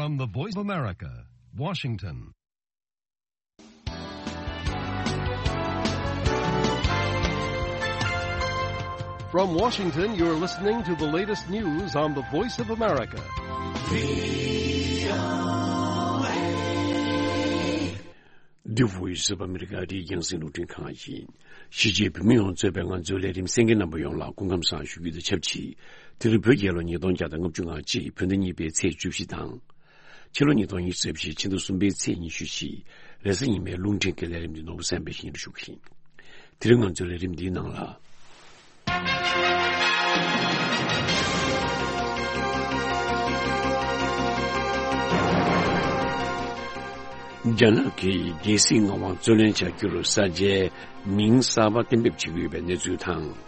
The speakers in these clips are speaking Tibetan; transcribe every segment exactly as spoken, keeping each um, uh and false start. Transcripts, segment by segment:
From the Voice of America, Washington. From Washington, you're listening to the latest news on the Voice of America. The Voice of America. འདི་རྒྱང་སྲིང་རླུང་འཕྲིན་ཁང་ཡིན། གཞིས་བྱེས་བོད་མི་ཡོངས་གཙོས་པའི་ང་ཚོའི་ལས་རིམ་གསན་མཁན་རྣམ་པ་ཡོངས་ལ་སྐུ་ཁམས་བཟང་ཞུ་རྒྱུ་དང་ཆབས་ཅིག་དེ་རིང་བོད་རྒྱལ་ལོ་ཉིས་སྟོང་བརྒྱ་དང་ལྔ་བཅུ་ང་གཅིག་བོད་ཟླ་གཉིས་པའི་ཚེས་བཅུ་བཞི་དང་། ཕྱི་ལོ་ཉིས་སྟོང་ཉི་ཤུ་རྩ་བཞི་ཕྱི་ཟླ་གསུམ་པའི་ཚེས་ཉི་ཤུ་བཞི། རེས་གཟའ་ཉི་མའི་རླུང་འཕྲིན་གྱི་ལས་རིམ་འདི་ནོར་བུ་བསམ་འཕེལ་ཞིང་ཞུགས་ཤིང་། དེ་རིང་ང་ཚོའི་ལས་རིམ་འདིའི་ནང་ལ། རྒྱ་ནག་གིས་རྒྱལ་སྲིད་མངའ་དབང་རྩོད་ལེན་བྱ་རྒྱུར་ས་ཆའི་མིང་གསར་པ་གཏན་འབེབས་བྱེད་ཀྱི་ཡོད་པའི་གནས་ཚུལ་དང་།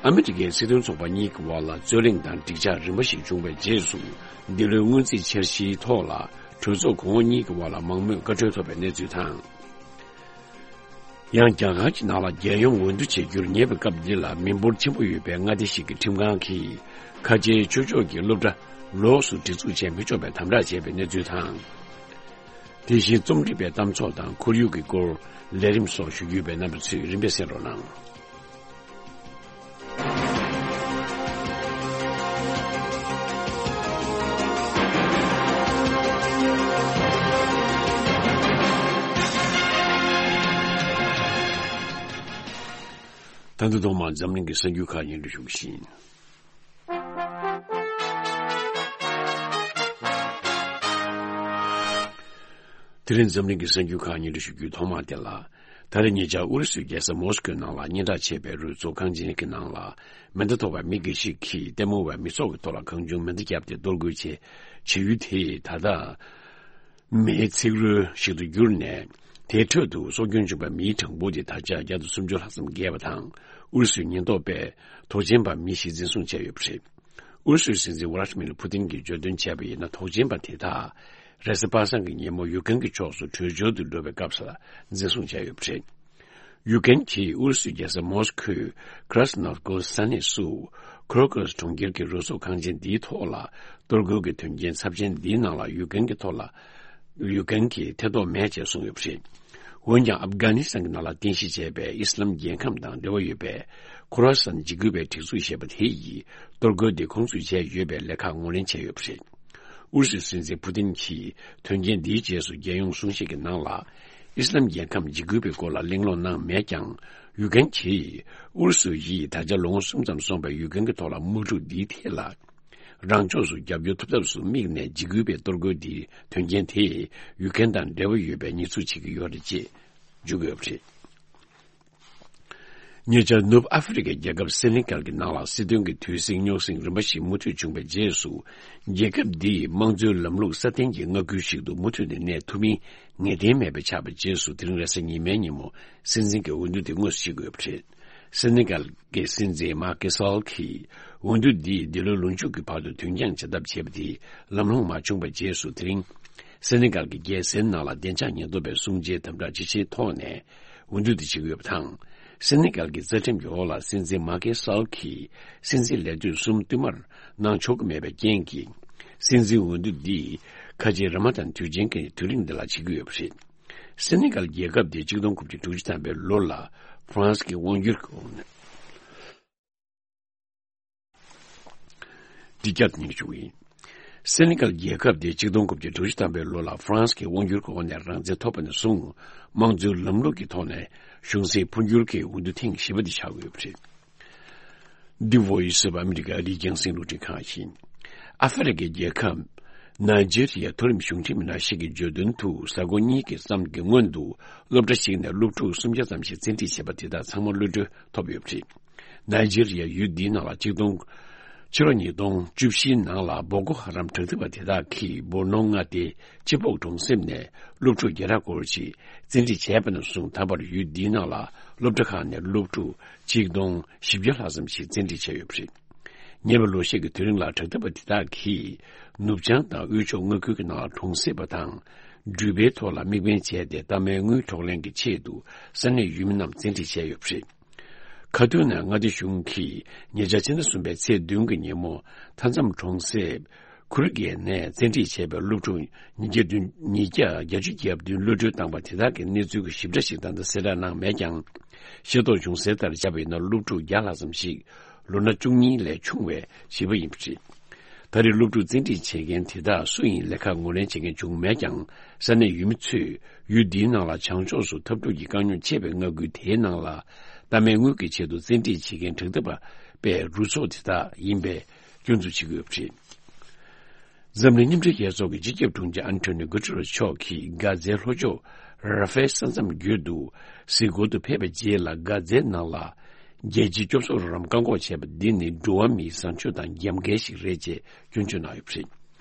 ཨ་མི་རི་ཀའི་སྲིད་དོན་ཚོགས་པ་གཉིས་ཀྱི་དབར་ལ་རྩོད་གླེང་དང་འགྲིག་འཆག་རིམ་པ་ཞིག་བྱུང་བའི་རྗེས་སུ། འདི་ལོའི་སྔོན་རྩིས་འཆར་གཞིའི་ཐོག་ལ་གྲོས་ཚོགས་གོང་འོག་གཉིས་ཀྱི་དབར་ལ་མང་མོས་བཀའ་འཁྲོལ་ཐོབ་པའི་གནས་ཚུལ་དང་། ཡང་རྒྱ་གར་གྱི་ནང་ལ་རྒྱལ་ཡོངས་འོས་བསྡུ་བྱེད་རྒྱུར་ཉེ་བའི་སྐབས་འདི་ལ་མི་འབོར་ཆེན་པོ་ཡོད་པའི་མངའ་སྡེ་ཞིག་གི་ཁྲིམས་ཁང་གིས་ཁ་ཆེའི་ཆོས་ཕྱོགས་ཀྱི་སློབ་གྲྭ་ལོགས་སུ་སྒྲིག་འཛུགས་བྱེད་མི་ཆོག་པའི་དམ་དྲག་བྱས་པའི་གནས་ཚུལ་དང་། དེ་བཞིན་རྩོམ་སྒྲིག་པའི་གཏམ་ཚོགས་དང་ཁོར་ཡུག་གི་སྐོར་ལས་རིམ་སོགས་ཞུ་རྒྱུ་ཡོད་པའི་རྣམ་པ་ཚོས་རིམ་པས་གསན་རོགས་གནང་། ད་དུང་ཐོག་མར་འཛམ་གླིང་གི་གསར་འགྱུར་ཁག་སྙན་སྒྲོན་ཞུ་གི་ཡིན། དེ་རིང་འཛམ་གླིང་གི་གསར་འགྱུར་ཁག་སྙན་སྒྲོན་ཞུ་རྒྱུའི་ཐོག་མ་དེ་ལ། ད་རེས་ཉེ་ཆར་ཨུ་རུ་སུའི་རྒྱལ་ས་མོ་སི་ཀོའི་ནང་ལ་སྙན་གྲགས་ཆེ་བའི་རོལ་ཚོགས་ཁང་ཆེན་གྱི་ནང་ལ་མེ་མདའ་ཐོགས་པའི་མི་འགའ་ཞིག་གིས་ལྟད་མོ་བའི་མི་ཚོགས་ཀྱི་ཐོག་ལ་གང་བྱུང་མེ་མདའ་བརྒྱབ་སྟེ་གཏོར་རྒོལ་བྱས། བྱེད་ཡུལ་དེ་ད་ལྟ་མེའི་ཚིག་རོལ་ཞིག་ཏུ་གྱུར་ནས། དེའི་ཁྲོད་དུ་སྲོག་སྐྱོན་བྱུང་བའི་མིའི་གྲངས་འབོར་དེ་ད་ཆ་བརྒྱ་དང་སུམ་ཅུ་ལྷག་ཙམ་བརྒལ་བ་དང་། ཨུ་རུ་སུའི་ཉེན་རྟོག་པས་དོགས་ཅན་པ་མི་ཞིག་འཛིན་བཟུང་བྱས་ཡོད་པ་རེད། ཨུ་རུ་སུའི་སྲིད་འཛིན་ཝ་ལ་ཏི་མིར་ཕུ་ཏིན་གྱིས་བརྗོད་དོན་བྱས་པ་ཡིན་ན། དོགས་ཅན་པ་དེ་དག་རེས་གཟའ་པ་སངས་ཀྱི་ཉིན་མོ་ཡུཀ་རེན་གྱི་ཕྱོགས་སུ་བྲོས་བྱོལ་དུ་འགྲོ་བའི་སྐབས་སུ་འཛིན་བཟུང་བྱས་ཡོད་པ་རེད། ཡུཀ་རེན་གྱིས་ཨུ་རུ་སུའི་རྒྱལ་ས་མོ་སི་ཁོའི་ཁྲ་སི་ནོབ་ཀོ་ས་གནས་སུ་ཁོ་རོ་ཀོ་སི་གྲོང་ཁྱེར་གྱི་རོལ་ཚོགས་ཁང་ཆེན་འདིའི་ཐོག་ལ་གཏོར་རྒོལ་གྱི་དོན་རྐྱེན་ཚབས་ཆེན་འདིའི་ནང་ལ་ཡུཀ་རེན་གྱི་ཐོག་ལ། ཡུཀ་རེན་གྱིས་ཐེ་གཏོགས་མེད་ཅེས་གསུངས་ཡོད་པ་རེད། འོན་ཀྱང་ཨབ་གྷ་ནི་སི་ཐན་གྱི་ནང་ལ་རྟེན་གཞི་བྱས་པའི་ཨི་སི་ལམ་རྒྱལ་ཁམས་དང་འབྲེལ་བ་ཡོད་པའི་ཁོ་ར་སན་འཇིགས་སྐུལ་བའི་སྒྲིག་འཛུགས་ཞེས་པ་དེ་ཡིས་གཏོར་རྒོལ་འདི་ཁོང་ཚོས་བྱས་ཡོད་པའི་ལས་ཁག་ངོས་ལེན་བྱས་ཡོད་པ་རེད། ཨུ་རུ་སུའི་སྲིད་འཛིན་ཕུ་ཏིན་གྱིས་དོན་རྐྱེན་འདིའི་རྗེས་སུ་རྒྱལ་ཡོངས་གསུང་བཤད་ཀྱི་ནང་ལ། ཨི་སི་ལམ་རྒྱལ་ཁམས་འཇིགས་སྐུལ་བའི་སྐོར་ལ་གླེང་སློང་གནང་མེད་ཀྱང་། ཡུཀ་རེན་གྱིས་ཨུ་རུ་སུ་ཡིས་ད་ཆ་ལོ་ངོ་གསུམ་ཙམ་སོང་བའི་ཡུཀ་རེན་གྱི་ཐོག་ལ་དམག་འཁྲུག་འདིའི་ཐད་ལ། རང་ཕྱོགས་སུ་རྒྱབ་སྐྱོར་ཐུབ་ཐབས་སུ་དམིགས་ནས་འཇིགས་སྐུལ་བའི་གཏོར་རྒོལ་འདིའི་དོན་རྐྱེན་དེས་ཡུཀ་རེན་དང་འབྲེལ་བ་ཡོད་པའི་ཉེས་འཛུགས་བྱེད་ཀྱི་ཡོད་རེད་ཅེས་བརྗོད་ཀྱི་ཡོད་པ་རེད། ཉེ་ཆར་ནུབ་ཨ་ཧྥེ་རི་ཁའི་རྒྱལ་ཁབ་སེ་ནེ་གལ་གྱི་ནང་ལ་སྲིད་དོན་གྱི་དུས་ཟིང་རྙོག་ཟིང་རིམ་པ་ཞིག་མུ་མཐུད་བྱུང་བའི་རྗེས་སུ། རྒྱལ་ཁབ་འདིས་དམངས་གཙོའི་ལམ་ལུགས་སྲ་བརྟན་གྱི་མངའ་ཁུལ་ཞིག་ཏུ་མུ་མཐུད་ནས་གནས་ཐུབ་མིན་ངེས་གཏན་མེད་པ་ཆགས་པའི་རྗེས་སུ། དེ་རིང་རེས་གཟའ་ཉི་མའི་ཉིན་མོ་སྲིད་འཛིན་གྱི་འོས་བསྡུ་དེ་དངོས་སུ་བྱེད་དགོས་པ་རེད། སེ་ནེ་གལ་གྱི་སྲིད་འཛིན་མཱ་ཀེ་སཱལ་གྱིས་འོས་བསྡུ་འདིས་འདི་ལོའི་ལོ་མཇུག་གི་བར་དུ་དོན་འཁྱོངས་བྱ་ཐབས་བྱས་པ་དེ་ལམ་ལྷོང་མ་བྱུང་བའི་རྗེས་སུ། དེ་རིང་སེ་ནེ་གལ་གྱི་རྒྱལ་སའི་ནང་ལ་བདེ་འཇགས་ཉེན་རྟོག་པས་སྲུང་བྱའི་དམ་དྲག་ཇི་ཆེའི་ཐོག་ནས་འོས་བསྡུ་དེ་བྱེད་ཀྱི་ཡོད་པ་དང་། སེ་ནེ་གལ་གྱི་རྩ་ཁྲིམས་ཀྱི་འོག་ལ་སྲིད་འཛིན་མཱ་ཀེ་སཱལ་གྱིས་སྲིད་འཛིན་ལས་དུས་གསུམ་བསྟུད་མར་གནང་ཆོག་གི་མེད་པའི་རྐྱེན་གྱིས། སྲིད་འཛིན་འོས་བསྡུ་འདི་ཁ་ཆེའི་ར་མ་དན་དུས་ཆེན་གྱི་དུས་རིང་འདི་ལ་བྱེད་ཀྱི་ཡོད་པ་རེད། སེ་ནེ་གལ་རྒྱལ་ཁབ་དེ་གཅིག་སྟོང་དགུ་བརྒྱ་དྲུག་ཅུ་ཐམ་པའི་ལོ་ལ་ཧྥ་རན་སི་གི་དབང་སྒྱུར་གྱི་འོག་ནས། འདི་བསྐྱར་དུ་སྙན་ཞུ་ཡིན། སེ་ནེ་གལ་རྒྱལ་ཁབ་དེ་གཅིག་སྟོང་དགུ་བརྒྱ་དྲུག་ཅུ་ཐམ་པའི་ལོ་ལ་ཧྥ་རན་སི་གི་དབང་སྒྱུར་གྱི་འོག་ནས་རང་བཙན་ཐོབ་པ་ནས་བཟུང་། དམངས་གཙོའི་ལམ་ལུགས་ཀྱི་ཐོག་ནས་གཞུང་སྲིད་འཕོ་འགྱུར་གྱི་འོས་བསྡུ་ཐེངས་བཞི་པ་འདི་ཆགས་ཡོད་པ་རེད། འདི་Voice of America རྒྱང་སྲིང་རླུང་འཕྲིན་ཁང་ཡིན། ཨ་ཧྥེ་རི་ཁའི་རྒྱལ་ཁབ་ནཱི་ཇི་རི་ཡའི་མཐོ་རིམ་གཞུང་འབྲེལ་མི་སྣ་ཞིག་གིས་བརྗོད་དོན་དུ། གཟའ་འཁོར་གཉིས་ཀྱི་མཚམས་ཀྱི་སྔོན་དུ་སློབ་གྲྭ་ཞིག་ནས་སློབ་ཕྲུག་སུམ་བརྒྱ་ཙམ་ཞིག་བཙན་ཁྲིད་བྱས་པ་དེ་དག་ཚང་མ་གློད་གྲོལ་ཐོབ་ཡོད་པ་རེད། ནཱི་ཇི་རི་ཡའི་ཡུལ་འདིའི་ནང་ལ་གཅིག་སྟོང་། ཕྱི་ལོ་ཉིས་སྟོང་བཅུ་བཞིའི་ནང་ལ་བོ་ཀོ་ཧ་རམ་དྲག་འཐབ་པ་དེ་དག་གིས་སྦོ་ནོ་མངའ་སྡེའི་སྤྱི་ཕོག་གྲོང་གསེབ་ནས་སློབ་ཕྲུག་བརྒྱ་ཕྲག་སྐོར་ཞིག་བཙན་ཁྲིད་བྱས་པ་ནས་བཟུང་། ད་བར་ཡུལ་འདིའི་ནང་ལ་སློབ་གྲྭ་ཁག་ནས་སློབ་ཕྲུག་གཅིག་སྟོང་བཞི་བརྒྱ་ལྷག་ཙམ་ཞིག་བཙན་ཁྲིད་བྱས་ཡོད་པ་རེད། ཉེ་བའི་ལོ་ཤས་ཀྱི་དུས་རིང་ལ་དྲག་འཐབ་པ་དེ་དག་གིས་ནུབ་བྱང་དང་དབུས་ཕྱོགས་མངའ་ཁུལ་གྱི་ནང་ལ་གྲོང་གསེབ་པ་དང་འགྲུལ་པའི་ཐོག་ལ་དམིགས་འབེན་བྱས་ཏེ། གཏའ་མའི་དངུལ་འཕྲོག་ལེན་གྱི་ཆེད་དུ་ས་གནས་ཡུལ་མི་རྣམས་བཙན་ཁྲིད་བྱས་ཡོད་པ་རེད། ཁ་ཐུག་ནས་མངའ་སྡེ་གཞུང་གིས་ཉེ་ཆར་ཕྱི་ཟླ་གསུམ་པའི་ཚེས་བདུན་གྱི་ཉིན་མོ་མཐའ་མཚམས་གྲོང་གསེབ་ ཁུ་རི་གེ་ནས་བཙན་ཁྲིད་བྱས་པའི་སློབ་ཕྲུག་ཉིས་བརྒྱ་བདུན། ཉིས་བརྒྱ་བརྒྱད་ཅུ་གྱ་བདུན་གློད་གྲོལ་བཏང་པ་དེ་དག་གི་གནས་ཚུལ་གྱི་ཞིབ་ཕྲ་ཞིག་ད་ལྟ་གསལ་བསྒྲགས་གནང་མེད་ཀྱང་། ཤེས་རྟོགས་བྱུང་གསལ་ལྟར་བྱས་པ་ཡིན་ན། སློབ་ཕྲུག་བརྒྱ་ལྷག་ཙམ་ཞིག་ལོ་ན་བཅུ་གཉིས་ལས་ཆུང་བའི་བྱིས་པ་ཡིན་པ་རེད། ད་རེས་སློབ་ཕྲུག་བཙན་ཁྲིད་བྱེད་མཁན་དེ་དག་སུ་ཡིན་ལས་ཀ་ངོས་ལེན་བྱེད་མཁན་བྱུང་མེད་ཀྱང་། ས་གནས་ཡུལ་མི་ཚོས་ཡུལ་འདིའི་ནང་ལ་བྱང་ཕྱོགས་སུ་འཐབ་འཁྲུག་གི་དཀའ་རྙོག་ཆེ་བའི་མངའ་ཁུལ་དེའི་ནང་ལ་གཏའ་མའི་དངུལ་གྱི་ཆེད་དུ་བཙན་ཁྲིད་བྱེད་མཁན་དྲག་འཐབ་པའི་རུ་ཚོགས་དེ་དག་ཡིན་པའི་སྐྱོན་འཛུགས་བྱེད་ཀྱི་ཡོད་པ་རེད། འཛམ་གླིང་མཉམ་འབྲེལ་རྒྱལ་ཚོགས་ཀྱི་སྤྱི་ཁྱབ་དྲུང་ཆེ་ཨན་ཐོ་ནི་གུ་ཏེ་རེས་མཆོག་གིས་གྷ་ཛའི་ལྷོ་ཕྱོགས་ར་ཧྥེལ་ས་མཚམས་བརྒྱུད་དུ་གཟིགས་སྐོར་དུ་ཕེབས་པའི་རྗེས་ལ། གྷ་ཛའི་ནང་ལ་རྒྱལ་སྤྱིའི་སྐྱོབ་གསོ་རོགས་རམ་བཀག་འགོག་བྱས་པ་འདི་ནི་འགྲོ་བ་མིའི་བཟང་སྤྱོད་དང་རྒྱབ་འགལ་ཞིག་རེད་ཅེས་སྐྱོན་བརྗོད་གནང་ཡོད་པ་རེད།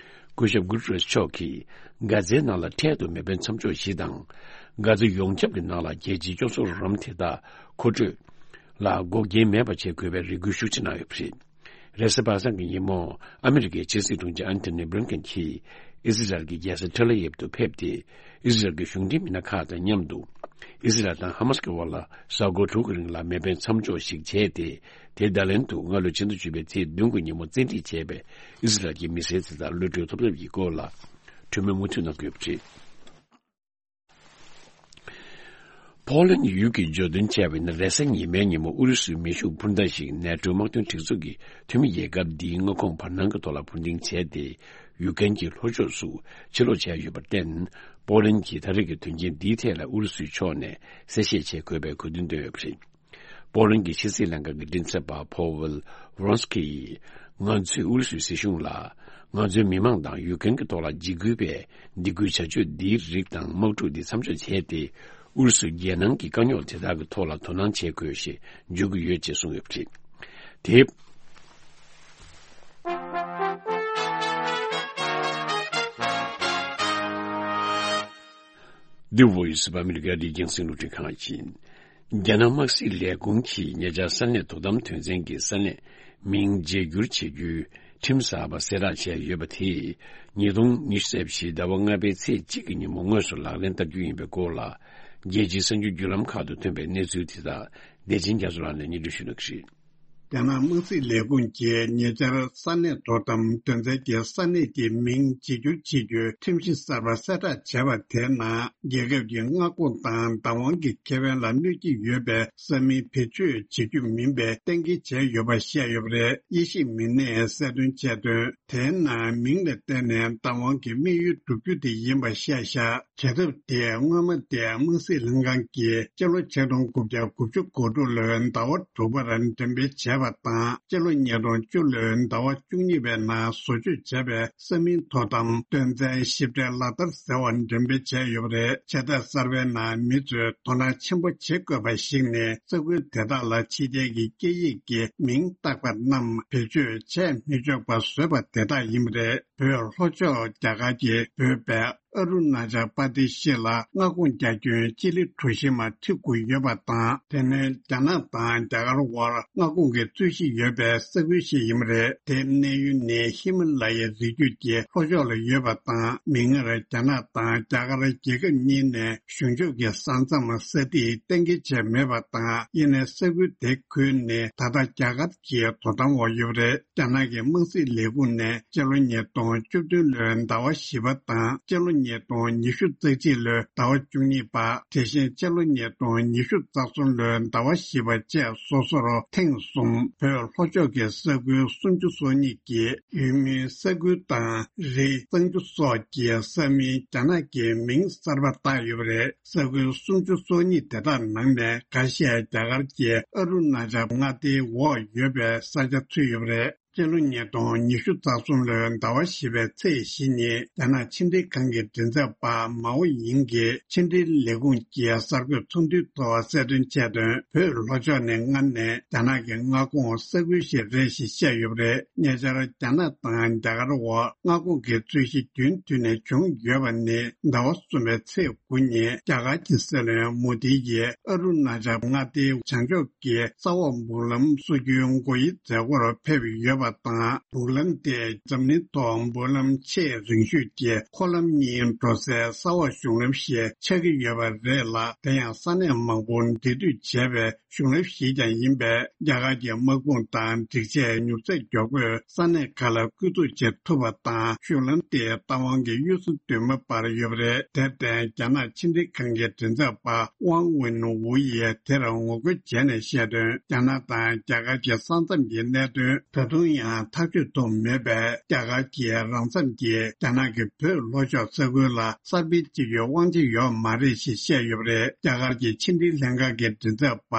སྐུ་ཞབས་གུ་ཏེ་རེས་མཆོག་གིས་གྷ་ཛའི་ནང་ལ་འཕྲལ་དུ་མེ་འཕེན་མཚམས་འཇོག་ཞིག་དང་། གྷ་ཛ་ཡོངས་ཁྱབ་ཀྱི་ནང་ལ་རྒྱལ་སྤྱིའི་སྐྱོབ་གསོ་རོགས་རམ་དེ་དག་མཁོ་སྤྲོད་ལ་འགོག་རྐྱེན་མེད་པ་བྱེད་དགོས་པའི་རེ་སྐུལ་ཤུགས་ཆེ་གནང་ཡོད་པ་རེད། རེས་གཟའ་པ་སངས་ཀྱི་ཉིན་མོ། ཨ་མི་རི་ཀའི་ཕྱི་སྲིད་དྲུང་ཆེ་ཨན་ཐོ་ནི་བྷི་ལིན་ཀེན་གྱིས་ཨི་ཟི་རལ་གྱི་རྒྱལ་ས་ཐེལ་ཨ་ཝིབ་ཏུ་ཕེབས་ཏེ། ཨི་ཟི་རལ་གྱི་གཞུང་འབྲེལ་མི་སྣ་ཁག་དང་མཉམ་དུ། ཨི་ཟི་རལ་དང་ཧ་མ་སི་ཀྱི་དབར་ལ་གཟའ་འཁོར་དྲུག་གི་རིང་ལ་མེ་འཕེན་མཚམས་འཇོག་ཞིག་བྱས་ཏེ། དེ་ད་ལན་དུ་སྔ་ལོའི་ཕྱི་ཟླ་བཅུ་པའི་ཚེས་བདུན་གྱི་ཉིན་མོ་བཙན་ཁྲིད་བྱས་པའི་ཨི་ཟི་རལ་གྱི་མི་སེར་དེ་དག་གློད་གྲོལ་ཐོབ་ཐབས་ཀྱི་སྐོར་ལ་གྲོས་མོལ་མུ་མཐུད་གནང་གི་ཡོད་པ་རེད། ཕོ་ལན་ཡུལ་གྱི་བརྗོད་དོན་བྱས་པ་ཡིན་ན། རེས་གཟའ་ཉི་མའི་ཉིན་མོ་ཨུ་རུ་སུའི་མེ་ཤུགས་འཕུར་མདའ་ཞིག་ནེ་ཊོའི་དམག་དོན་སྒྲིག་འཛུགས་ཀྱི་འཐུས་མི་རྒྱལ་ཁབ་འདིའི་མངའ་ཁོངས་བར་སྣང་གི་ཐོག་ལ་འཕུར་འདེགས་བྱས་ཏེ། ཡུ་ཀེན་གྱི་ལྷོ་ཕྱོགས་སུ་ཕྱིར་ལོག་བྱས་ཡོད་པར་བརྟེན། པོ་ལན་གྱིས་ད་རེས་ཀྱི་དོན་རྐྱེན་འདིའི་ཐད་ལ་ཨུ་རུ་སུའི་ཕྱོགས་ནས་གསལ་བཤད་བྱེད་དགོས་པའི་དགོས་འདུན་བཏོན་ཡོད་པ་རེད། པོ་ལན་གྱི་ཕྱི་སྲིད་ལྷན་ཁང་གི་མགྲིན་ཚབ་པ་ཕོ་ཝེལ་ཝོ་རོན་སི་ཀི་ཡིས། ང་ཚོས་ཨུ་རུ་སུའི་སྲིད་གཞུང་ལ། ང་ཚོའི་མི་མང་དང་ཡུ་ཀེན་གྱི་ཐོག་ལ་འཇིགས་སྐུལ་བའི་སྡིགས་སྐུལ་བྱ་སྤྱོད་འདིའི་རིགས་དང་དམག་འཁྲུག་འདི་མཚམས་འཇོག་བྱས་ཏེ། ཨུ་རུ་སུའི་རྒྱལ་ནང་གི་དཀའ་རྙོག་དེ་དག་གི་ཐོག་ལ་དོ་སྣང་བྱེད་དགོས་ཞེས་བརྗོད་ཀྱི་ཡོད་ཅེས་གསུངས་ཡོད་པ་རེད། དེ། The Voice of America འདི་རྒྱང་སྲིང་རླུང་འཕྲིན་ཁང་ཡིན། རྒྱ་ནག་དམག་སྲིད་ལས་ཁུངས་ཀྱིས་ཉེ་ཆར་ས་གནས་དོ་དམ་དོན་ཚན་གྱི་ས་གནས་མིང་བརྗེ་བསྒྱུར་བྱེད་རྒྱུའི་ཁྲིམས་གསར་པ་གསལ་བསྒྲགས་བྱས་ཡོད་པ་དེས། ཉིས་སྟོང་ཉི་ཤུ་རྩ་བཞི་ཟླ་བ་ལྔ་པའི་ཚེས་གཅིག་གི་ཉིན་མོ་དངོས་སུ་ལག་ལེན་བསྟར་རྒྱུ་ཡིན་པའི་སྐོར་ལ། རྒྱལ་སྤྱིའི་གསར་འགྱུར་བརྒྱུད་ལམ་ཁག་ཏུ་ཐོན་པའི་གནས་ཚུལ་དེ་དག་བདེ་ཆེན་རྒྱ་མཚོ་ལགས་ནས་སྙན་སྒྲོན་ཞུ་གནང་གི་རེད། རྒྱ་ནག་དམག་སྲིད་ལས་ཁུངས་ཀྱིས་ཉེ་ཆར་ས་གནས་དོ་དམ་དོན་ཚན་གྱི་ས་གནས་ཀྱི་མིང་བརྗེ་བསྒྱུར་བྱེད་རྒྱུའི་ཁྲིམས་གཞི་གསར་པ་གསལ་བསྒྲགས་བྱས་པ་དེའི་ནང་། རྒྱལ་ཁབ་ཀྱི་མངའ་ཁོངས་དང་བདག་དབང་གི་ཁེ་ཕན་ལ་གནོད་ཀྱི་ཡོད་པའི་ས་མིང་བེད་སྤྱོད་བྱེད་རྒྱུ་མིན་པའི་གཏན་འཁེལ་བྱས་ཡོད་པ་བཤད་ཡོད་པ་རེད། དབྱེ་ཞིབ་མི་སྣས་གསལ་སྟོན་བྱས་དོན། དེའི་ནང་མིང་ལ་བརྟེན་ནས་བདག་དབང་གི་དམིགས་ཡུལ་བསྒྲུབ་རྒྱུ་དེ་ཡིན་པ་བཤད་བཞག་བྱ་ཐབས་དེ་སྔོན་མ་དེ་དམག་སྲིད་ལྷན་ཁང་གིས་སྤྱི་ལོ་ཆིག་སྟོང་དགུ་བརྒྱ་དགུ་བཅུ་གོ་དྲུག་ལོའི་ཟླ་བ་དྲུག་པར་འགྲེམས་སྤེལ་བྱས་པ་དང་། སྤྱི་ལོ་ཉིས་སྟོང་བཅུ་ལོའི་ཟླ་བ་བཅུ་གཉིས་པའི་ནང་བཟོ་བཅོས་བྱས་པའི་ས་མིང་དོ་དམ་དོན་ཚན་ཞིབ་ཕྲའི་ལག་བསྟར་ཟེར་བ་འགྲེམས་སྤེལ་བྱས་ཡོད་པ་རེད། བྱེད་ཐབས་གསར་པའི་ནང་མི་ཚོས་དོ་སྣང་ཆེན་པོ་བྱེད་དགོས་པ་ཞིག་ནི། ས་ཁུལ་དེ་དག་ལ་ཕྱི་རྒྱལ་གྱི་སྐད་ཡིག་གི་མིང་བཏགས་པ་རྣམས་བེད་སྤྱོད་བྱས་མི་ཆོག་པ་བཟོས་པ་དེ་དག་ཡིན་པ་རེད། བོད་ལྷོ་ཕྱོགས་རྒྱ་གར་གྱི་བོད་པའི་ཨ་རུ་ན་ཅལ་པ་དི་ཤི་ལ་མངའ་ཁོངས་རྒྱ་ཁྱོན་སྤྱི་ལེ་གྲུ་བཞི་མ་ཁྲི་དགུ་ཡོད་པ་དང་། དེ་ནི་རྒྱ་ནག་དང་རྒྱ་གར་དབར་མངའ་ཁོངས་ཀྱི་རྩོད་གཞི་ཡོད་པའི་ས་ཁུལ་ཞིག་ཡིན་པ་རེད། དེའི་གནས་ཡུལ་ནི་ཧི་མ་ལ་ཡའི་རི་རྒྱུད་ཀྱི་ལྷོ་ཕྱོགས་ལ་ཡོད་པ་དང་། མིག་སྔར་རྒྱ་ནག་དང་རྒྱ་གར་རྒྱལ་ཁབ་གཉིས་ནས་གཞུང་ཕྱོགས་ཀྱི་ས་མཚམས་ས་ཐིག་གཏན་འཁེལ་བྱས་མེད་པ་དང་། ཡིན་ནའི་ས་ཁུལ་དེ་ཁུལ་ནི་ད་ལྟ་རྒྱ་གར་གྱི་དོ་དམ་འོག་ཡོད་པ་རེད། རྒྱ་ནག་གི་དམག་སྲིད་ལས་ཁུངས་ནས་སྤྱི་ལོ་ཉིས་སྟོང་བཅུ་བདུན་ལོའི་ཟླ་བ་བཞི་པ་དང་། སྤྱི་ལོ་ཉིས་སྟོང་ཉི་ཤུ་རྩ་གཅིག་ལོའི་ཟླ་བ་བཅུ་གཉིས་པ། དེ་བཞིན་སྤྱི་ལོ་ཉིས་སྟོང་ཉི་ཤུ་རྩ་གསུམ་ལོའི་ཟླ་བ་བཞི་པ་བཅས་སོ་སོར་ཐེངས་གསུམ་བོད་ལྷོ་ཕྱོགས་ཀྱི་ས་ཁུལ་སུམ་ཅུ་སོ་གཉིས་ཀྱི་ཡུལ་མིའི་ས་ཁུལ་དང་རི་གཙང་ཆུ་སོགས་ཀྱི་ས་མིང་རྒྱ་ནག་གི་མིང་གསར་པ་བཏགས་ཡོད་པ་རེད། ས་ཁུལ་སུམ་ཅུ་སོ་གཉིས་དེ་དག་ནང་ནས་ཁ་ཤས་རྒྱ་གར་གྱི་ཨ་རུ་ན་ཅལ་མངའ་སྡེའི་འོག་ཡོད་པའི་ས་ཆ་ཚུད་ཡོད་པ་རེད། སྤྱི་ལོ་ཉིས་སྟོང་ཉི་ཤུ་རྩ་གསུམ་ལོའི་ཟླ་བ་བཞི་པའི་ཚེས་བཞི་ཉིན། རྒྱ་ནག་ཕྱི་འབྲེལ་ཁང་གི་མགྲིན་ཚབ་པ་མའོ་ཡིང་གིས་ཕྱི་འབྲེལ་ལས་ཁུངས་ཀྱི་གསར་འགོད་ཚོགས་འདུའི་ཐོག་གསལ་སྟོན་བྱས་དོན། བོད་ལྷོ་ཕྱོགས་ནི་སྔར་ནས་རྒྱ་ནག་གི་མངའ་ཁོངས་ས་ཁུལ་ཞིག་རེད་ཞེས་བཤད་ཡོད་པ་རེད། ཉེ་ཆར་རྒྱ་ནག་དང་རྒྱ་གར་འོག་མངའ་ཁོངས་ཀྱི་རྩོད་གཞི་རྒྱུན་མཐུད་ནས་བྱུང་ཡོད་པ་ནི། ཟླ་བ་གསུམ་པའི་ཚེས་དགུ་ཉིན་རྒྱ་གར་གྱི་སྲིད་བློན་མོ་དི་ཡིས་ཨ་རུ་ན་ཅལ་མངའ་སྡེའི་བྱང་ཕྱོགས་ཀྱི་ས་འོག་སྨུག་ལམ་སོ་བརྒྱད་འགོ་དབྱེའི་མཛད་སྒོར་ཕེབས་ཡོད་པ། པ་དང་། སྦུག་ལམ་དེ་འཛམ་གླིང་ཐོག་སྦུག་ལམ་ཆེས་རིང་ཤོས་ཀྱི་འཁོར་ལམ་གཉིས་འགྲོ་སའི་ས་འོག་གཞུང་ལམ་ཞིག་ཆགས་ཀྱི་ཡོད་པ་རེད་ལ། དེ་ཡང་ས་གནས་མང་པོར་འབྲེལ་མཐུད་བྱས་པའི་གཞུང་ལམ་ཞིག་ཀྱང་ཡིན་པས། རྒྱ་གར་གྱི་དམག་དཔུང་དང་སྒྲིག་ཆས་མྱུར་ཚད་མགྱོགས་པོས་ས་གནས་ཁག་ལ་བསྐུལ་ཚོགས་བྱེད་ཐུབ་པ་དང་། གཞུང་ལམ་དེའི་རྟ་དབང་གི་གཡུལ་ས་བདུན་མ་བར་ཡོད་པ་རེད། དེར་བརྟེན། རྒྱ་ནག་ཕྱི་འབྲེལ་ཁང་གི་མགྲིན་ཚབ་པ་ཝང་ཝིན་ཝུ་ཡིས་དེར་ངོ་རྒོལ་བྱས་ནས་བཤད་དོན། རྒྱ་ནག་དང་རྒྱ་གར་གྱི་ས་མཚམས་ཀྱི་གནད་དོན་ད་དུང་ཡང་ཐག་གཅོད་ཐུབ་མེད་པས། རྒྱ་གར་གྱི་རང་མཚམས་ཀྱི་རྒྱ་ནག་གི་བོད་ལྷོ་ཕྱོགས་ས་ཁུལ་ལ་གསར་སྤེལ་བྱེད་རྒྱུའི་དབང་ཆ་ཡོད་མ་རེད་ཞེས་བཤད་ཡོད་པ་རེད། རྒྱ་གར་གྱི་ཕྱི་འབྲེལ་ལྷན་ཁང་གི་མགྲིན་ཚབ་པ་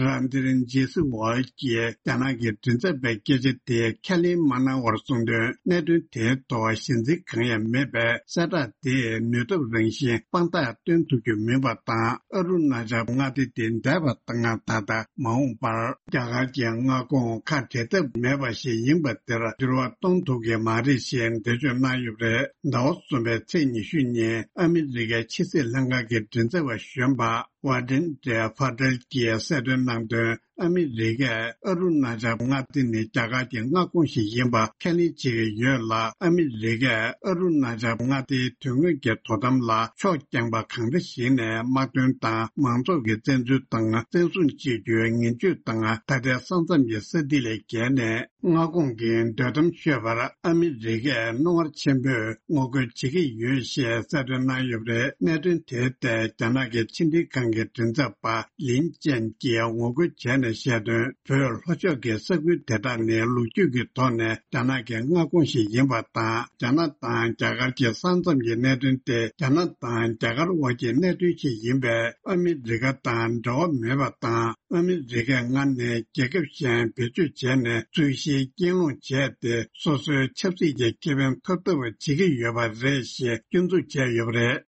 རན་དིར་ཇེ་སི་ཝལ་གྱིས་རྒྱ་ནག་གི་མགྲིན་ཚབ་པའི་སྐད་ཆ་དེ་ཁས་ལེན་མ་གནང་བར་གསུངས་དོན། གནད་དོན་དེའི་ཐོག་ཞེན་འཛིན་གང་ཡང་མེད་པས། གསལ་བསྒྲགས་དེས་ནུས་སྟོབས་རང་བཞིན་དཔང་རྟགས་སྟོན་ཐུབ་རྒྱུ་མིན་པ་དང་། ཨ་རུ་ན་ཅལ་མངའ་སྡེ་དེ་འདས་པ་དང་ད་ལྟ་མ་འོངས་པར་རྒྱ་གར་གྱི་མངའ་ཁོངས་ཁ་བྲལ་ཐབས་མེད་པ་ཞིག་ཡིན་པ་དེར་འགྱུར་བ་གཏོང་ཐུབ་ཀྱི་མ་རེད་ཞེས་འགྲེལ་བརྗོད་གནང་ཡོད་པ་རེད། ཟླ་བ་གསུམ་པའི་ཚེས་ཉི་ཤུ་ཉིན་ཨ་མི་རི་ཀའི་ཕྱི་སྲིད་ལྷན་ཁང་གི་མགྲིན་ཚབ་པ་གཞོན་པ་ཝ་ཏན་ཏྲེ་ཕ་ཏེལ་གྱིས་གསལ་སྟོན་གནང་དོན། ཨ་མི་རི་ཀས་ཨ་རུ་ན་ཅལ་མངའ་སྡེ་ནི་རྒྱ་གར་གྱི་མངའ་ཁོངས་ཤིག་ཡིན་པ་ཁས་ལེན་བྱེད་ཀྱི་ཡོད་ལ། ཨ་མི་རི་ཀས་ཨ་རུ་ན་ཅལ་མངའ་སྡེའི་དོན་དངོས་ཀྱི་དོ་དམ་ལ་ཕྱོགས་རྐྱང་པ་གང་འདྲ་ཞིག་ནས་དམག་དོན་དང་མང་ཚོགས་ཀྱི་བཙན་འཛུལ་དང་བཙན་བཟུང་བྱེད་རྒྱུའི་ངན་ཇུས་དང་། ད་ལྟའི་ས་མཚམས་ཀྱི་ས་ཐིག་ལས་བརྒལ་ནས་མངའ་ཁོངས་ཀྱི་འདོད་གཏམ་ཤོད་པར་ཨ་མི་རི་ཀས་རྣོ་ངར་ཆེན་པོས་ངོ་རྒོལ་བྱེད་ཀྱི་ཡོད་ཞེས་གསལ་སྟོན་གནང་ཡོད་པ་རེད། གནད་དོན་དེའི་ཐད་རྒྱ་ནག་གི་ཕྱི་འབྲེལ་ཁང་གི་མགྲིན་ཚབ་པ་ལིན་ཅན་གྱིས་ངོ་རྒོལ་བྱས་ནས་བཤད་དོན། བོད་ལྷོ་ཕྱོགས་ཀྱི་ས་ཁུལ་དེ་དག་ནི་ལོ་རྒྱུས་ཀྱི་ཐོག་ནས་རྒྱ་ནག་གི་མངའ་ཁོངས་ཤིག་ཡིན་པ་དང་། རྒྱ་ནག་དང་རྒྱ་གར་གྱི་ས་མཚམས་ཀྱི་གནད་དོན་དེ་རྒྱ་ནག་དང་རྒྱ་གར་དབར་གྱི་གནད་དོན་ཞིག་ཡིན་པས། ཨ་མི་རི་ཀ་དང་འབྲེལ་བ་མེད་པ་དང་། ཨ་མི་རི་ཀས་སྔར་ནས་རྒྱལ་ཁབ་གཞན་བེད་སྤྱོད་བྱས་ནས་རྩོད་གཞིའི་རྐྱེན་སློང་བྱས་ཏེ། སོ་སོའི་ཆབ་སྲིད་ཀྱི་ཁེ་ཕན་ཐོབ་ཐབས་བྱེད་ཀྱི་ཡོད་པ་རེད་ཞེས་སྐྱོན་འཛུགས་བྱས་ཡོད་པ་རེད།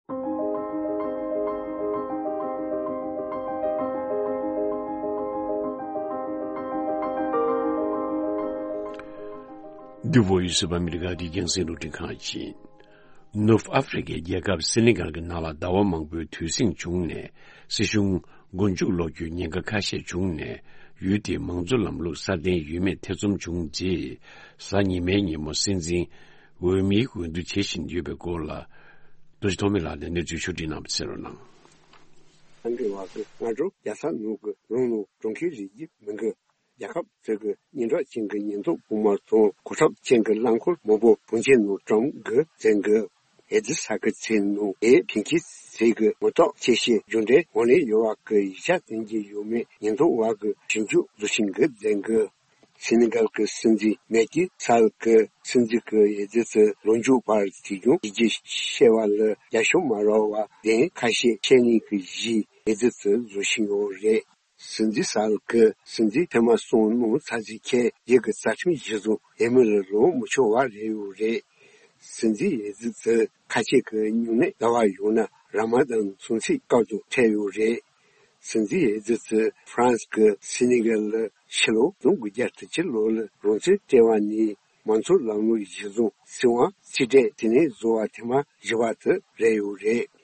འདི་བོད་ཡུལ་སུ་བ་ཨ་མི་རི་ཀ་གི་རྒྱང་སྲིང་རླུང་འཕྲིན་ཁང་ཡིན། ནུབ་ཨ་ཧྥེ་རི་ཁའི་རྒྱལ་ཁབ་སེ་ནི་གལ་གྱི་ནང་ལ་ཟླ་བ་མང་པོའི་དུས་ཟིང་བྱུང་ནས། སྲིད་གཞུང་མགོ་མཇུག་སློག་རྒྱུའི་ཉེན་ཁ་ཁ་ཤས་བྱུང་ནས། ཡུལ་དེའི་མང་གཙོ་ལམ་ལུགས་སྲ་བརྟན་ཡོད་མེད་ཐེ་ཚོམ་བྱུང་རྗེས། གཟའ་ཉི་མའི་ཉིན་མོ་སྲིད་འཛིན་འོས་མིའི་འོས་བསྡུ་བྱེད་བཞིན་ཡོད་པའི་སྐོར་ལ། རྡོ་རྗེ་ཐོགས་མེད་ལགས་ནས་གནས་ཚུལ་ཕྱོགས་སྒྲིག་གནང་བ་གསན་རོགས་གནང་། ཨ་མདོའི་བར་དུ་སྔ་དྲོ་རྒྱལ་ས་ནང་གི་རང་ལུགས་གྲོང་ཁྱེར་རིགས་ཀྱི་མི་འགའ། རྒྱལ་ཁབ་ཚོས་ཀྱི་སྙན་གྲགས་ཅན་གྱི་ཉེན་རྟོག་དཔུང་དམག་དང་གོ་ཁྲབ་ཅན་གྱི་རླངས་འཁོར་མང་པོ་བོན་ཆེན་ནང་བཀྲམ་དགོས་མཛད་འགོ། ཨེ་ཛི་ས་ཁུལ་ཚོའི་ནང་ཨེ་ཕན་ཁྱིས་ཚོས་ཀྱི་མི་རྟག་ཆེ་ཤོས་རྒྱུ་འབྲས་ཧོ་ནས་ཡོད་པ་གི་ཡིག་ཆ་སྟོན་གྱི་ཡོད་མེད་ཉེན་རྟོག་པ་གི་ཞིབ་འཇུག་བཟོ་བཞིན་གྱི་མཛད་འགོ། སེ་ནི་གལ་གྱི་སྲིད་འཛིན་མེ་ཀི་སལ་གྱི་སྲིད་འཛིན་གྱི་ཨེ་ཛི་ཚོའི་ལོ་མཇུག་བར་དུས་རྒྱུན་ཡིག་ཆ་བཤད་པ་ལ་རྒྱབ་ཤོག་མ་རག་པ་བདེན་ཁ་ཤས་བཤད་ནས་ཀྱི་གཞི་ཨེ་ཛི་ཚོས་བཟོ་བཞིན་ཡོད་རེད། སྲིད་འཛིན་སལ་གྱིས་སྲིད་འཛིན་ཐེངས་མ་གསུམ་གནང་ཚར་རྗེས་ཁྱེད་ཡིག་གི་རྩ་ཁྲིམས་གཞི་བཟུང་ཨེ་མི་ལ་ལོངས་མི་ཆོག་པ་རེད་ཡོད་རེད། སྲིད་འཛིན་ཨེ་ཛི་ཚོས་ཁ་ཆེ་གི་སྨྱུང་གནས་ཟླ་བ་ཡོད་ན་ར་མ་དན་ཚོང་ཚིགས་སྐབས་སུ་ཐད་ཡོད་རེད། སྲིད་འཛིན་ཨེ་ཛི་ཚོས་ཧྥ་རན་སི་གི་སེ་ནི་གལ་ལ་ཕྱི་ལོ་ཆིག་སྟོང་དགུ་བརྒྱ་དྲུག་ཅུ་ལོ་ལ་རང་བཙན་སྤྲད་པ་ནས་མང་གཙོ་ལམ་ལུགས་གཞི་བཟུང་སྲིད་དབང་རྩིས་སྤྲད་དེ་ནས་བཟོ་བ་ཐེངས་མ་བཞི་པ་དེ་རེད་ཡོད་རེད།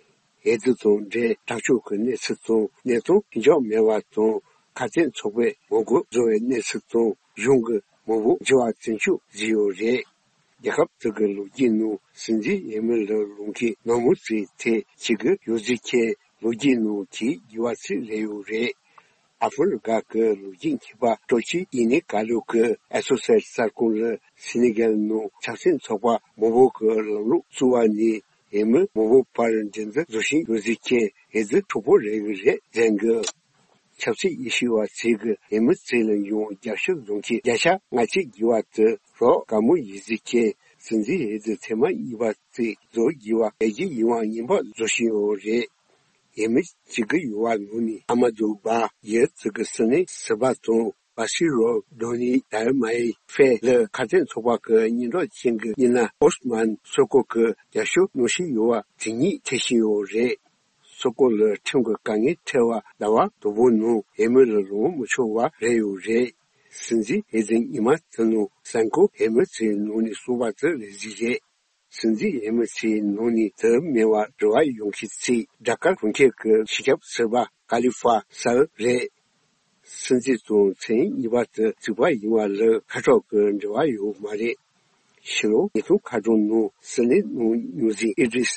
ཨེ་ཛི་དང་འབྲེལ་དྲག་སྤྱོད་ཀྱི་གནས་ཚུལ་དང་གནས་སྟངས་ལྷིང་འཇགས་མེད་པ་དང་ཁ་གཏད་ཚོགས་པས་ངོ་རྒོལ་བཟོ་བའི་གནས་ཚུལ་དང་གཞུང་གི་མི་འབོར་འགྱུར་བ་བྱུང་ཕྱོགས་བརྗོད་ཡོད་རེད། རྒྱལ་ཁབ་དེ་གི་ལོ་རྒྱུས་ནང་སྲིད་འཛིན་ཨེ་མི་ལ་ལོངས་མཁན་ནང་མི་ཚོའི་ཐད་གཅིག་གི་ཡོད་ཚུལ་མཁན་ལོ་རྒྱུས་ནང་གི་རྒྱས་པ་ཚིག་རེ་ཡོད་རེད། ཨ་ཧྥེ་རི་ཁ་གི་ལོ་རྒྱུས་མཁས་པ་སྤྲོ་སྐྱིད་ཡིན་ནི་ཀ་ལོ་གི་ཨ་སོ་སེ་གསར་ཁང་ལ་སེ་ནི་གལ་ནང་ཆབ་སྲིད་ཚོགས་པ་མང་པོ་གི་ལམ་ལུགས་བཙུགས་པ་ནས་ཨེ་མི་མང་པོ་བར་འགྲན་བསྡུར་བཟོ་བཞིན་ཡོད་ཚུལ་མཁན་ཨེ་ཛི་གྲོགས་པོ་རེ་གི་རེད་མཛད་འགོ། ཆབ་སྲིད་དབྱེ་ཞིབ་པ་ཚོས་ཀྱི་ཨེ་མི་ཚོ་ལ་ཡང་རྒྱབ་སྐྱོར་བཟོ་མཁན་བརྒྱ་ཆ་ལྔ་བཅུ་བརྒལ་བ་དེ་རོགས་དགའ་མོ་ཡིན་ཟེར་མཁན་སྲིད་འཛིན་ཨེ་ཛི་ཐེངས་མ་གཉིས་པ་ཚོས་བཟོ་དགོས་པ་ལས་ཀྱི་ཡིད་དབང་སྙན་པོ་བཟོ་བཞིན་ཡོད་རེད། ཨེ་མི་གཅིག་གི་ཡུ་བ་ནང་ནས་ཨ་མ་དུ་བ་ཡི་ཚོ་གི་སྲིད་ནས་སྲིད་པ་དང་བ་སི་རོ་རྡོ་ནི་དར་མའི་ཧྥེ་ལ་ཁ་གཏད་ཚོགས་པ་གི་སྙན་གྲགས་ཅན་གྱི་མི་སྣ་ཨོ་སི་མན་སོ་ཀོ་གི་རྒྱབ་སྐྱོར་གནང་བཞིན་ཡོད་པ་དེ་ཉིད་ཐེ་བཞིན་ཡོད་རེད། སོ་ཀོ་ལ་ཁྲིམས་ཀྱི་དཀའ་ངལ་འཕྲད་པ་ཟླ་བ་དང་པོ་ནང་ཨེ་མི་ལ་ལོངས་མི་ཆོག་པ་རེད་ཡོད་རེད། སྲིད་འཛིན་ཨེ་ཛི་ཉི་མ་དེ་ནང་གཟའ་འཁོར་ཨེ་མི་ཚོའི་ནང་ནས་གསུངས་པ་དེ་རེད་ཟིག་རེད། སྲིད་འཛིན་ཨེ་མི་ཚོའི་ནང་ནས་དེ་མེད་པ་རེ་བ་ཡོད་མཁན་ཚོས་སྦྲག་སྐར་གྲོང་ཁྱེར་གྱི་སྤྱི་ཁྱབ་ཟུར་པ་ཀ་ལི་ཧྥ་སལ་རེད། སྲིད་འཛིན་ཚོ་མཚན་གཉིས་པ་དེ་རྩིག་པ་ཡིན་པ་ལ་ཁ་གྲག་གི་འབྲེལ་བ་ཡོད་མ་རེད། ཕྱི་ལོ་ཉིས་སྟོང་ཁ་གྲངས་ནང་སྲིད་བློན་ནང་ཉོ་འཛིན་ཨི་དྲི་ས་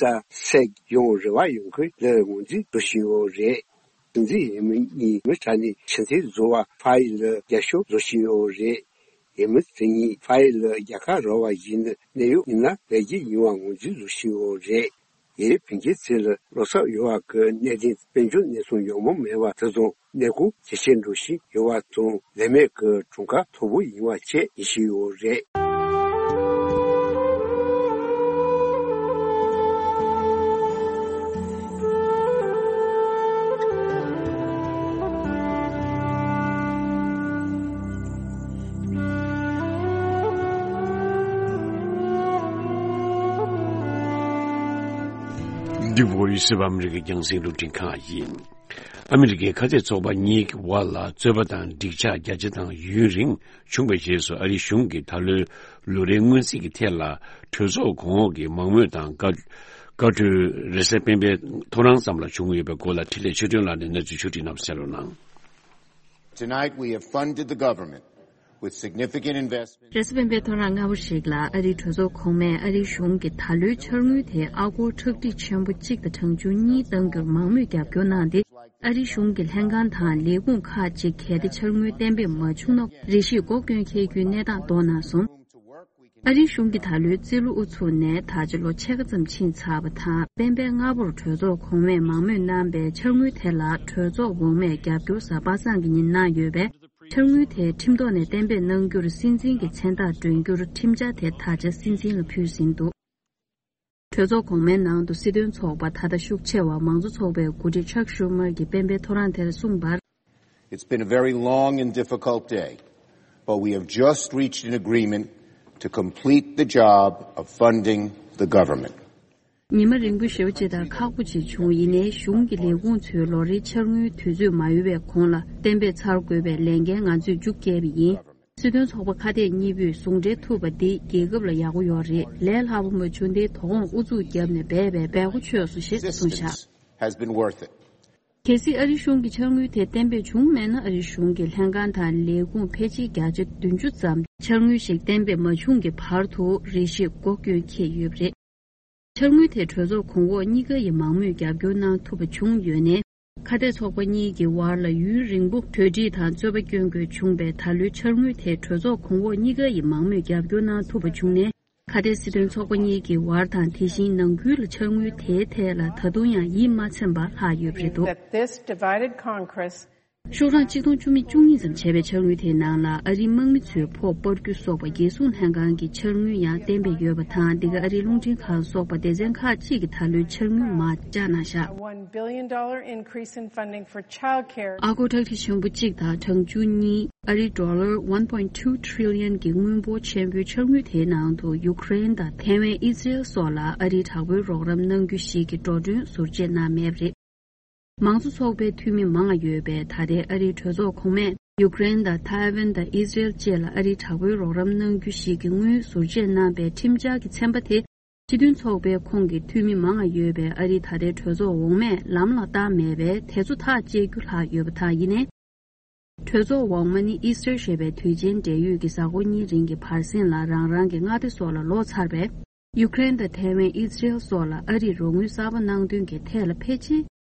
སེག་ཡང་རེ་བ་ཡོད་མཁན་ལ་ངོས་འཛིན་བཟོ་བཞིན་ཡོད་རེད། སྲིད་འཛིན་འོས་མི་གཉིས་མི་གྲངས་ནས་ཕྱི་འཐེན་བཟོ་བ་ཕ་ཡི་ལ་རྒྱབ་སྐྱོར་བཟོ་བཞིན་ཡོད་རེད། འོས་མི་དེ་གཉིས་ཕ་ཡི་ལ་རྒྱལ་ཁ་རག་པ་ཡིན་ན་གནད་ཡོད་ཡིན་ན་ལས་འགུལ་ཡིན་པ་ངོས་འཛིན་བཟོ་བཞིན་ཡོད་རེད། ཡའི་བོད་འགྱུར་ཚིག་ལ་བློ་འཚབ་ཡོད་པ་གི་གནད་དོན་དཔལ་འབྱོར་གནས་ཚུལ་ཡོང་མུས་མེད་པ་དེ་དང་གནས་སྐོར་ཇེ་ཆེར་འགྲོ་བཞིན་ཡོད་པ་དང་ལས་མེད་ཀྱི་གྲངས་ཀ་མཐོ་པོ་ཡིན་པ་བཅས་ཡིན་བཞིན་ཡོད་རེད། འདི་བོ་ཡི་སི་བ་ཨ་མི་རི་ཀའི་རྒྱང་སྲིང་རླུང་འཕྲིན་ཁང་ཡིན། ཨ་མི་རི་ཀའི་ཁ་གཏད་ཚོགས་པ་གཉིས་ཀྱི་དབར་ལ་རྩོད་པ་དང་འགྲིག་ཆགས་རྒྱ་ཆེ་དང་ཡུན་རིང་བྱུང་བའི་རྗེས་སུ་ཨ་རིའི་གཞུང་གིས་ད་ལོའི་ལོ་རེའི་སྔོན་རྩིས་ཀྱི་ཐད་ལ་གྲོས་ཚོགས་གོང་འོག་གི་མང་མོས་དང་བཀའ་བཀའ་འཁྲོལ་རེས་གཟའ་སྤེན་པའི་ཐོ་རངས་ཙམ་ལ་བྱུང་ཡོད་པའི་སྐོར་ལ་འཕྲིན་ལས་ཆོས་སྒྲོན་ལགས་ནས་གནས་ཚུལ་ཕྱོགས་སྒྲིག་གནང་བ་གསན་རོགས་གནང་། Tonight we have funded the government with significant investment. རེས་གཟའ་སྤེན་པའི་ཐོ་རངས་སྔ་པོ་ཞིག་ལ་ཨ་རིའི་གྲོས་ཚོགས་གོང་མས་ཨ་རིའི་གཞུང་གི་ད་ལོའི་འཆར་དངུལ་དེ་ཨ་སྒོར་ཁྲག་ཁྲིག་ཆེན་པོ་གཅིག་དང་གྲངས་ཆུང་གཉིས་གཏང་རྒྱུར་མང་མོས་རྒྱབ་སྐྱོར་གནང་སྟེ། ཨ་རིའི་གཞུང་གི་ལྷན་ཁང་དང་ལས་ཁུངས་ཁག་ཅིག་གལ་ཏེ་འཆར་དངུལ་གཏན་འབེབས་མ་བྱུང་ན་རེ་ཞིག་སྒོ་སྐྱོན་འཁེལ་རྒྱུའི་གནས་སྟངས་གཏོང་གནང་སོང་། ཨ་རིའི་གཞུང་གིས་ད་ལོའི་རྩིས་ལོ་དབུ་ཚུགས་ནས་ད་ཆ་ལོ་ཕྱེད་ཀ་ཙམ་ཕྱིན་ཚར་བ་དང་། སྤེན་པའི་སྔ་པོར་གྲོས་ཚོགས་གོང་མས་མང་མོས་གནང་པའི་འཆར་དངུལ་དེ་ལ་གྲོས་ཚོགས་འོག་མས་རྒྱབ་སྐྱོར་གཟའ་པ་སངས་ཀྱི་ཉིན་གནང་ཡོད་པས། འཆར་དངུལ་དེ་ཁྲིམས་ཐོག་ནས་གཏན་འབེབས་གནང་རྒྱུར་སྲིད་འཛིན་གྱི་མཚན་རྟགས་སྒྲོན་རྒྱུར་ཁྲིམས་འཆར་དེ་ད་ཆ་སྲིད་འཛིན་ལ་ཕུལ་ཟིན་འདུག་གྲོས་ཚོགས་གོང་མའི་ནང་དུ་སྲིད་དོན་ཚོགས་པ་ད་ལྟ་ཤུགས་ཆེ་བ་མང་གཙོ་ཚོགས་པའི་འགོ་ཁྲིད་ཆག་ཤུ་མར་གྱིས་སྤེན་པའི་ཐོ་རངས་དེར་གསུངས་པར། It's been a very long and difficult day, but we have just reached an agreement to complete the job of funding the government. ཉི་མ་རིང་པོ་ཞེ་པོ་ཅིག་དང་ཁག་པོ་ཅིག་བྱུང་། ཡིན་ནའི་གཞུང་གི་ལས་ཁུངས་ཚོའི་ལོ་རེའི་འཆར་དངུལ་དུས་ཚོད་མ་ཡོལ་བའི་གོང་ལ་གཏན་འབེབས་ཚར་དགོས་པའི་ལས་འགན་ང་ཚོས་མཇུག་བསྐྱལ་བ་ཡིན། སྲིད་དོན་ཚོགས་པ་ཁ་གཏད་གཉིས་པོས་ཟུང་འབྲེལ་ཐུབ་པ་འདི་རྒྱལ་ཁབ་ལ་ཡག་པོ་ཡོད་རེད། ལས་སླ་པོ་མ་བྱུང་སྟེ་དོ་དགོང་ཨུ་ཚུགས་བརྒྱབ་ནས་འབད་པས་འབད་པོ་ཆོད་སོང་ཞེས་གསུངས་བཞག Persistence has been worth it. གལ་སྲིད་ཨ་རིའི་གཞུང་གི་འཆར་དངུལ་དེ་གཏན་འབེབས་བྱུང་མེད་ན། ཨ་རིའི་གཞུང་གི་ལྷན་ཁང་དང་ལས་ཁུངས་ཕལ་ཆེར་བརྒྱ་ཆ་བདུན་ཅུ་ཙམ་འཆར་དངུལ་ཞིག་གཏན་འབེབས་མ་བྱུང་གི་བར་དུ་རེ་ཞིག་སྒོ་སྐྱོན་འཁེལ་ཡོད་པ་རེད། འཆར་དངུལ་དེ་གྲོས་ཚོགས་གོང་འོག་གཉིས་ཀ་ཡི་མང་མོས་རྒྱབ་སྐྱོར་གནང་ཐུབ་པ་བྱུང་ཡོད་ནའི། ཁ་གཏད་ཚོགས་པ་གཉིས་ཀྱི་དབར་ལ་ཡུན་རིང་པོ་གྲོས་འགྲིག་དང་རྩོད་པ་སྐྱོན་དགོས་བྱུང་བའི་ད་ལོའི་འཆར་དངུལ་དེ་གྲོས་ཚོགས་གོང་འོག་གཉིས་ཀ་ཡི་མང་མོས་རྒྱབ་སྐྱོར་གནང་ཐུབ་པ་བྱུང་ནས། ཁ་གཏད་སྲིད་དོན་ཚོགས་པ་གཉིས་ཀྱི་དབར་དང་། དེ་བཞིན་ནང་ཁུལ་ལ་འཆར་དངུལ་དེའི་ཐད་ལ་ད་དུང་ཡང་ཡིད་མ་ཚིམ་པ་ལྷག་ཡོད་པ་རེད་འདུག That this divided Congress ཤོག་གྲངས་ཆིག་སྟོང་བཅུ་མེད་བཅུ་གཉིས་ཙམ་བྱས་པའི་འཆར་དངུལ་དེའི་ནང་ལ་ཨ་རིའི་དམག་མི་ཚོའི་ཕོགས་སྤར་རྒྱུ་སོགས་པ་རྒྱལ་སྲུང་ལྷན་ཁང་གི་འཆར་དངུལ་ཡང་གཏན་འབེབས་ཡོད་པ་དང་། འདི་ག་ཨ་རིའི་རླུང་འཕྲིན་ཁང་སོགས་པ་སྡེ་ཚན་ཁག་ཅིག་གིས་ད་ལོའི་འཆར་དངུལ་མར་བཀྱག་གནང་བཞག A one billion dollar increase in funding for childcare. ཨ་སྒོར་ཁྲག་ཁྲིག་ཆེན་པོ་གཅིག་དང་གྲངས་ཆུང་གཉིས། ཨ་རིའི་ཌོ་ལར་one point two trillion གྱི་དངུལ་འབོར་ཆེན་པོའི་འཆར་དངུལ་དེའི་ནང་དུ་ཡུཀ་རེན་དང་ཐའེ་ཝན། ཨི་ཟི་རེལ་སོགས་ལ་ཨ་རིའི་དྲག་པོའི་རོགས་རམ་གནང་རྒྱུ་ཞིག་གི་འགྲོ་གྲོན་ཟུར་བཅད་གནང་མེད་པ་རེད། མང་གཙོ་ཚོགས་པའི་འཐུས་མི་མང་བ་ཡོད་པའི་ད་ལྟའི་ཨ་རིའི་གྲོས་ཚོགས་གོང་མས་ཡུཀ་རེན་དང་ཐའེ་ཝན་དང་ཨི་ཟི་རེལ་བཅས་ལ་ཨ་རིའི་དྲག་པོའི་རོགས་རམ་གནང་རྒྱུ་ཞིག་གི་དངུལ་ཟུར་བཅད་གནང་པའི་ཁྲིམས་འཆར་གྱི་ཚན་པ་དེ། སྤྱི་མཐུན་ཚོགས་པའི་ཁོངས་ཀྱི་འཐུས་མི་མང་བ་ཡོད་པའི་ཨ་རིའི་ད་ལྟའི་གྲོས་ཚོགས་འོག་མས་ལམ་ལ་བཏང་མེད་པས། དེ་ཚོ་ཐག་བཅད་རྒྱུ་ལྷག་ཡོད་པ་དང་། ཡིན་ནའི། གྲོས་ཚོགས་འོག་མ་ནི་ཨི་སི་ཊར་ཞེས་པའི་དུས་ཆེན་འབྲེལ་ཡོད་ཀྱི་གཟའ་འཁོར་གཉིས་རིང་གི་བར་གསེང་ལ་རང་རང་གི་མངའ་སྡེ་སོགས་ལ་ལོག་ཚར་བས། ཡུཀ་རེན་དང་ཐའེ་ཝན། ཨི་སི་རེལ་སོགས་ལ་ཨ་རིས་རོགས་དངུལ་གསར་པ་གནང་དོན་གྱི་ཐད་ལ་ཕལ་ཆེར།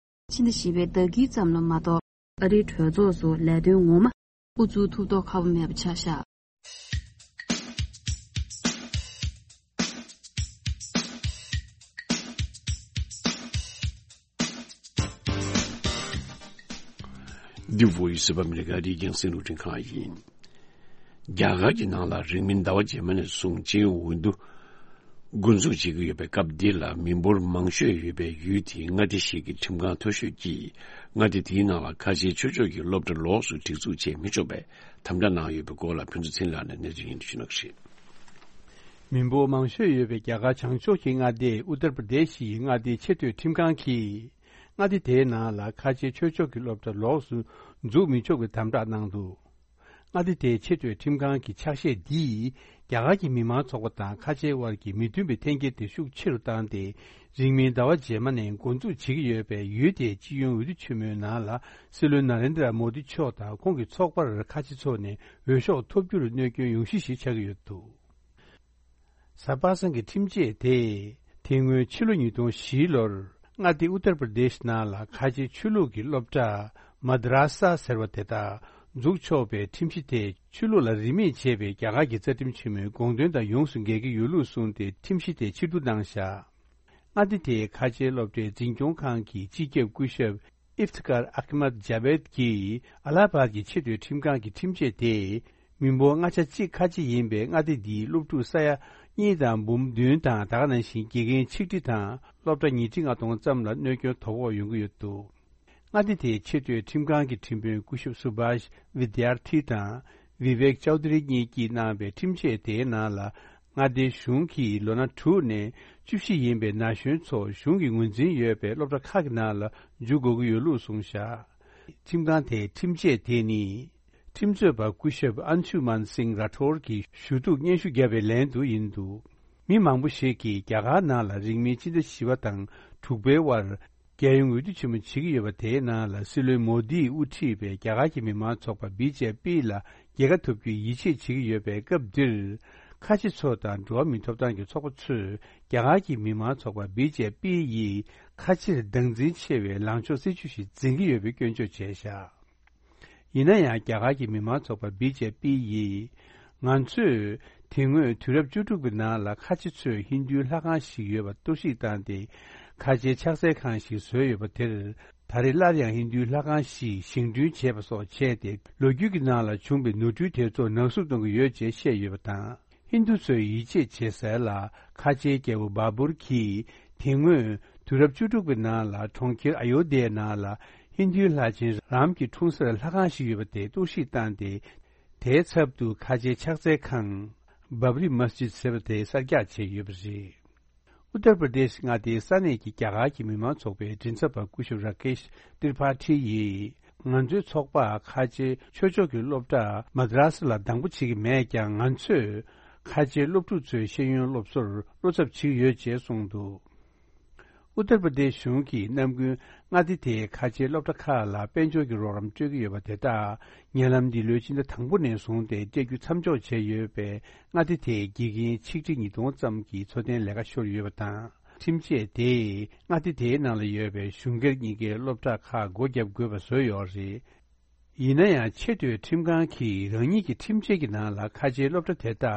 ཕྱི་ཟླ་བཞི་པའི་ཟླ་དཀྱིལ་ཙམ་ལ་མ་གཏོགས། ཨ་རིའི་གྲོས་ཚོགས་སུ་ལས་དོན་ངོ་མ་དབུ་འཛུགས་ཐུབ་མདོག་ཁ་པོ་མེད་པ་ཆགས་བཞག་འདི་བོད་ཡིག་གསར་པ་ཨ་མི་རི་ཀ་རིག་གཞུང་སྲིད་བློན་ཁང་ཡིན། རྒྱ་གར་གྱི་ནང་ལ་རིང་མིན་ཟླ་བ་རྗེས་མ་ནས་བཟུང་ཅིན་ཝུན་དུ་འགོ་འཛུགས་བྱེད་ཀྱི་ཡོད་པའི་སྐབས་འདི་ལ། མི་འབོར་མང་ཤོས་ཡོད་པའི་ཡུལ་དེའི་མངའ་སྡེ་ཞིག་གི་ཁྲིམས་ཁང་མཐོ་ཤོས་ཀྱིས་མངའ་སྡེ་དེའི་ནང་ལ་ཁ་ཆེའི་ཆོས་ཕྱོགས་ཀྱི་སློབ་གྲྭ་ལོགས་སུ་སྒྲིག་འཛུགས་བྱེད་མི་ཆོག་པའི་དམ་བསྒྲགས་གནང་ཡོད་པའི་སྐོར་ལ་ཕུན་ཚོགས་ཚེ་རིང་ལགས་ནས་གནས་ཚུལ་སྙན་སྒྲོན་ཞུ་གནང་གི་རེད། མི་འབོར་མང་ཤོས་ཡོད་པའི་རྒྱ་གར་བྱང་ཕྱོགས་ཀྱི་མངའ་སྡེ་ཨུ་ཏར་པར་དེ་ཤི་ཡི་མངའ་སྡེའི་ཆེས་མཐོའི་ཁྲིམས་ཁང་གིས། མངའ་སྡེ་དེའི་ནང་ལ་ཁ་ཆེའི་ཆོས་ཕྱོགས་ཀྱི་སློབ་གྲྭ་ལོགས་སུ་འཛུགས་མི་ཆོག་པའི་དམ་བསྒྲགས་གནང་འདུག་མངའ་སྡེ་དེའི་ཆེས་མཐོའི་ཁྲིམས་ཁང་གི་ཕྱག་བཞེས་འདིས་རྒྱ་གར་གྱི་མི་མང་ཚོགས་པ་དང་ཁ་ཆེའི་དབར་གྱི་མི་མཐུན་པའི་འཐེན་འཁྱེར་དེ་ཤུགས་ཆེ་རུ་བཏང་སྟེ། རིང་མིན་ཟླ་བ་རྗེས་མ་ནས་འགོ་འཛུགས་བྱེད་ཀྱི་ཡོད་པའི་ཡུལ་དེའི་སྤྱི་ཡོངས་འོས་བསྡུ་ཆེན་མོའི་ནང་ལ། སྲིད་བློན་ན་རེན་དྲ་མོ་དི་མཆོག་དང་ཁོང་གི་ཚོགས་པར་ཁ་ཆེ་ཚོ་ནས་འོས་ཤོག་ཐོབ་རྒྱུར་གནོད་སྐྱོན་ཡོང་གཞི་ཞིག་ཆགས་ཀྱི་ཡོད་འདུག། གཟའ་པ་སངས་ཀྱི་ཁྲིམས་ཆད་དེས། དེ་སྔོན་ཕྱི་ལོ་ཉིས་སྟོང་བཞི་ལོར་མངའ་སྡེ་ཨུ་ཏར་པར་དེཤ་ནང་ལ་ཁ་ཆེ་ཆོས་ལུགས་ཀྱི་སློབ་གྲྭ་མ་དྲ་ས་ཟེར་བ་དེ་དག་འཛུགས་ཆོག་པའི་ཁྲིམས་གཞི་དེ། ཆོས་ལུགས་ལ་རིས་མེད་བྱས་པའི་རྒྱ་གར་གྱི་རྩ་ཁྲིམས་ཆེན་མོའི་དགོངས་དོན་དང་ཡོངས་སུ་འགལ་གྱི་ཡོད་ལུགས་གསུངས་ཏེ། ཁྲིམས་གཞི་དེ་ཕྱིར་བསྡུ་གནང་བཞག། མངའ་སྡེ་དེའི་ཁ་ཆེའི་སློབ་གྲྭའི་འཛིན་སྐྱོང་ཁང་གི་སྤྱི་ཁྱབ་སྐུ་ཞབས་ཨིཕ་ཐི་ཀར་ཨ་ཁི་མད་ཇ་བེད་ཀྱིས་ཨ་ལ་ཧ་བཱད་ཀྱི་ཆེས་མཐོའི་ཁྲིམས་ཁང་གི་ཁྲིམས་ཆད་དེ། མི་འབོར་ལྔ་ཆ་གཅིག་ཁ་ཆེ་ཡིན་པའི་མངའ་སྡེ་འདིའི་སློབ་ཕྲུག་ས་ཡ་གཉིས་དང་འབུམ་བདུན་དང་། ད་ག་ནང་བཞིན་དགེ་རྒན་ཆིག་ཁྲི་དང་སློབ་གྲྭ་ཉིས་ཁྲི་ལྔ་སྟོང་ཙམ་ལ་གནོད་སྐྱོན་དོ་ཕོག་ཡོང་གི་ཡོད་འདུག། མངའ་སྡེ་དེའི་ཆེས་མཐོའི་ཁྲིམས་ཁང་གི་ཁྲིམས་དཔོན་སྐུ་ཞབས་སུ་བྷཱཤ་ཝི་དྱར་ཐི་དང་ཝི་ཝེག་ཅའུ་དྷ་རི་གཉིས་ཀྱིས་གནང་བའི་ཁྲིམས་ཆད་དེའི་ནང་ལ། མངའ་སྡེའི་གཞུང་གིས་ལོ་ན་དྲུག་ནས་བཅུ་བཞི་ཡིན་པའི་ན་གཞོན་ཚོ་གཞུང་གི་ངོས་འཛིན་ཡོད་པའི་སློབ་གྲྭ་ཁག་གི་ནང་ལ་འཇུག་དགོས་ཀྱི་ཡོད་ལུགས་གསུངས་བཞག། ཁྲིམས་ཁང་དེའི་ཁྲིམས་ཆད་དེ་ནི། ཁྲིམས་རྩོད་པ་སྐུ་ཞབས་ཨན་ཤུ་མན་སིང་ར་ཐོར་གྱིས་ཞུ་གཏུག་སྙན་ཞུ་བརྒྱབ་པའི་ལན་དུ་ཡིན་འདུག། མི་མང་པོ་ཞིག་གིས་རྒྱ་གར་ནང་ལ་རིང་མིན་ཕྱི་ཟླ་བཞི་པ་དང་དྲུག་པའི་དབར། རྒྱལ་ཡོངས་འོས་བསྡུ་ཆེན་མོ་བྱེད་ཀྱི་ཡོད་པ་དེའི་ནང་ལ། སྲིད་བློན་མོ་དིས་དབུ་ཁྲིད་པའི་རྒྱ་གར་གྱི་མི་མང་ཚོགས་པ་བི་ཇེ་པི་ལ་རྒྱལ་ཁ་ཐོབ་རྒྱུའི་ཡིད་ཆེས་བྱེད་ཀྱི་ཡོད་པའི་སྐབས་འདིར། ཁ་ཆེ་ཚོ་དང་འགྲོ་བ་མིའི་ཐོབ་ཐང་གི་ཚོགས་པ་ཚོས་རྒྱ་གར་གྱི་མི་མང་ཚོགས་པ་བི་ཇེ་པི་ཡི་ཁ་ཆེར་སྡང་འཛིན་ཆེ་བའི་ལངས་ཕྱོགས་སྲིད་བྱུས་ཤིག་འཛིན་གྱི་ཡོད་པའི་སྐྱོན་བརྗོད་བྱས་བཞག། ཡིན་ན་ཡང་། རྒྱ་གར་གྱི་མི་མང་ཚོགས་པ་བི་ཇེ་པི་ཡིས། ང་ཚོས་དེ་སྔོན་དུས་རབས་བཅུ་དྲུག་པའི་ནང་ལ་ཁ་ཆེ་ཚོས་ཧིན་རྡུའི་ལྷ་ཁང་ཞིག་ཡོད་པ་གཏོར་བཤིག་བཏང་སྟེ། ཁ་ཆེའི་ཕྱག་འཚལ་ཁང་ཞིག་བཟོས་ཡོད་པ་དེར། ད་རེས་སླར་ཡང་ཧིན་རྡུའི་ལྷ་ཁང་ཞིག་བཞེངས་སྐྲུན་བྱས་པ་སོགས་བྱས་ཏེ། ལོ་རྒྱུས་ཀྱི་ནང་ལ་བྱུང་བའི་ནོར་འཁྲུལ་དེ་ཚོ་ནག་བསུབ་གཏོང་གི་ཡོད་ཅེས་བཤད་ཡོད་པ་དང་། ཧིན་རྡུ་ཚོས་ཡིད་ཆེས་བྱེད་སའི་ལ་ཁ་ཆེའི་རྒྱལ་པོ་བཱ་བུར་གྱིས། དེ་སྔོན་དུས་རབས་བཅུ་དྲུག་པའི་ནང་ལ་གྲོང་ཁྱེར་ཨ་ཡོ་དྷྱའི་ནང་ལ་ཧིན་རྡུའི་ལྷ་ཆེན་རམ་གྱི་འཁྲུངས་སར་ལྷ་ཁང་ཞིག་ཡོད་པ་དེ་གཏོར་བཤིག་བཏང་སྟེ། དེའི་ཚབ་ཏུ་ཁ་ཆེའི་ཕྱག་འཚལ་ཁང་། བཱབ་རི་མ་སི་ཇིད་ཟེར་བ་དེ་གསར་རྒྱག་བྱས་ཡོད་པ་རེད། ཨུ་ཏར་པར་དེཤ་མངའ་སྡེའི་ས་གནས་ཀྱི་རྒྱ་གར་གྱི་མི་མང་ཚོགས་པའི་མགྲིན་ཚབ་པ་སྐུ་ཞབས་ར་ཀེཤ་ཏིར་པ་ཐི་ཡིས། ང་ཚོའི་ཚོགས་པ་ཁ་ཆེའི་ཆོས་ཕྱོགས་ཀྱི་སློབ་གྲྭ་མ་དྲ་ས་ལ་སྡང་པོ་བྱེད་ཀྱི་མེད་ཀྱང་། ང་ཚོས་ཁ་ཆེའི་སློབ་ཕྲུག་ཚོའི་ཤེས་ཡོན་སློབ་གསོར་བློ་འཚབ་བྱེད་ཀྱི་ཡོད་ཅེས་གསུངས་འདུག། ཨུ་ཏར་པར་དེཤ་གཞུང་གིས་ནམ་རྒྱུན་མངའ་སྡེ་དེའི་ཁ་ཆེའི་སློབ་གྲྭ་ཁག་ལ་དཔལ་འབྱོར་གྱི་རོགས་རམ་སྤྲོད་ཀྱི་ཡོད་པ་དེ་དག་ཉེ་ལམ་འདི་ལོའི་ཕྱི་ཟླ་དང་པོ་ནས་བཟུང་སྟེ་སྤྲད་རྒྱུ་མཚམས་འཇོག་བྱས་ཡོད་པས། མངའ་སྡེ་དེའི་དགེ་རྒན་ཆིག་ཁྲི་ཉིས་སྟོང་ཙམ་གྱི་འཚོ་རྟེན་ལས་ཀ་ཤོར་ཡོད་པ་དང་། ཁྲིམས་ཆད་དེས་མངའ་སྡེ་དེའི་ནང་ལ་ཡོད་པའི་གཞུང་སྒེར་གཉིས་ཀའི་སློབ་གྲྭ་ཁག་སྒོ་བརྒྱབ་དགོས་པ་བཟོས་ཡོད་རེད། ཡིན་ན་ཡང་། ཆེས་མཐོའི་ཁྲིམས་ཁང་གིས་རང་ཉིད་ཀྱི་ཁྲིམས་ཆད་ཀྱི་ནང་ལ་ཁ་ཆེའི་སློབ་གྲྭ་དེ་དག་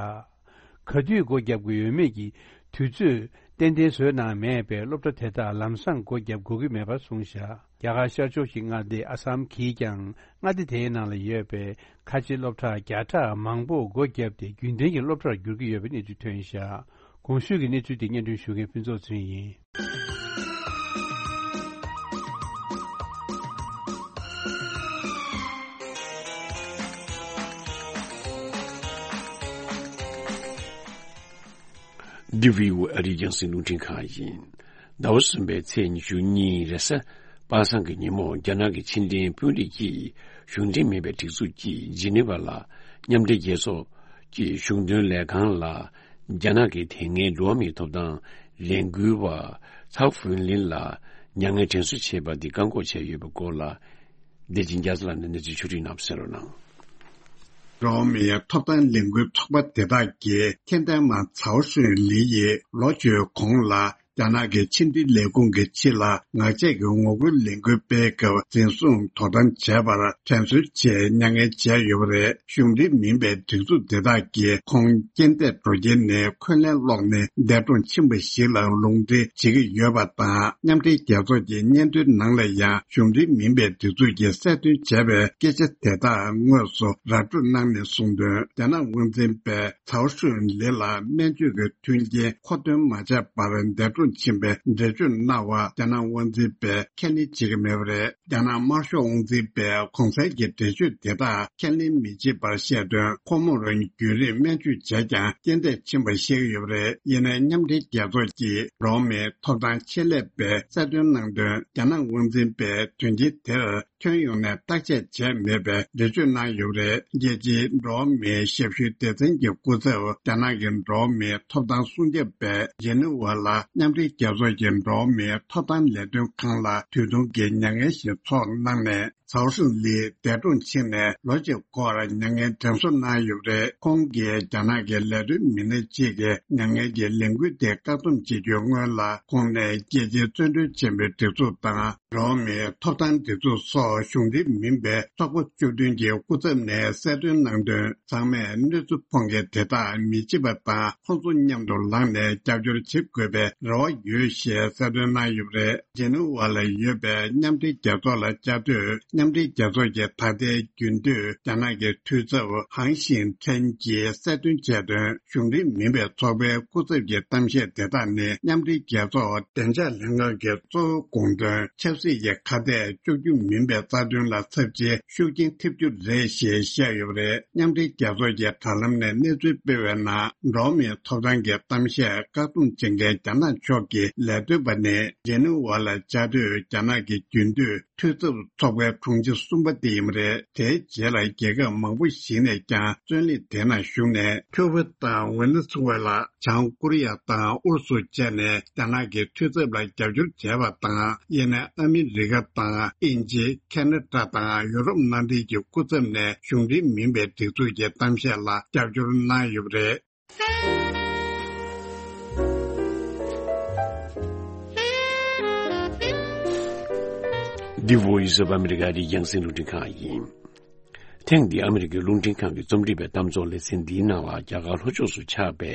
ག་དུས་སྒོ་བརྒྱབ་དགོས་ཡོད་མེད་ཀྱི་དུས་ཚོད་ཏན་ཏན་བཟོས་གནང་མེད་པས། སློབ་གྲྭ་དེ་དག་ལམ་སང་སྒོ་བརྒྱབ་དགོས་ཀྱི་མེད་པར་གསུངས་བཞག། རྒྱ་གར་ཤར་ཕྱོགས་ཀྱི་མངའ་སྡེ་ཨ་སམ་གྱིས་ཀྱང་མངའ་སྡེ་དེའི་ནང་ལ་ཡོད་པའི་ཁ་ཆེའི་སློབ་གྲྭ་བརྒྱ་ཕྲག་མང་པོ་སྒོ་བརྒྱབ་སྟེ། རྒྱུན་ལྡན་གྱི་སློབ་གྲྭར་འགྱུར་གྱི་ཡོད་པའི་གནས་ཚུལ་ཐོན་བཞག། གོང་ཞུས་ཀྱི་གནས་ཚུལ་དེ་སྙན་སྒྲོན་ཞུ་མཁན་ཕུན་ཚོགས་ཚུན་ཡིན། འདི་བྷི་ཨོ་ཨེ་ཨ་རིའི་རྒྱང་སྲིང་རླུང་འཕྲིན་ཁང་ཡིན། ཟླ་བ་གསུམ་པའི་ཚེས་ཉི་ཤུ་གཉིས་རེས་གཟའ་པ་སངས་ཀྱི་ཉིན་མོ། རྒྱ་ནག་གི་ཕྱི་འབྲེལ་དཔོན་རིགས་ཀྱིས་གཞུང་འབྲེལ་མིན་པའི་སྒྲིག་འཛུགས་ཀྱིས་ཇི་ནི་ཝ་ལ་མཉམ་འབྲེལ་རྒྱལ་ཚོགས་ཀྱི་གཞུང་དོན་ལས་ཁང་ལ། རྒྱ་ནག་གི་དེ་སྔའི་འགྲོ་བ་མིའི་ཐོབ་ཐང་ལས་འགུལ་བ་ཚའོ་ཧྥུན་ལིན་ལ་མྱ་ངན་དྲན་གསོ་བྱས་པ་འདི་བཀག་འགོག་བྱས་ཡོད་པའི་སྐོར་ལ། བདེ་ཆེན་རྒྱ་མཚོ་ལགས་ནས་གནས་ཚུལ་ཕྱོགས་སྒྲིག་གནང་བ་གསན་རོགས་གནང་། འགྲོ་བ་མིའི་ཐོབ་ཐང་ལས་འགུལ་ཚོགས་པ་དེ་དག་གིས་མཁྱེན་ལྡན་མ་ཚའོ་ཧྲུན་ལི་ཡིས་ལོ་བཅུའི་གོང་ལ་རྒྱ་ནག་གི་ཕྱི་འབྲེལ་ལས་ཁུངས་ཀྱི་ཕྱི་ལ་ངག་བཅད་ཀྱི་ངོ་རྒོལ་ལས་འགུལ་སྤེལ་སྐབས་འཛིན་བཟུང་དོ་དམ་བྱས་པར་དྲན་གསོའི་ཆེད་མྱ་ངན་བྱས་ཡོད་པ་རེད། གཞུང་འབྲེལ་མིན་པའི་སྒྲིག་འཛུགས་དེ་དག་གིས་ཁོང་རྐྱེན་འདས་འགྲོ་རྐྱེན་ནས་འཁོན་ལན་སློག་ནས་འདས་གྲོངས་ཕྱིན་པ་ཞིག་ལ་ལུང་འདྲེན་བྱེད་ཀྱི་ཡོད་པ་དང་། མཉམ་འབྲེལ་རྒྱལ་ཚོགས་ཀྱི་སྙན་ཐོའི་ནང་ལ་ཡང་གཞུང་འབྲེལ་མིན་པའི་སྒྲིག་འཛུགས་ཀྱིས་གསལ་སྟོན་བྱས་པའི་སྐད་ཆ་དེ་དག་དངོས་སུ་ར་སྤྲོད་གནང་ནས་གསུངས་དོན། རྒྱ་ནག་དབང་འཛིན་པས་ཚའོ་ཧྲུན་ལི་ལ་སྨན་བཅོས་ཀྱི་མཐུན་རྐྱེན་མཁོ་འདོན་མ་བྱས་པར་འདས་གྲོངས་ཕྱིན་པའི་འགྲེལ་བརྗོད་གནང་བ་རྒྱ་ནག་དབང་འཛིན་པས་ཁས་ལེན་བྱེད་ཀྱི་མེད་པ་རེད། རྒྱ་ནག་དམར་ཤོག་དབང་འཛིན་པས་གོང་གསལ་གྱི་འགྲེལ་བརྗོད་དེ་དག་ཁས་ལེན་མི་བྱེད་པར་བཤད་དོན། ཁོ་མོར་རྒྱུན་རིང་སྨན་བཅོས་བྱས་ཀྱང་རྐྱེན་འདས་ཕྱིན་པ་བཤད་ཀྱི་ཡོད་པ་རེད། ཡིན་ནའི་མཉམ་འབྲེལ་རྒྱལ་ཚོགས་ཀྱི་འགྲོ་བ་མིའི་ཐོབ་ཐང་ཆེད་ལས་པས་གསལ་སྟོན་གནང་དོན། རྒྱ་ནག་དབང་འཛིན་པས་དོན་རྐྱེན་དེར་ ཁྱོན་ཡོངས་ནས་བརྟག་དཔྱད་བྱས་མེད་པའི་འགྲེལ་བརྗོད་གནང་ཡོད་པ་རེད། རྒྱལ་སྤྱིའི་འགྲོ་བ་མིའི་ཞབས་ཞུའི་སྡེ་ཚན་གྱི་སྐུ་ཚབ་རྒྱ་ནག་གི་འགྲོ་བ་མིའི་ཐོབ་ཐང་སྲུང་སྐྱོབ་པས་ཇི་ནི་ཝ་ལ་མཉམ་འབྲེལ་རྒྱལ་ཚོགས་ཀྱི་འགྲོ་བ་མིའི་ཐོབ་ཐང་ལས་དོན་ཁང་ལ་དུས་ཐུང་གི་མྱ་ངན་ཞིག་ཚོགས་གནང་ནས། ཚའོ་ཧྲིན་ལི་འདས་གྲོངས་ཕྱིན་ནས་ལོ་གཅིག་འགོར་མྱ་ངན་དྲན་གསོ་གནང་ཡོད་པ་རེད། ཁོང་གིས་རྒྱ་ནག་གི་ལས་དོན་མི་སྣ་གཅིག་གིས་མྱ་ངན་གྱི་ལས་འགུལ་དེ་བཀག་སྡོམ་བྱེད་རྒྱུའི་སྔོན་ལ། ཁོང་ནས་རྒྱལ་སྤྱིའི་བཙན་གྲོལ་ཆེན་པོའི་སྒྲིག་འཛུགས་དང་། འགྲོ་བ་མིའི་ཐོབ་ཐང་སྒྲིག་འཛུགས་སོགས་གཞུང་འབྲེལ་མིན་པའི་ཚོགས་པ་བཅུ་བདུན་གྱི་སྐུ་ཚབ་ནས་གསལ་སྟོན་གནང་དོན། ཚང་མས་གནོད་འཚེ་ཕོག་མཁན་དེ་དག་མི་བརྗེད་པ་དང་། ཁོང་ཚོ་མཉམ་དུ་ལངས་ནས་རྒྱབ་སྐྱོར་བྱེད་དགོས་པའི་རེ་བ་ཡོད་ཞེས་གསལ་སྟོན་གནང་ཡོད་པ་རེད། ཇི་ནི་ཝ་ལ་ཡོད་པའི་མཉམ་འབྲེལ་རྒྱལ་ཚོགས་ལ་བཅའ་སྡོད། མཉམ་འབྲེལ་རྒྱལ་ཚོགས་ཀྱི་ད་ལྟའི་རྒྱུན་སྡོད་རྒྱ་ནག་གི་འཐུས་ཚབ་ཧང་ཞིན་ཁྲེན་གྱིས་གསལ་སྟོན་བྱས་དོན། གཞུང་འབྲེལ་མིན་པའི་ཚོགས་པའི་སྐུ་ཚབ་ཀྱི་གཏམ་བཤད་དེ་དག་ནི། མཉམ་འབྲེལ་རྒྱལ་ཚོགས་བདེ་འཇགས་ལྷན་ཁང་གི་གཙོ་བོའི་དགོངས་དོན་ཆབ་སྲིད་ཀྱི་ཁ་གཏད་གཅོག་རྒྱུ་མིན་པའི་རྩ་དོན་ལ་ཚབས་ཆེའི་ཤུགས་རྐྱེན་ཐེབས་རྒྱུ་རེད་ཞེས་བཤད་ཡོད་པ་རེད། མཉམ་འབྲེལ་རྒྱལ་ཚོགས་ཀྱི་དྲ་ལམ་ནས་གནས་ཚུལ་སྤེལ་བའི་ནང་། འགྲོ་བ་མིའི་ཐོབ་ཐང་གི་གཏམ་བཤད་བཀག་སྡོམ་བྱེད་མཁན་རྒྱ་ནག་ཕྱོགས་ཀྱི་ལས་དོན་པ་ནི། ཇི་ནི་ཝ་ལ་བཅའ་སྡོད་རྒྱ་ནག་གི་རྒྱུན་སྡོད་འཐུས་ཚབ་ཚོགས་པའི་དྲུང་ཆེ་གསུམ་པ་དེ་ཡིན་པ་རེད། དེའི་རྗེས་ལ་རྒྱལ་ཁབ་མང་པོ་ཞིག་ནས་ཀྱང་བཙོན་ལས་དེ་ནང་ཞུགས་ནས། ཁྱུ་བ་དང་ཝེ་ནེ་ཛུ་ཝེ་ལ། བྱང་ཀོ་རི་ཡ་དང་ཨུ་རུ་སུ་བཅས་ནས་རྒྱ་ནག་གི་འཐུས་ཚབ་ལ་རྒྱབ་སྐྱོར་བྱས་པ་དང་། དབྱིན་ནས་ཨ་མི་རི་ཀ་དང་། དབྱིན་ཇི། ཁེ་ན་ཌ་དང་ཡུ་རོབ་མནའ་འབྲེལ་གྱི་སྐུ་ཚབ་ནས་གཞུང་འབྲེལ་མིན་པའི་སྒྲིག་འཛུགས་ཀྱི་གཏམ་བཤད་ལ་རྒྱབ་སྐྱོར་གནང་ཡོད་པ་རེད། འདི་Voice of America རི་རྒྱང་སྲིང་རླུང་འཕྲིན་ཁང་ཡིན། ཐེངས་འདིའི་ཨ་མི་རི་ཀའི་རླུང་འཕྲིན་ཁང་གི་རྩོམ་སྒྲིག་པའི་གཏམ་ཚོགས་ལེ་ཚན་འདིའི་ནང་ལ་རྒྱ་གར་ལྷོ་ཕྱོགས་སུ་ཆགས་པའི་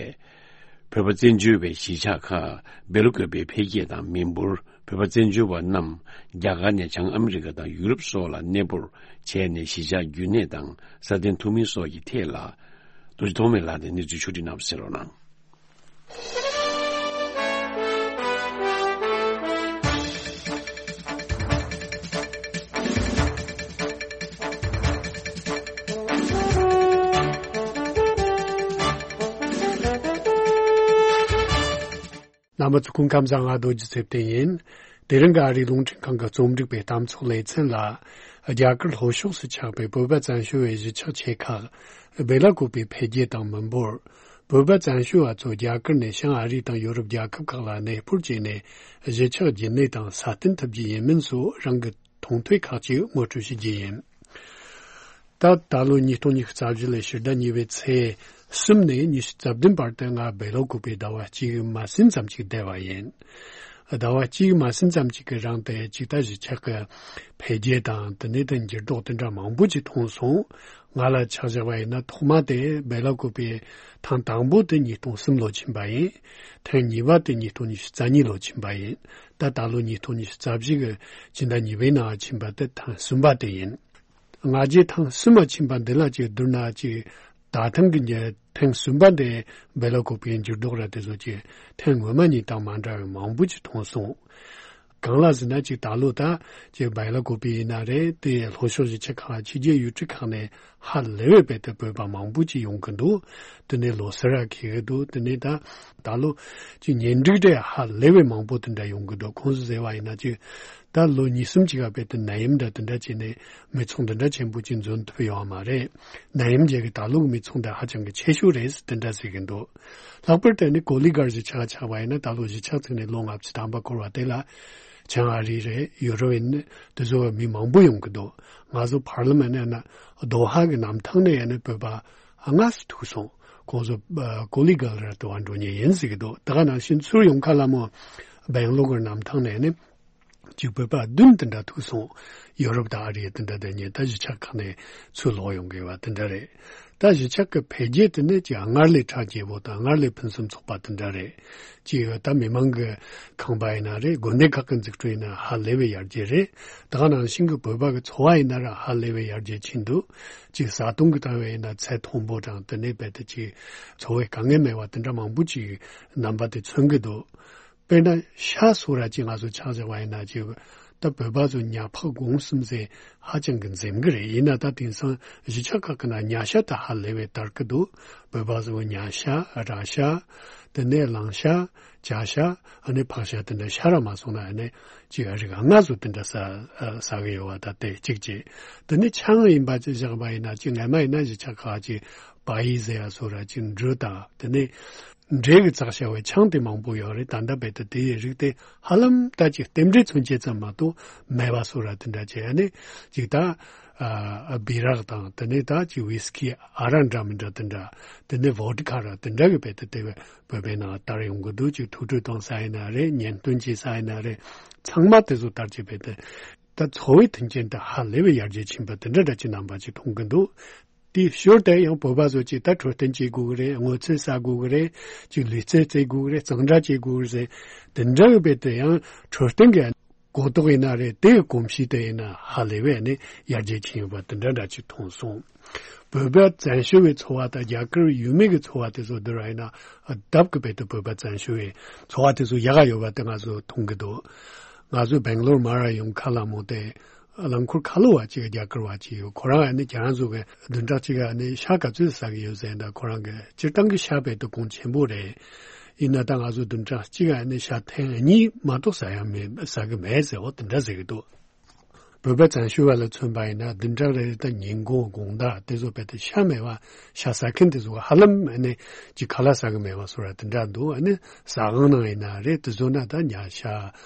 བོད་པ་བཙན་བྱོལ་བའི་གཞིས་ཆགས་ཁག་སྦེལ་ཀོབ་པའི་འཕེལ་རྒྱས་དང་མི་འབོར། བོད་པ་བཙན་བྱོལ་བ་རྣམས་རྒྱ་གར་ནས་བྱང་ཨ་མི་རི་ཀ་དང་ཡུ་རོབ་སོགས་ལ་གནས་སྤོར་བྱས་ནས་གཞིས་ཆགས་རྒྱུན་གནས་དང་སྲ་བརྟན་ཐུབ་མིན་སོགས་ཀྱི་ཐད་ལ། རྡོ་རྗེ་ཐོགས་མེད་ལགས་ནས་གནས་ཚུལ་ཕྱོགས་སྒྲིག་གནང་བ་གསན་རོགས་གནང་། རྣམ་པ་ཚོ་སྐུ་ཁམས་བཟང་། ང་རྡོ་རྗེ་ཚེ་བརྟན་ཡིན། དེ་རིང་གི་ཨ་རིའི་རླུང་འཕྲིན་ཁང་གི་རྩོམ་སྒྲིག་པའི་གཏམ་ཚོགས་ལེ་ཚན་ལ། རྒྱ་གར་ལྷོ་ཕྱོགས་སུ་ཆགས་པའི་བོད་པ་བཙན་བྱོལ་བའི་གཞིས་ཆགས་ཆེ་ཁག་སྦེ་ལ་ཀོ་པའི་འཕེལ་རྒྱས་དང་མི་འབོར། བོད་པ་བཙན་བྱོལ་བ་ཚོ་རྒྱ་གར་ནས་བྱང་ཨ་རི་དང་ཡོ་རོབ་རྒྱལ་ཁབ་ཁག་ལ་གནས་སྤོར་བྱས་ནས་གཞིས་ཆགས་རྒྱུན་གནས་དང་སྲ་བརྟན་ཐུབ་རྒྱུ་ཡིན་མིན་སོགས་རང་གི་མཐོང་ཐོས་ཁག་ཅིག་ངོ་སྤྲོད་ཞུ་རྒྱུ་ཡིན། ད་ད་ལོ་ཉིས་སྟོང་ཉི་ཤུ་རྩ་བཞི་ལོའི་ཕྱི་ཟླ་གཉིས་པའི་ཚེས་གསུམ་ནས་ཉི་ཤུ་རྩ་བདུན་བར་དུ་ང་སྦེ་ལ་ཀོ་པའི་ཟླ་བ་གཅིག་མ་ཟིན་ཙམ་ཞིག་བསྡད་པ་ཡིན། ཟླ་བ་གཅིག་མ་ཟིན་ཙམ་ཞིག་གི་རིང་དུ་ཅིག་ད་གཞིས་ཆགས་ཀྱི་འཕེལ་རྒྱས་དང་དེ་ནས་དེ་འགྱུར་ལྡོག་དེ་འདྲ་མང་པོ་ཅིག་མཐོང་སོང་། ང་ལ་ཆ་བཞག་པ་ཡིན་ན་ཐོག་མ་དེ་སྦེ་ལ་ཀོ་པའི་ཐེངས་དང་པོ་དེ་ཉིས་སྟོང་གསུམ་ལོ་ཕྱིན་པ་ཡིན། ཐེངས་གཉིས་པ་དེ་ཉིས་སྟོང་ཉི་ཤུ་རྩ་གཉིས་ལོ་ཕྱིན་པ་ཡིན། ད་ད་ལོ་ཉིས་སྟོང་ཉི་ཤུ་རྩ་བཞི་གི་སྤྱི་ཟླ་གཉིས་པའི་ནང་ཕྱིན་པ་དེ་ཐེངས་གསུམ་པ་དེ་ཡིན། ང་རྒྱལ་ཐེངས་གསུམ་མ་ཕྱིན་པ་འདི་ལ་ཅིག་བསྡུར་ན་ཅིག་ད་ཐེངས་ཀྱི་ཉེ་ཐེངས་གསུམ་པ་འདི་སྦེ་ལ་ཀོ་པའི་འགྱུར་ལྡོག་ར་དེ་ཚོ་ཅིག་ཐེངས་སྔོན་མ་གཉིས་དང་མ་འདྲ་བའི་མང་པོ་ཅིག་མཐོང་སོང་། གང་ལ་ཟེར་ན་ཅིག་ད་ལོ་ད་ཅིག་སྦེ་ལ་ཀོ་པའི་ཡིན་ན་རེད། དེ་ལྷོ་ཕྱོགས་གཞིས་ཆགས་ཁག་ཕྱི་རྒྱལ་ཡུལ་གྲུ་ཁག་ནས་ཧ་ལས་པའི་བེད་དེ་བོད་པ་མང་པོ་ཅིག་ཡོང་གི་འདུག་དེ་ནས་ལོ་སར་ར་འཁེལ་གི་འདུག་དེ་ནས་ད་ད་ལོ་ཅིག་གཉེན་སྒྲིག་དེ་ཧ་ལས་པའི་མང་པོ་དེ་འདྲ་ཡོང་གི་འདུག་ཁོང་ཚོ་ཟེར་བ་ཡིན་ན་ཅིག་ད་ལོ་གཉིས་གསུམ་ཅིག་ག་བེད་དེ་ནད་ཡམས་འདྲ་དེ་འདྲ་བྱས་ནས་མི་ཚང་དེ་འདྲ་ཆེན་པོ་ཅིག་འཛོམས་ཐུབ་ཡོད་མ་རེད། ནད་ཡམས་རྒྱལ་གི་ད་ལོ་གི་མི་ཚང་དེ་ཧ་ཅང་གི་ཆེ་ཤོས་རེད་དེ་འདྲ་ཟེར་གི་འདུག་ལྷག་པར་དུ་ནི་ཀོ་ལི་གྷལ་གཞིས་ཆགས་ཆགས་པ་ཡིན་ན་ད་ལོ་གཞིས་ཆགས་ཚུགས་ནས་ལོ་ལྔ་བཅུ་ཐམ་པ་འཁོར་བ་དེ་ལ་བྱང་ཨ་རི་རེད། ཡུ་རོབ་ཡིན་ནི་དེ་ཚོ་བ་མི་མང་པོ་ཡོང་གི་འདུག་ང་ཚོ་ཕར་ལམ་ནས་ན་རྡོ་ཧ་གི་གནམ་ཐང་ནས་ཡང་ནི་བོད་པ་ལྔ་སུ་ཐུག་སོང་། ཁོང་ཚོ་ཀོ་ལི་གྷལ་ར་དུ་བ་འགྲོ་ཉེན་ཡིན་ཟེར་གི་འདུག་ད་ག་ནང་བཞིན་ཚུར་ཡོང་ཁ་ལ་མོ་སྦེང་ལོར་གི་གནམ་ཐང་ནས་ནི་གཅིག་བོད་པ་བདུན་དེ་འདྲ་ཐུག་སོང་། ཡོ་རོབ་དང་ཨ་རི་དེ་འདྲ་དེ་ཉིད་ད་གཞིས་ཆགས་ཁག་ནས་ཚུར་ལོག་ཡོང་དགོས་པ་དེ་འདྲ་རེད། ད་གཞིས་ཆགས་ཀྱི་འཕེལ་རྒྱས་དེ་ནས་ཀྱི་སྔར་ལས་གྲགས་ཆེ་བོ་དང་སྔར་ལས་ཕུན་སུམ་ཚོགས་པ་དེ་འདྲ་རེད། ཅིག་ད་མི་མང་གི་ཁང་པ་ཡིན་ན་རེད། དགོན་སྡེ་ཁག་གི་འཛུགས་སྐྲུན་ཡིན་ན་ཧ་ལས་པའི་ཡར་རྒྱས་རེད། ད་ག་ནང་བཞིན་གྱི་བོད་པ་གི་འཚོ་བ་ཡིན་ན་ར་ཧ་ལས་པའི་ཡར་རྒྱས་ཕྱིན་འདུག་ཅིག་བཟའ་བཏུང་གི་ཐོག་ནས་ཡིན་ན་ཚད་མཐོན་པོ་དང་དེ་ནས་རྦད་དེ་ཅིག་འཚོ་བའི་དཀའ་ངལ་མེད་པ་དེ་འདྲ་མང་པོ་ཅིག་རྣམ་པ་དེ་མཚོན་གྱི་འདུག་དཔེར་ན་ཤ་སོགས་ར་ཅིག་ང་ཚོ་ཆ་བཞག་པ་ཡིན་ན་ཅིག་ད་བོད་པ་ཚོ་ཉ་ཕག་གུང་གསུམ་ཟེར་ཧ་ཅང་གི་འཛེམ་གི་རེད། ཡིན་ན་ད་དེང་སང་གཞིས་ཆགས་ཁག་གི་ནང་ཉ་ཤ་ད་ཧ་ལས་པའི་དར་གི་འདུག་བོད་པ་ཚོ་ཉ་ཤ་ར་ཤ་ དེ་ནས་གླང་ཤ། བྱ་ཤ། ཨ་ནི་ཕག་ཤ། དེ་འདྲ་ཤ་ར་མ་སོང་ན་ཨ་ནི་ཅིག་རིགས་ལྔ་བཟོ་དེ་འདྲ་ཟ་ཟ་གི་ཡོད་པ། ད་དེ་གཅིག་བྱས། དེ་ནས་ཆང་ཡིན་པ་ཅིག་བཞག་པ་ཡིན་ན། ཅིག་སྔ་མ་ཡིན་ན་གཞིས་ཆགས་ཁག་ཅིག་བ་ཡི་ཟེར་ཡ་སོགས་ར་ཅིག་འབྲུ་དང་དེ་ནས་འབྲས་ཀྱི་བཙགས་བྱ་བའི་ཆང་དེ་མང་པོ་ཡོད་རེད། ད་ལྟ་རྦད་དེ་དེའི་རིགས་དེ་ཧ་ལམ་ད་ཅིག་རྟེན་འབྲེལ་མཚོན་བྱེད་ཙམ་མ་གཏོགས་མེད་པ་སོགས་ར་དེ་འདྲ་བྱས། ཨ་ནི་ཅིག་ད་ཨ་བི་རག་དང་དེ་ནས་ད་ཅིག་ཝིས་ཀི་ཨ་རག་འདྲ་མི་འདྲ་དེ་འདྲ། དེ་ནས་བོ་ཌི་ཀ་ར་དེ་འདྲ་གི་རྦད་དེ་དེ་བས་བོད་པའི་ནང་དར་ཡོང་གི་འདུག་ཅིག་ཐུགས་སྤྲོ་གཏོང་ས་ཡིན་ན་རེད། གཉེན་སྟོན་བྱེད་ས་ཡིན་ན་རེད། ཚང་མ་དེ་ཚོ་དར་གྱི་རྦད་དེ། ད་འཚོ་བའི་མཐུན་རྐྱེན་དེ་ཧ་ལས་པའི་ཡར་རྒྱས་ཕྱིན་པ་དེ་འདྲ་འདྲ་ཅིག་རྣམ་པ་ཅིག་མཐོང་གི་འདུག་དེའི་ཞོར་དུ་ཡང་བོད་པ་ཚོ་ཅིག་ད་འཕྲོད་བསྟེན་བྱེད་དགོས་ཀྱི་རེད། སྔོ་ཚལ་ཟ་དགོས་ཀྱི་རེད། ཅིག་ལུས་རྩལ་རྩེད་དགོས་ཀྱི་རེད། གཙང་སྦྲ་བྱེད་དགོས་ཀྱི་རེད། དེ་འདྲ་གི་རྦད་དེ་ཡང་འཕྲོད་བསྟེན་གྱི་གོ་རྟོགས་ཡིན་ན་རེད། དེའི་གོམས་གཤིས་དེ་ཡིན་ན་ཧ་ལས་པའི་ནི་ཡར་རྒྱས་ཕྱིན་ཡོད་པ་དེ་འདྲ་འདྲ་ཅིག་མཐོང་སོང་། བོད་པ་བཙན་བྱོལ་བའི་འཚོ་བ་དང་རྒྱ་གར་ཡུལ་མི་གི་འཚོ་བ་དེ་ཚོ་བསྡུར་བ་ཡིན་ན་ལྡབ་ཀྱིས་རྦད་དེ་བོད་པ་བཙན་བྱོལ་བའི་འཚོ་བ་དེ་ཚོ་ཡག་ག་ཡོད་པ་དེ་ང་ཚོ་མཐོང་གི་འདུག་ང་ཚོ་སྦེང་ལོར་མ་ར་ཡོང་ཁ་ལ་མོ་དེ་རླངས་འཁོར་ཁ་ལོ་བ་ཅིག་རྒྱ་གར་བ་ཅིག་ཡོད། ཁོ་རང་ཨ་ནི་ཁྱེད་རང་ཚོ་གི་བདུན་ཕྲག་གཅིག་ག་ཨ་ནི་ཤ་ག་ཚོད་ཟ་གི་ཡོད་ཟེར་ན། ཁོ་རང་གི་སྤྱིར་བཏང་གི་ཤ་རྦད་དེ་གོང་ཆེན་པོ་རེད། ཡིན་ན་ད་ང་ཚོ་བདུན་ཕྲག་གཅིག་ག་ཨ་ནི་ཤ་ཐེངས་གཉིས་མ་གཏོགས་ཟ་ཡ་མེད། ཟ་གི་མེད་ཟེར་འོ་དེ་འདྲ་ཟེར་གི་འདུག་བོད་པ་བཙན་བྱོལ་བ་ལ་མཚོན་པ་ཡིན་ན་བདུན་ཕྲག་རེ་རེ་དང་ཉིན་གུང་དགོང་དག་དེ་ཚོ་རྦད་དེ་ཤ་མེད་པ། ཤ་ཟ་མཁན་དེ་ཚོ་ཧ་ལམ་ཨ་ནི་ཅིག་ཁ་ལག་ཟ་གི་མེད་པ་སོགས་ར་དེ་འདྲ་འདུག་ཨ་ནི་ཟ་ཁང་ནང་ཡིན་ན་རེད། དེ་ཚོ་ན་ད་ཉ་ཤ་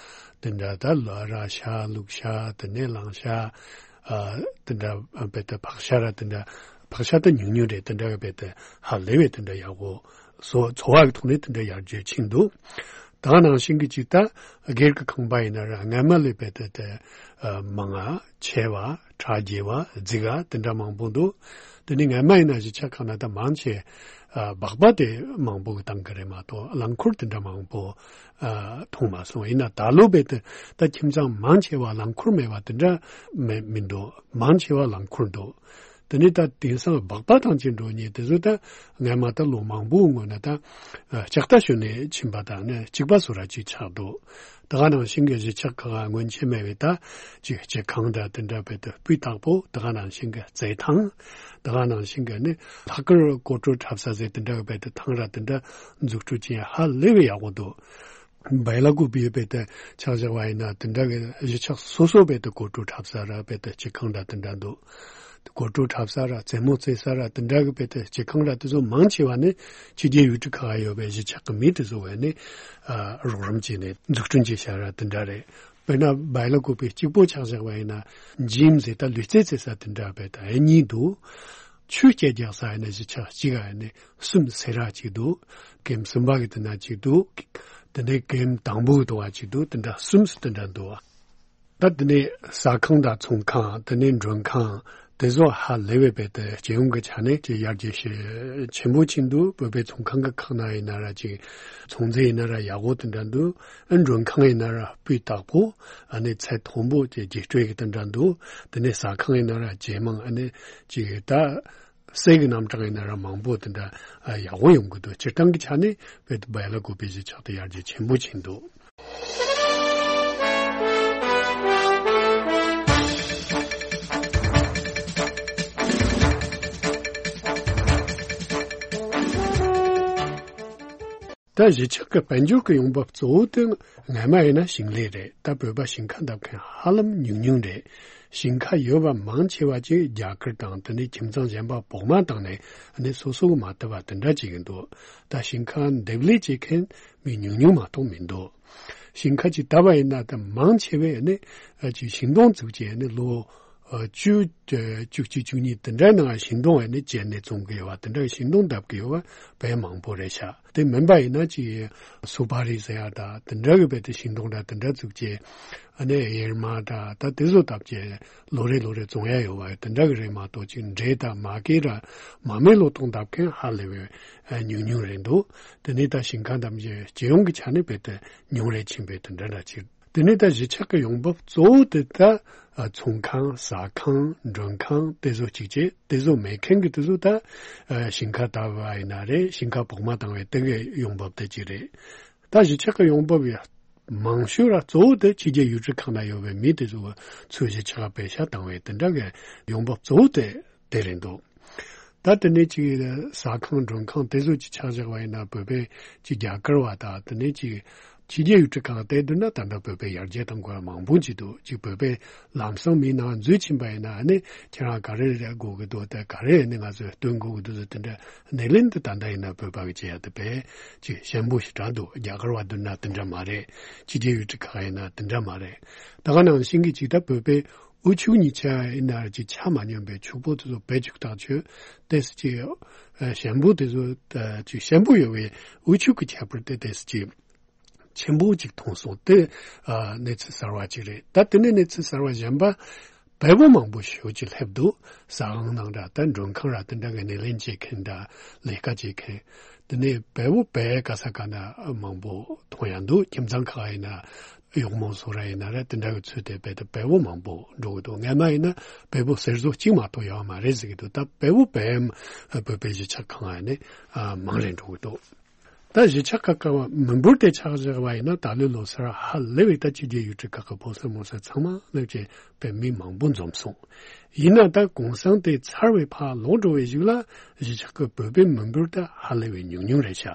དེ་འདྲ། ད་ལ་ར་ཤ། ལུག་ཤ། དེ་ནས་གླང་ཤ། ཨ་དེ་འདྲ་རྦད་དེ་ཕག་ཤ་ར་དེ་འདྲ། ཕག་ཤ་ད་ཉུང་ཉུང་རེད། དེ་འདྲ་རྦད་དེ་ཧ་ལས་པའི་དེ་འདྲ་ཡག་པོ་བཟོ། འཚོ་བ་གི་ཐོག་ནས་དེ་འདྲ་ཡར་རྒྱས་ཕྱིན་འདུག་ད་ག་ནང་བཞིན་གྱི་ཅིག་ད་སྒེར་གྱི་ཁང་པ་ཡིན་ན་ར་སྔ་མ་ལས་རྦད་དེ་དེ་ཨ་མང་ང་ཆེ་བ། གྲ་རྒྱས་པ། རྫིག་ག་དེ་འདྲ་མང་པོ་འདུག་དེ་ནི་སྔ་མ་ཡིན་ན་གཞིས་ཆགས་ཁག་ན་ད་མང་ཆེ་ཨ་སྦག་སྦག་དེ་མང་པོ་གི་བཏང་གི་རེད་མ་གཏོགས་རླངས་འཁོར་དེ་འདྲ་མང་པོ་ཨ་མཐོང་མ་སོང་། ཡིན་ན་ད་ལོ་རྦད་དེ་ད་ཁྱིམ་ཚང་མང་ཆེ་བ་རླངས་འཁོར་མེད་པ་དེ་འདྲ་མེད་མི་འདུག་མང་ཆེ་བ་རླངས་འཁོར་འདུག་དེ་ནས་ད་དེང་སང་སྦག་སྦག་ཐང་ཆེན་འགྲོ་མཁན་དེ་ཚོ་ད་སྔ་མ་ད་ལོ་མང་པོའི་སྔོན་ན་ད་ལྕགས་རྟ་ཞོན་ནས་ཕྱིན་པ་དང་ནི་གཅིག་པ་བཟོ་འདྲ་ཅིག་ཆགས་འདུག་ད་ག་ནང་བཞིན་གྱི་གཞིས་ཆགས་ཁག་སྔོན་ཆད་མེད་པའི་ད་ཅིག་སྤྱི་ཁང་འདྲ་དེ་འདྲ་རྦད་དེ་སྤུས་དག་པོ། ད་ག་ནང་བཞིན་གྱི་རྩེད་ཐང་། ད་ག་ནང་བཞིན་གྱི་ནི་ལྷག་དཀར་སྐོར་བྲོ་འཁྲབ་ས་ཟེར་དེ་འདྲ་རྦད་དེ་ཐང་ར་དེ་འདྲ་འཛུགས་སྐྲུན་བྱས་ཧ་ལས་པའི་ཡག་པོ་འདུག་བལ་ལ་ཀུ་པི་རྦད་དེ་ཆ་བཞག་པ་ཡིན་ན་དེ་འདྲ་གི་གཞིས་ཆགས་སོ་སོ་རྦད་དེ་སྐོར་བྲོ་འཁྲབ་ས་ར་རྦད་དེ་སྤྱི་ཁང་འདྲ་དེ་འདྲ་འདུག་སྐོར་བྲོ་འཁྲབ་ས་ར་རྩེད་མོ་རྩེ་ས་ར་དེ་འདྲ་གི་རྦད་དེ་སྤྱི་ཁང་ར་དེ་ཚོ་མང་ཆེ་བ་ནི་ཕྱི་རྒྱལ་ཡུལ་གྲུ་ཁག་ཡོད་པའི་གཞིས་ཆགས་ཀྱི་མི་དེ་ཚོ་བས་ནི་ཨ་རོགས་རམ་བྱས་ནས་འཛུགས་སྐྲུན་བྱས་བཞག་ར་དེ་འདྲ་རེད། དཔེར་ན་བལ་ལ་ཀུ་པི་གཅིག་པོ་ཆ་བཞག་པ་ཡིན་ན་འཇིམ་ཟེར་ད་ལུས་རྩལ་རྩེ་ས་དེ་འདྲ་རྦད་དེ་གཉིས་འདུག་ཆོས་སྐད་རྒྱག་ས་ཡིན་ན་གཞིས་ཆགས་གཅིག་ག་ཡིན་ན་གསུམ་ཟེར་ར་གཅིག་འདུག་ཀེམ་གསུམ་པ་གི་དེ་ན་གཅིག་འདུག་དེ་ནས་ཀེམ་དང་པོ་གི་དུ་བ་གཅིག་འདུག་དེ་འདྲ་གསུམ་སུ་དེ་འདྲ་འདུག་ད་དེ་ནས་ཟ་ཁང་དང་ཚོང་ཁང་། དེ་ནས་མགྲོན་ཁང་། དེ་ཚོ་ཧ་ལས་པའི་རྦད་དེ་སྤྱི་ཡོངས་ཀྱི་ཆ་ནས་ཅིག་ཡར་རྒྱས་ཤུགས་ཆེན་པོ་ཕྱིན་འདུག་བོད་པའི་ཚོང་ཁང་གི་ཁག་ན་ཡིན་ན་ར་ཅིག་ཚོང་རྫས་ཡིན་ན་ར་ཡག་པོ་དེ་འདྲ་འདུག་ཨ་མགྲོན་ཁང་ཡིན་ན་ར་སྤུས་དག་པོ། ཨ་ནི་ཚད་མཐོན་པོ་ཅིག་རྒྱས་སྤྲོས་ཀྱི་དེ་འདྲ་འདུག་དེ་ནས་ཟ་ཁང་ཡིན་ན་ར་ཇེ་མང་། ཨ་ནི་ཅིག་ད་གསེར་གྱི་རྣམ་གྲངས་ཡིན་ན་ར་མང་པོ་དེ་འདྲ་ཨ་ཡག་པོ་ཡོང་གི་འདུག་སྤྱིར་བཏང་གི་ཆ་ནས་བོད་བལ་ལ་ཀུ་པི་གཞིས་ཆགས་དེ་ཡར་རྒྱས་ཆེན་པོ་ཕྱིན་འདུག་ད་གཞིས་ཆགས་ཀྱི་དཔལ་འབྱོར་གྱི་ཡོང་འབབ་གཙོ་བོ་དེ་སྔ་མ་ཡིན་ན་ཞིང་ལས་རེད། ད་བོད་པ་ཞིང་ཁ་འདེབས་མཁན་ཧ་ལམ་ཉུང་ཉུང་རེད། ཞིང་ཁ་ཡོད་པ་མང་ཆེ་བ་ཅིག་རྒྱ་གར་དང་དེ་ནས་ཁྱིམ་ཚང་གཞན་པ་བོགས་མ་བཏང་ནས་ཨ་ནི་སོ་སོ་གི་མ་བཏབ་པ་དེ་འདྲ་ཅིག་ཡིན་འདུག་ད་ཞིང་ཁ་འདེབས་ལས་བྱེད་མཁན་མི་ཉུང་ཉུང་མ་གཏོགས་མི་འདུག་ཞིང་ཁ་ཅིག་བཏབ་པ་ཡིན་ན་ད་མང་ཆེ་བས་ཨ་ནི་ཨ་ཅིག་ཤིང་སྡོང་བཙུགས་བྱས་ཨ་ནི་ལོ་ཨ་བཅུ་བཅུ་གཅིག་བཅུ་གཉིས་དེ་འདྲའི་ནང་ཤིང་སྡོང་ཨ་ནི་བཅད་ནས་བཙོང་གི་ཡོད་པ། དེ་འདྲ་ཤིང་སྡོང་བཏབ་གི་ཡོད་པ་དཔེ་མང་པོ་རེད་ཤག་དེ་མིན་པ་ཡིན་ན་ཅིག་སུ་པ་རི་ཟེར་ཡ་ད་དེ་འདྲ་གི་རྦད་དེ་ཤིང་སྡོང་འདྲ་དེ་འདྲ་བཙུགས་བྱས་ཨ་ནི་གཡེར་མ་འདྲ་ད་དེ་ཚོ་བཏབ་བྱས་ལོ་རེ་ལོ་རེ་བཙོང་ཡ་ཡོད་པ་དེ་འདྲ་གི་རེད་མ་གཏོགས་ཅིག་འབྲས་དང་མ་ཀི་ར་མ་རྨོས་ལོ་ཏོག་འདེབས་མཁན་ཧ་ལས་པའི་ཉུང་ཉུང་རེད་འདུག་དེ་ནས་ད་ཞིང་ཁ་འདེབས་བྱས་སྤྱི་ཡོངས་ཀྱི་ཆ་ནས་རྦད་དེ་ཉུང་རེ་ཕྱིན་པའི་དེ་འདྲ་འདྲ་ཅིག་དེ་ནས་ད་གཞིས་ཆགས་ཀྱི་ཡོང་འབབ་གཙོ་བོ་དེ་ད་ཨ་ཚོང་ཁང་། ཟ་ཁང་། མགྲོན་ཁང་། དེ་ཚོ་གཅིག་བྱས། དེ་ཚོ་མེད་མཁན་གྱི་དེ་ཚོ་ད་ཨ་ཞིང་ཁ་བཏབ་པ་ཡིན་ན་རེད། ཞིང་ཁ་བོགས་མ་བཏང་བའི་དེ་གའི་ཡོང་འབབ་དེ་གཅིག་རེད། ད་གཞིས་ཆགས་ཀྱི་ཡོང་འབབ་ཡ་མང་ཤོས་ར་གཙོ་བོ་དེ་ཕྱི་རྒྱལ་ཡུལ་གྲུ་ཁག་ན་ཡོད་པའི་མི་དེ་ཚོ་གི་ཚུར་གཞིས་ཆགས་པད་ཤག་བཏང་བའི་དེ་འདྲ་གི་ཡོང་འབབ་གཙོ་བོ་དེ་དེ་རེད་འདུག་ད་དེ་ནས་ཅིག་ཟ་ཁང་མགྲོན་ཁང་དེ་ཚོ་ཅིག་ཆགས་བཞག་པ་ཡིན་ན། བོད་པའི་ཅིག་རྒྱ་གར་བ་དང་དེ་ནས་ཅིག་ཕྱི་རྒྱལ་ཡུལ་གྲུ་ཁག་དེ་བསྡུར་ན་ད་ལྟ་བོད་པའི་ཡར་རྒྱས་གཏོང་དགོས་པ་མང་པོ་ཅིག་འདུག་ཅིག་བོད་པའི་ལམ་སང་མིའི་ནང་འཛུལ་ཕྱིན་པ་ཡིན་ན་ཨ་ནི་ཁྱེད་རང་ག་རེ་རེད་དགོས་ཀྱི་འདུག་ད་ག་རེ་ཨ་ནི་ང་ཚོས་སྟོན་དགོས་ཀྱི་འདུག་ཟེར་དེ་འདྲ་སྣེ་ལེན་དེ་ད་ལྟ་ཡིན་ན་བོད་པ་གི་བྱེད་ཡ་དེ་དཔེ་ཅིག་ཞན་པོ་ཞེ་དྲག་འདུག་རྒྱ་གར་བ་བསྡུར་ན་དེ་འདྲ་མ་རེད། ཕྱི་རྒྱལ་ཡུལ་གྲུ་ཁག་ཡིན་ན་དེ་འདྲ་མ་རེད། ད་ག་ནང་བཞིན་གྱི་ཅིག་ད་བོད་པའི་དབུལ་ཕྱུག་གཉིས་ཆ་ཡིན་ན་ཅིག་ཆ་མ་སྙོམས་པའི་ཕྱུག་པོ་དེ་ཚོ་བེད་སྤྱོད་ཐག་ཆོད་དེ་ཅིག་ཞན་པོ་དེ་ཚོ་ཅིག་ཞན་པོ་ཡོད་པའི་དབུལ་ཕྱུག་གི་ཁྱད་པར་དེ་དེ་ཅིག་ཆེན་པོ་ཅིག་མཐོང་སོང་། དེ་ཨ་གནས་ཚུལ་གསར་བ་ཅིག་རེད། ད་དེ་ནས་གནས་ཚུལ་གསར་བ་གཞན་པ། བལ་པོ་མང་པོ་ཞེ་པོ་ཅིག་སླེབས་འདུག་ཟ་ཁང་ནང་འདྲ་ད་མགྲོན་ཁང་ར་དེ་འདྲ་གི་སྣེ་ལེན་བྱེད་མཁན་འདྲ་ལས་ཀ་བྱེད་མཁན། དེ་ནས་བལ་པོ་བལ་ག་ས་ག་ན་མང་པོ་མཐོང་ཡ་འདུག་ཁྱིམ་ཚང་ཁག་ཡིན་ན་གཡོག་མོ་བཟོ་ར་ཡིན་ན་ར་དེ་འདྲ་གི་ཚུལ་དེ་བལ་དུ་བལ་པོ་མང་པོ་འགྲོ་གི་འདུག་སྔན་མ་ཡིན་ན་བལ་པོ་ཟེར་བཟོ་གཅིག་མ་གཏོགས་ཡོད་མ་རེད་ཟེར་གི་འདུག་ད་བལ་པོ་བལ་བོད་པའི་གཞིས་ཆགས་ཁག་ཡིན་ནས་མང་རེ་འགྲོ་གི་འདུག་ད་གཞིས་ཆགས་ཁག་གི་མི་འབོར་དེ་ཆགས་བཞག་པ་ཡིན་ན་ད་ལོའི་ལོ་སར་ཧ་ལས་པའི་ད་ཕྱི་རྒྱལ་ཡུལ་གྲུ་ཁག་གི་ཕོ་གསར་མོ་གསར་ཚང་མ་སླེབས་བྱས་བོད་མི་མང་པོ་འཛོམས་སོང་། ཡིན་ན་ད་གུང་སེང་དེ་ཚར་བའི་ཕར་ལོག་འགྲོ་བའི་གཞུག་ལ་གཞིས་ཆགས་ཀྱི་བོད་པའི་མི་འབོར་ད་ཧ་ལས་པའི་ཉུང་ཉུང་རེད་ཤག་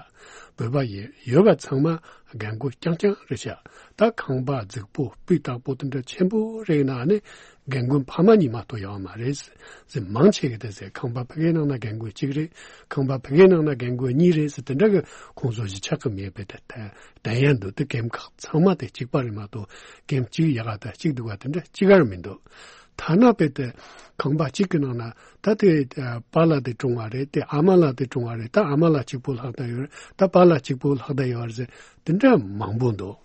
བོད་པ་ཡི་ཡོད་པ་ཚང་མ་རྒན་རྒོན་རྐྱང་རྐྱང་རེད་ཤག་ད་ཁང་པ་རྫིག་པོ་སྤུས་དག་པོ་དེ་འདྲ་ཆེན་པོ་རེད་ན་ནི་རྒན་རྒོན་ཕ་མ་གཉིས་མ་གཏོགས་ཡོད་མ་རེད་ཟེར། མང་ཆེ་གི་དེ་ཟེར། ཁང་པ་ཕ་གིའི་ནང་ན་རྒན་རྒོན་གཅིག་རེད། ཁང་པ་ཕ་གིའི་ནང་ན་རྒན་རྒོན་གཉིས་རེད་ཟེར། དེ་འདྲ་གི་ཁོང་ཚོ་གཞིས་ཆགས་ཀྱི་མི་དཔེ་དེ་དན་ཡ་འདུག་དེ་རྒན་ཁག་ཚང་མ་དེ་གཅིག་པ་རེད་མ་གཏོགས་རྒན་གཅིག་ཡག་ག་དང་གཅིག་སྡུག་ག་དེ་འདྲ་གཅིག་གར་མི་འདུག་ཐ་ན་དཔེ་དེ་ཁང་པ་གཅིག་གི་ནང་ན་ད་དེ་པཱ་ལགས་དེ་གྲོངས་པ་རེད། དེ་ཨ་མ་ལགས་དེ་གྲོངས་པ་རེད། ད་ཨ་མ་ལགས་གཅིག་པོ་ལྷག་བསྡད་ཡོད་རེད། ད་པཱ་ལགས་གཅིག་པོ་ལྷག་བསྡད་ཡོད་རེད་ཟེར། དེ་འདྲ་མང་པོ་འདུག་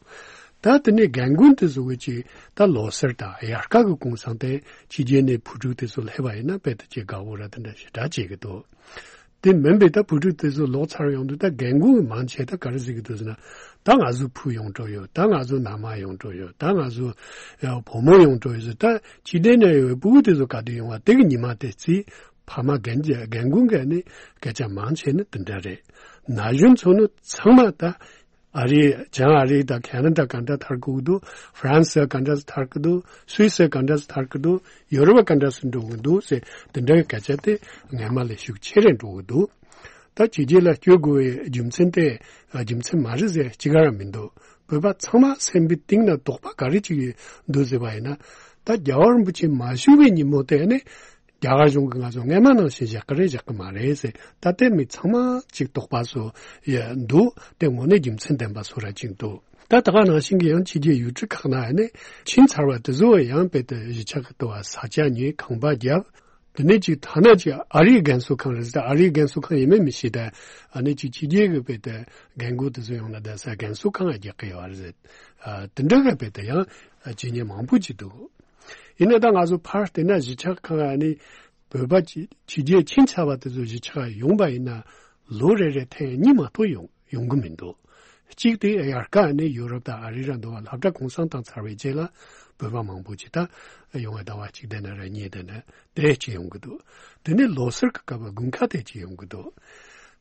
ད་དེ་ནས་རྒན་རྒོན་དེ་ཚོ་གི་ཅིག་ད་ལོ་སར་དང་དབྱར་ཁ་གི་གུང་སེང་དེ་ཕྱི་རྒྱལ་ནས་བུ་ཕྲུག་དེ་ཚོ་སླེབས་པ་ཡིན་ན་དཔེ་དེ་ཅིག་དགའ་པོ་ར་དེ་འདྲ་ཞེ་དྲག་བྱེད་ཀྱི་འདུག་དེ་མིན་པའི་ད་བུ་ཕྲུག་དེ་ཚོ་ལོག་ཚར་ཡོང་དུས་ད་རྒན་རྒོན་མང་ཆེ་ད་ག་རེ་ཟེར་གྱི་འདུག་ཟེར་ན། ད་ང་ཚོ་བུ་ཡོང་འགྲོ་ཡོད། ད་ང་ཚོ་མནའ་མ་ཡོང་འགྲོ་ཡོད། ད་ང་ཚོ་ཡ་བུ་མོ་ཡོང་འགྲོ་ཡོད་ཟེར། ད་ཕྱི་རྒྱལ་ནས་ཡོད་པའི་སྤུ་གུ་དེ་ཚོ་ག་དུས་ཡོང་བ་དེ་གི་ཉི་མ་དེ་རྩིས་ཕ་མ་རྒན་རྒན་རྒོན་གྱི་ནི་སྐད་ཆ་མང་ཆེ་ནི་དེ་འདྲ་རེད། ན་གཞོན་ཚོ་ནི་ཚང་མ་ད། ཨ་རི། བྱང་ཨ་རི་དང་ཁེ་ན་ཌ་ག་འདྲ་ཐར་གི་འདུག་ཧྥ་རན་སི་ག་འདྲ་ཐར་གི་འདུག་སུད་སི་ག་འདྲ་ཐར་གི་འདུག་ཡོ་རོབ་ག་འདྲ་སུ་འགྲོ་གི་འདུག་ཟེར། དེ་འདྲའི་སྐད་ཆ་དེ་སྔན་མ་ལས་ཤུགས་ཆེ་རེ་འགྲོ་གི་འདུག་ད་ཕྱི་རྒྱལ་ལ་བསྐྱོད་དགོས་པའི་རྒྱུ་མཚན་དེ་རྒྱུ་མཚན་མ་རེད་ཟེར་གཅིག་ག་ར་མི་འདུག་བོད་པ་ཚང་མ་སེམས་པའི་གཏིང་ན་དོགས་པ་ག་རེ་ཅིག་འདུག་ཟེར་བ་ཡིན་ན། ད་རྒྱལ་བ་རིན་པོ་ཆེ་མ་བཞུགས་པའི་ཉིན་མོ་དེ་ནི། རྒྱ་གར་གཞུང་གིས་ང་ཚོ་སྔན་མ་ནང་བཞིན་བཞག་གི་རེད་བཞག་གི་མ་རེད་ཟེར། ད་ལྟའི་མི་ཚང་མ་ཅིག་དོགས་པ་བཟོ་ཡ་འདུག་དེ་དངོས་གནས་རྒྱུ་མཚན་ལྡན་པ་བཟོ་ར་ཅིག་འདུག་ད་ད་ག་ནང་བཞིན་གྱི་ཡང་ཕྱི་རྒྱལ་ཡུལ་གྲུ་ཁག་ན་ཡང་ནས་ཕྱིན་ཚར་བ་དེ་ཚོ་ཡང་དཔེ་དེ་གཞིས་ཆགས་ཀྱི་ལྟ་བ་ས་ཆ་ཉོས། ཁང་པ་བརྒྱབ། དེ་ནས་ཅིག་ཐ་ན་ཅིག་ཨ་རིའི་རྒན་གསོ་ཁང་རེད་ཟེར། ཨ་རིའི་རྒན་གསོ་ཁང་ཡིན་མིན་མི་ཤེས། ད་ཨ་ནི་ཅིག་ཕྱི་རྒྱལ་གྱི་དཔེ་དེ་རྒན་རྒོན་དེ་ཚོ་ཡོང་ན་བསྡད་ས་རྒན་གསོ་ཁང་ང་རྒྱག་གི་ཡོད་རེད་ཟེར། ཨ་དེ་འདྲ་གི་དཔེ་དེ་ཡང་བྱེད་མཁན་མང་པོ་ཅིག་འདུག་ཡིན་ན་ད་ང་ཚོ་ཕར་བལྟས་ན་གཞིས་ཆགས་ཁག་ནི་བོད་པ་ཕྱི་ཕྱི་རྒྱལ་ཕྱིན་ཚར་བ་དེ་ཚོ་གཞིས་ཆགས་ཡོང་པ་ཡིན་ན་ལོ་རེ་རེ་ཐེངས་གཉིས་མ་གཏོགས་ཡོང་ཡོང་གི་མི་འདུག་གཅིག་དེ་དབྱར་ཁ་ནི་ཡུ་རོབ་དང་ཨ་རི་ར་འདུག་བ། སློབ་གྲྭ་གུང་སེང་བཏང་ཚར་བའི་རྗེས་ལ་བོད་པ་མང་པོ་ཅིག་ད་ཡོང་བའི་ཟླ་བ་གཅིག་དེ་ན་ར་གཉིས་དེ་ན་དེ་ཅིག་ཡོང་གི་འདུག་དེ་ནས་ལོ་སར་གི་སྐབས་དགུན་ཁ་དེ་ཅིག་ཡོང་གི་འདུག་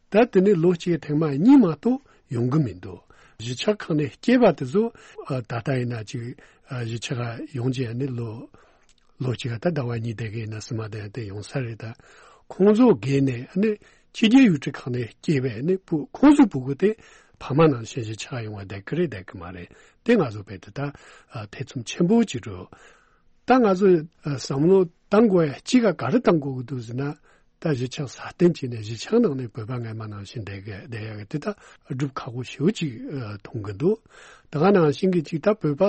ད་དེ་ནས་ལོ་གཅིག་ཐེངས་མ་གཉིས་མ་གཏོགས་ཡོང་གི་མི་འདུག་གཞིས་ཆགས་ཁག་ནས་སྐྱེས་པ་དེ་ཚོ་ཨ་ད་ལྟ་ཡིན་ན་ཅིག་ཨ་གཞིས་ཆགས་ཡོང་རྗེས་ནི་ལོ་ལོ་གཅིག་ད་ཟླ་བ་གཉིས་དེ་གའི་ན་སི་མ་དེ་དེ་ཡོང་ས་རེད། ད་ཁོང་ཚོ་སྒེར་ནས་ནི་ཕྱི་རྒྱལ་ཡུལ་གྲུ་ཁག་ནས་སྐྱེས་པའི་ནི་བུ་ཁོང་ཚོའི་སྤུ་གུ་དེ་ཕ་མ་ནང་བཞིན་གཞིས་ཆགས་ཡོང་བ་བསྡད་ཀྱི་རེད་བསྡད་ཀྱི་མ་རེད། དེ་ང་ཚོ་བལ་དུ་ད་ཨ་ཐེ་ཚོམ་ཆེན་པོ་ཅིག་འགྲོ། ད་ང་ཚོས་ཨ་བསམ་བློ་བཏང་དགོས་ཡ་གཅིག་ག་ག་རེ་བཏང་དགོས་ཀྱི་འདུག་ཟེར་ན། ད་གཞིས་ཆགས་སྲ་བརྟན་བྱས་ནས་གཞིས་ཆགས་ནང་ནས་བོད་པ་སྔན་མ་ནང་བཞིན་བསྡད་དགོས་བསྡད་ཡ་གི་དེ་ད་སྒྲུབ་ཁག་པོ་ཞེ་པོ་ཅིག་ཨ་མཐོང་གི་འདུག་ད་ག་ནང་བཞིན་གྱི་ཅིག་ད་བོད་པ་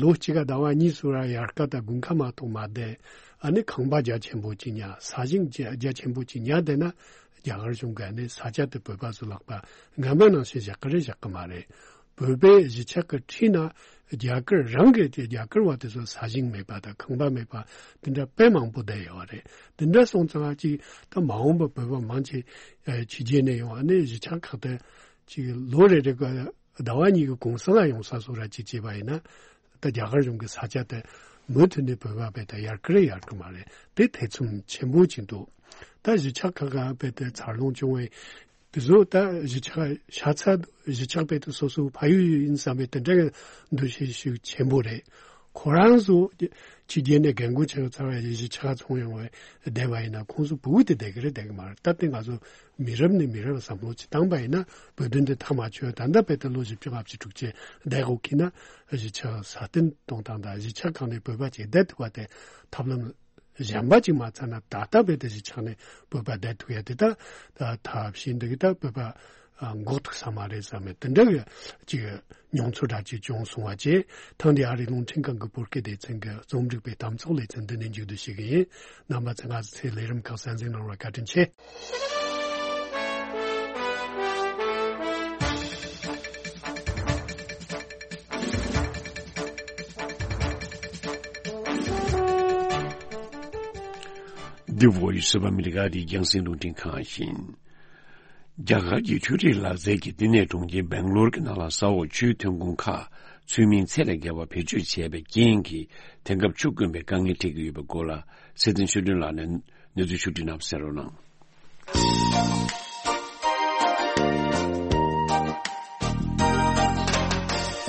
ལོ་གཅིག་ག་ཟླ་བ་གཉིས་སུ་ར་དབྱར་ཁ་དང་དགུན་ཁ་མ་གཏོགས་མ་བསྡད། ཨ་ནི་ཁང་པ་རྒྱ་ཆེན་པོ་ཅིག་ཉར། ས་ཞིང་རྒྱ་རྒྱ་ཆེན་པོ་ཅིག་ཉར་བསྡད་ན་རྒྱ་གར་གཞུང་གིས་ཨ་ནི་ས་ཆ་དེ་བོད་པ་ཚོ་ལག་པ་སྔན་མ་ནང་བཞིན་བཞག་གི་རེད་བཞག་གི་མ་རེད། བོད་པའི་གཞིས་ཆགས་ཀྱི་འཁྲིས་ན་རྒྱ་གར་རང་གི་དེ་རྒྱ་གར་བ་དེ་ཚོ་ས་ཞིང་མེད་པ་དང་ཁང་པ་མེད་པ་དེ་འདྲ་དཔེ་མང་པོ་བསྡད་ཡོད་རེད། དེ་འདྲ་སོང་ཙང་ཅིག་ད་མ་འོངས་པ་བོད་པ་མང་ཆེ་ཨ་ཕྱི་རྒྱལ་ནས་ཡོང་། ཨ་ནི་གཞིས་ཆགས་ཁག་དེ་ཅིག་ལོ་རེ་རེ་ག་ཟླ་བ་གཉིས་ཀྱི་གུང་སེང་ལ་ཡོང་ས་སོགས་ར་ཅིག་བྱས་པ་ཡིན་ན། ད་རྒྱ་གར་གཞུང་གི་ས་ཆ་དེ་མུ་མཐུད་ནས་བོད་པ་བལ་དུ་ཡར་གི་རེད་ཡར་གི་མ་རེད། དེ་ཐེ་ཚོམ་ཆེན་པོ་ཅིག་འདུག་ད་གཞིས་ཆགས་ཁག་ག་བལ་དུ་འཚར་ལོངས་བྱུང་བའི་དེ་ཚོ་ད་གཞིས་ཆགས་ཤ་ཚ་གཞིས་ཆགས་བལ་དུ་སོ་སོའི་ཕ་ཡུལ་ཡིན་བསམ་པའི་དེ་འདྲ་གི་འདུ་ཤེས་ཤུགས་ཆེན་པོ་རེད། ཁོ་རང་ཚོ་ཕྱི་རྒྱལ་ནས་རྒན་རྒོན་ཆེ་ཚང་མ་གཞིས་ཆགས་ཚོང་ཡོང་བའི་བསྡད་པ་ཡིན་ན་ཁོང་ཚོ་ཕྲུ་གུ་དེ་བསྡད་ཀྱི་རེད་བསྡད་ཀྱི་མ་རེད། སྟབས་བདེ་ང་ཚོ་མི་རབས་ནས་མི་རབས་བསམ་བློ་ཅིག་བཏང་པ་ཡིན་ན་བོད་དོན་དེ་མཐའ་མ་ཆོད། ད་ལྟ་བོད་དོན་ལོ་བཞི་བཅུ་ལྔ་བཅུ་དྲུག་ཅུ་བསྡད་དགོས་ཀྱི་ན་གཞིས་ཆགས་སྲ་བརྟན་གཏོང་སྟངས་དང་གཞིས་ཆགས་གང་ནས་བོད་པ་ཅིག་བསྡད་ཐུབ་པ་དེ་ཐབས་ལམ་གཞན་པ་ཅིག་མ་ཚང་ན་ད་ལྟ་བོད་དོན་གཞིས་ཆགས་ནས་བོད་པ་བསྡད་ཐུབ་ཡ་དེ་ད་ད་ཐབས་ཤེས་འདུག་གི་ད་བོད་པ་འགོག་ཐུབ་ས་མ་རེད་བསམ་མེད་དེ་འདྲ་གི་ཅིག་མྱོང་ཚོར་འདྲ་ཅིག་བྱུང་སོང་བ་བཅས་ཐང་འདི་ཨ་རིའི་རླུང་འཕྲིན་ཁང་གི་བོད་སྐད་སྡེ་ཚན་གྱི་རྩོམ་སྒྲིག་པའི་གཏམ་ཚོགས་ལེ་ཚན་འདི་ནས་མཇུག་བསྡུ་ཞུ་གི་ཡིན། རྣམ་པ་ཚོས་ང་ཚོའི་ལས་རིམ་ཁག་གསན་གཟིགས་གནང་བར་བཀའ་དྲིན་ཆེ། The Voice of America. འདི་རྒྱང་སྲིང་རླུང་འཕྲིན་ཁང་ཡིན། རྒྱ་གར་གྱི་འཕྲུལ་རིག་ལག་རྩལ་གྱི་བསྟི་གནས་གྲོང་ཁྱེར་སྦེང་ལོར་གྱི་ནང་ལ་ས་འོག་ཆུའི་ཐོན་ཁུངས་ཁག་ཚུལ་མིན་ཚད་ལས་བརྒལ་བ་བེད་སྤྱོད་བྱས་པའི་རྐྱེན་གྱིས་དེང་སྐབས་ཆུ་དཀོན་པའི་དཀའ་ངལ་འཕྲད་ཀྱི་ཡོད་པའི་སྐོར་ལ་ཚེ་བརྟན་ཆོས་སྒྲོན་ལགས་ནས་གནས་ཚུལ་ཕྱོགས་བསྒྲིགས་གནང་བ་གསན་རོགས་གནང་།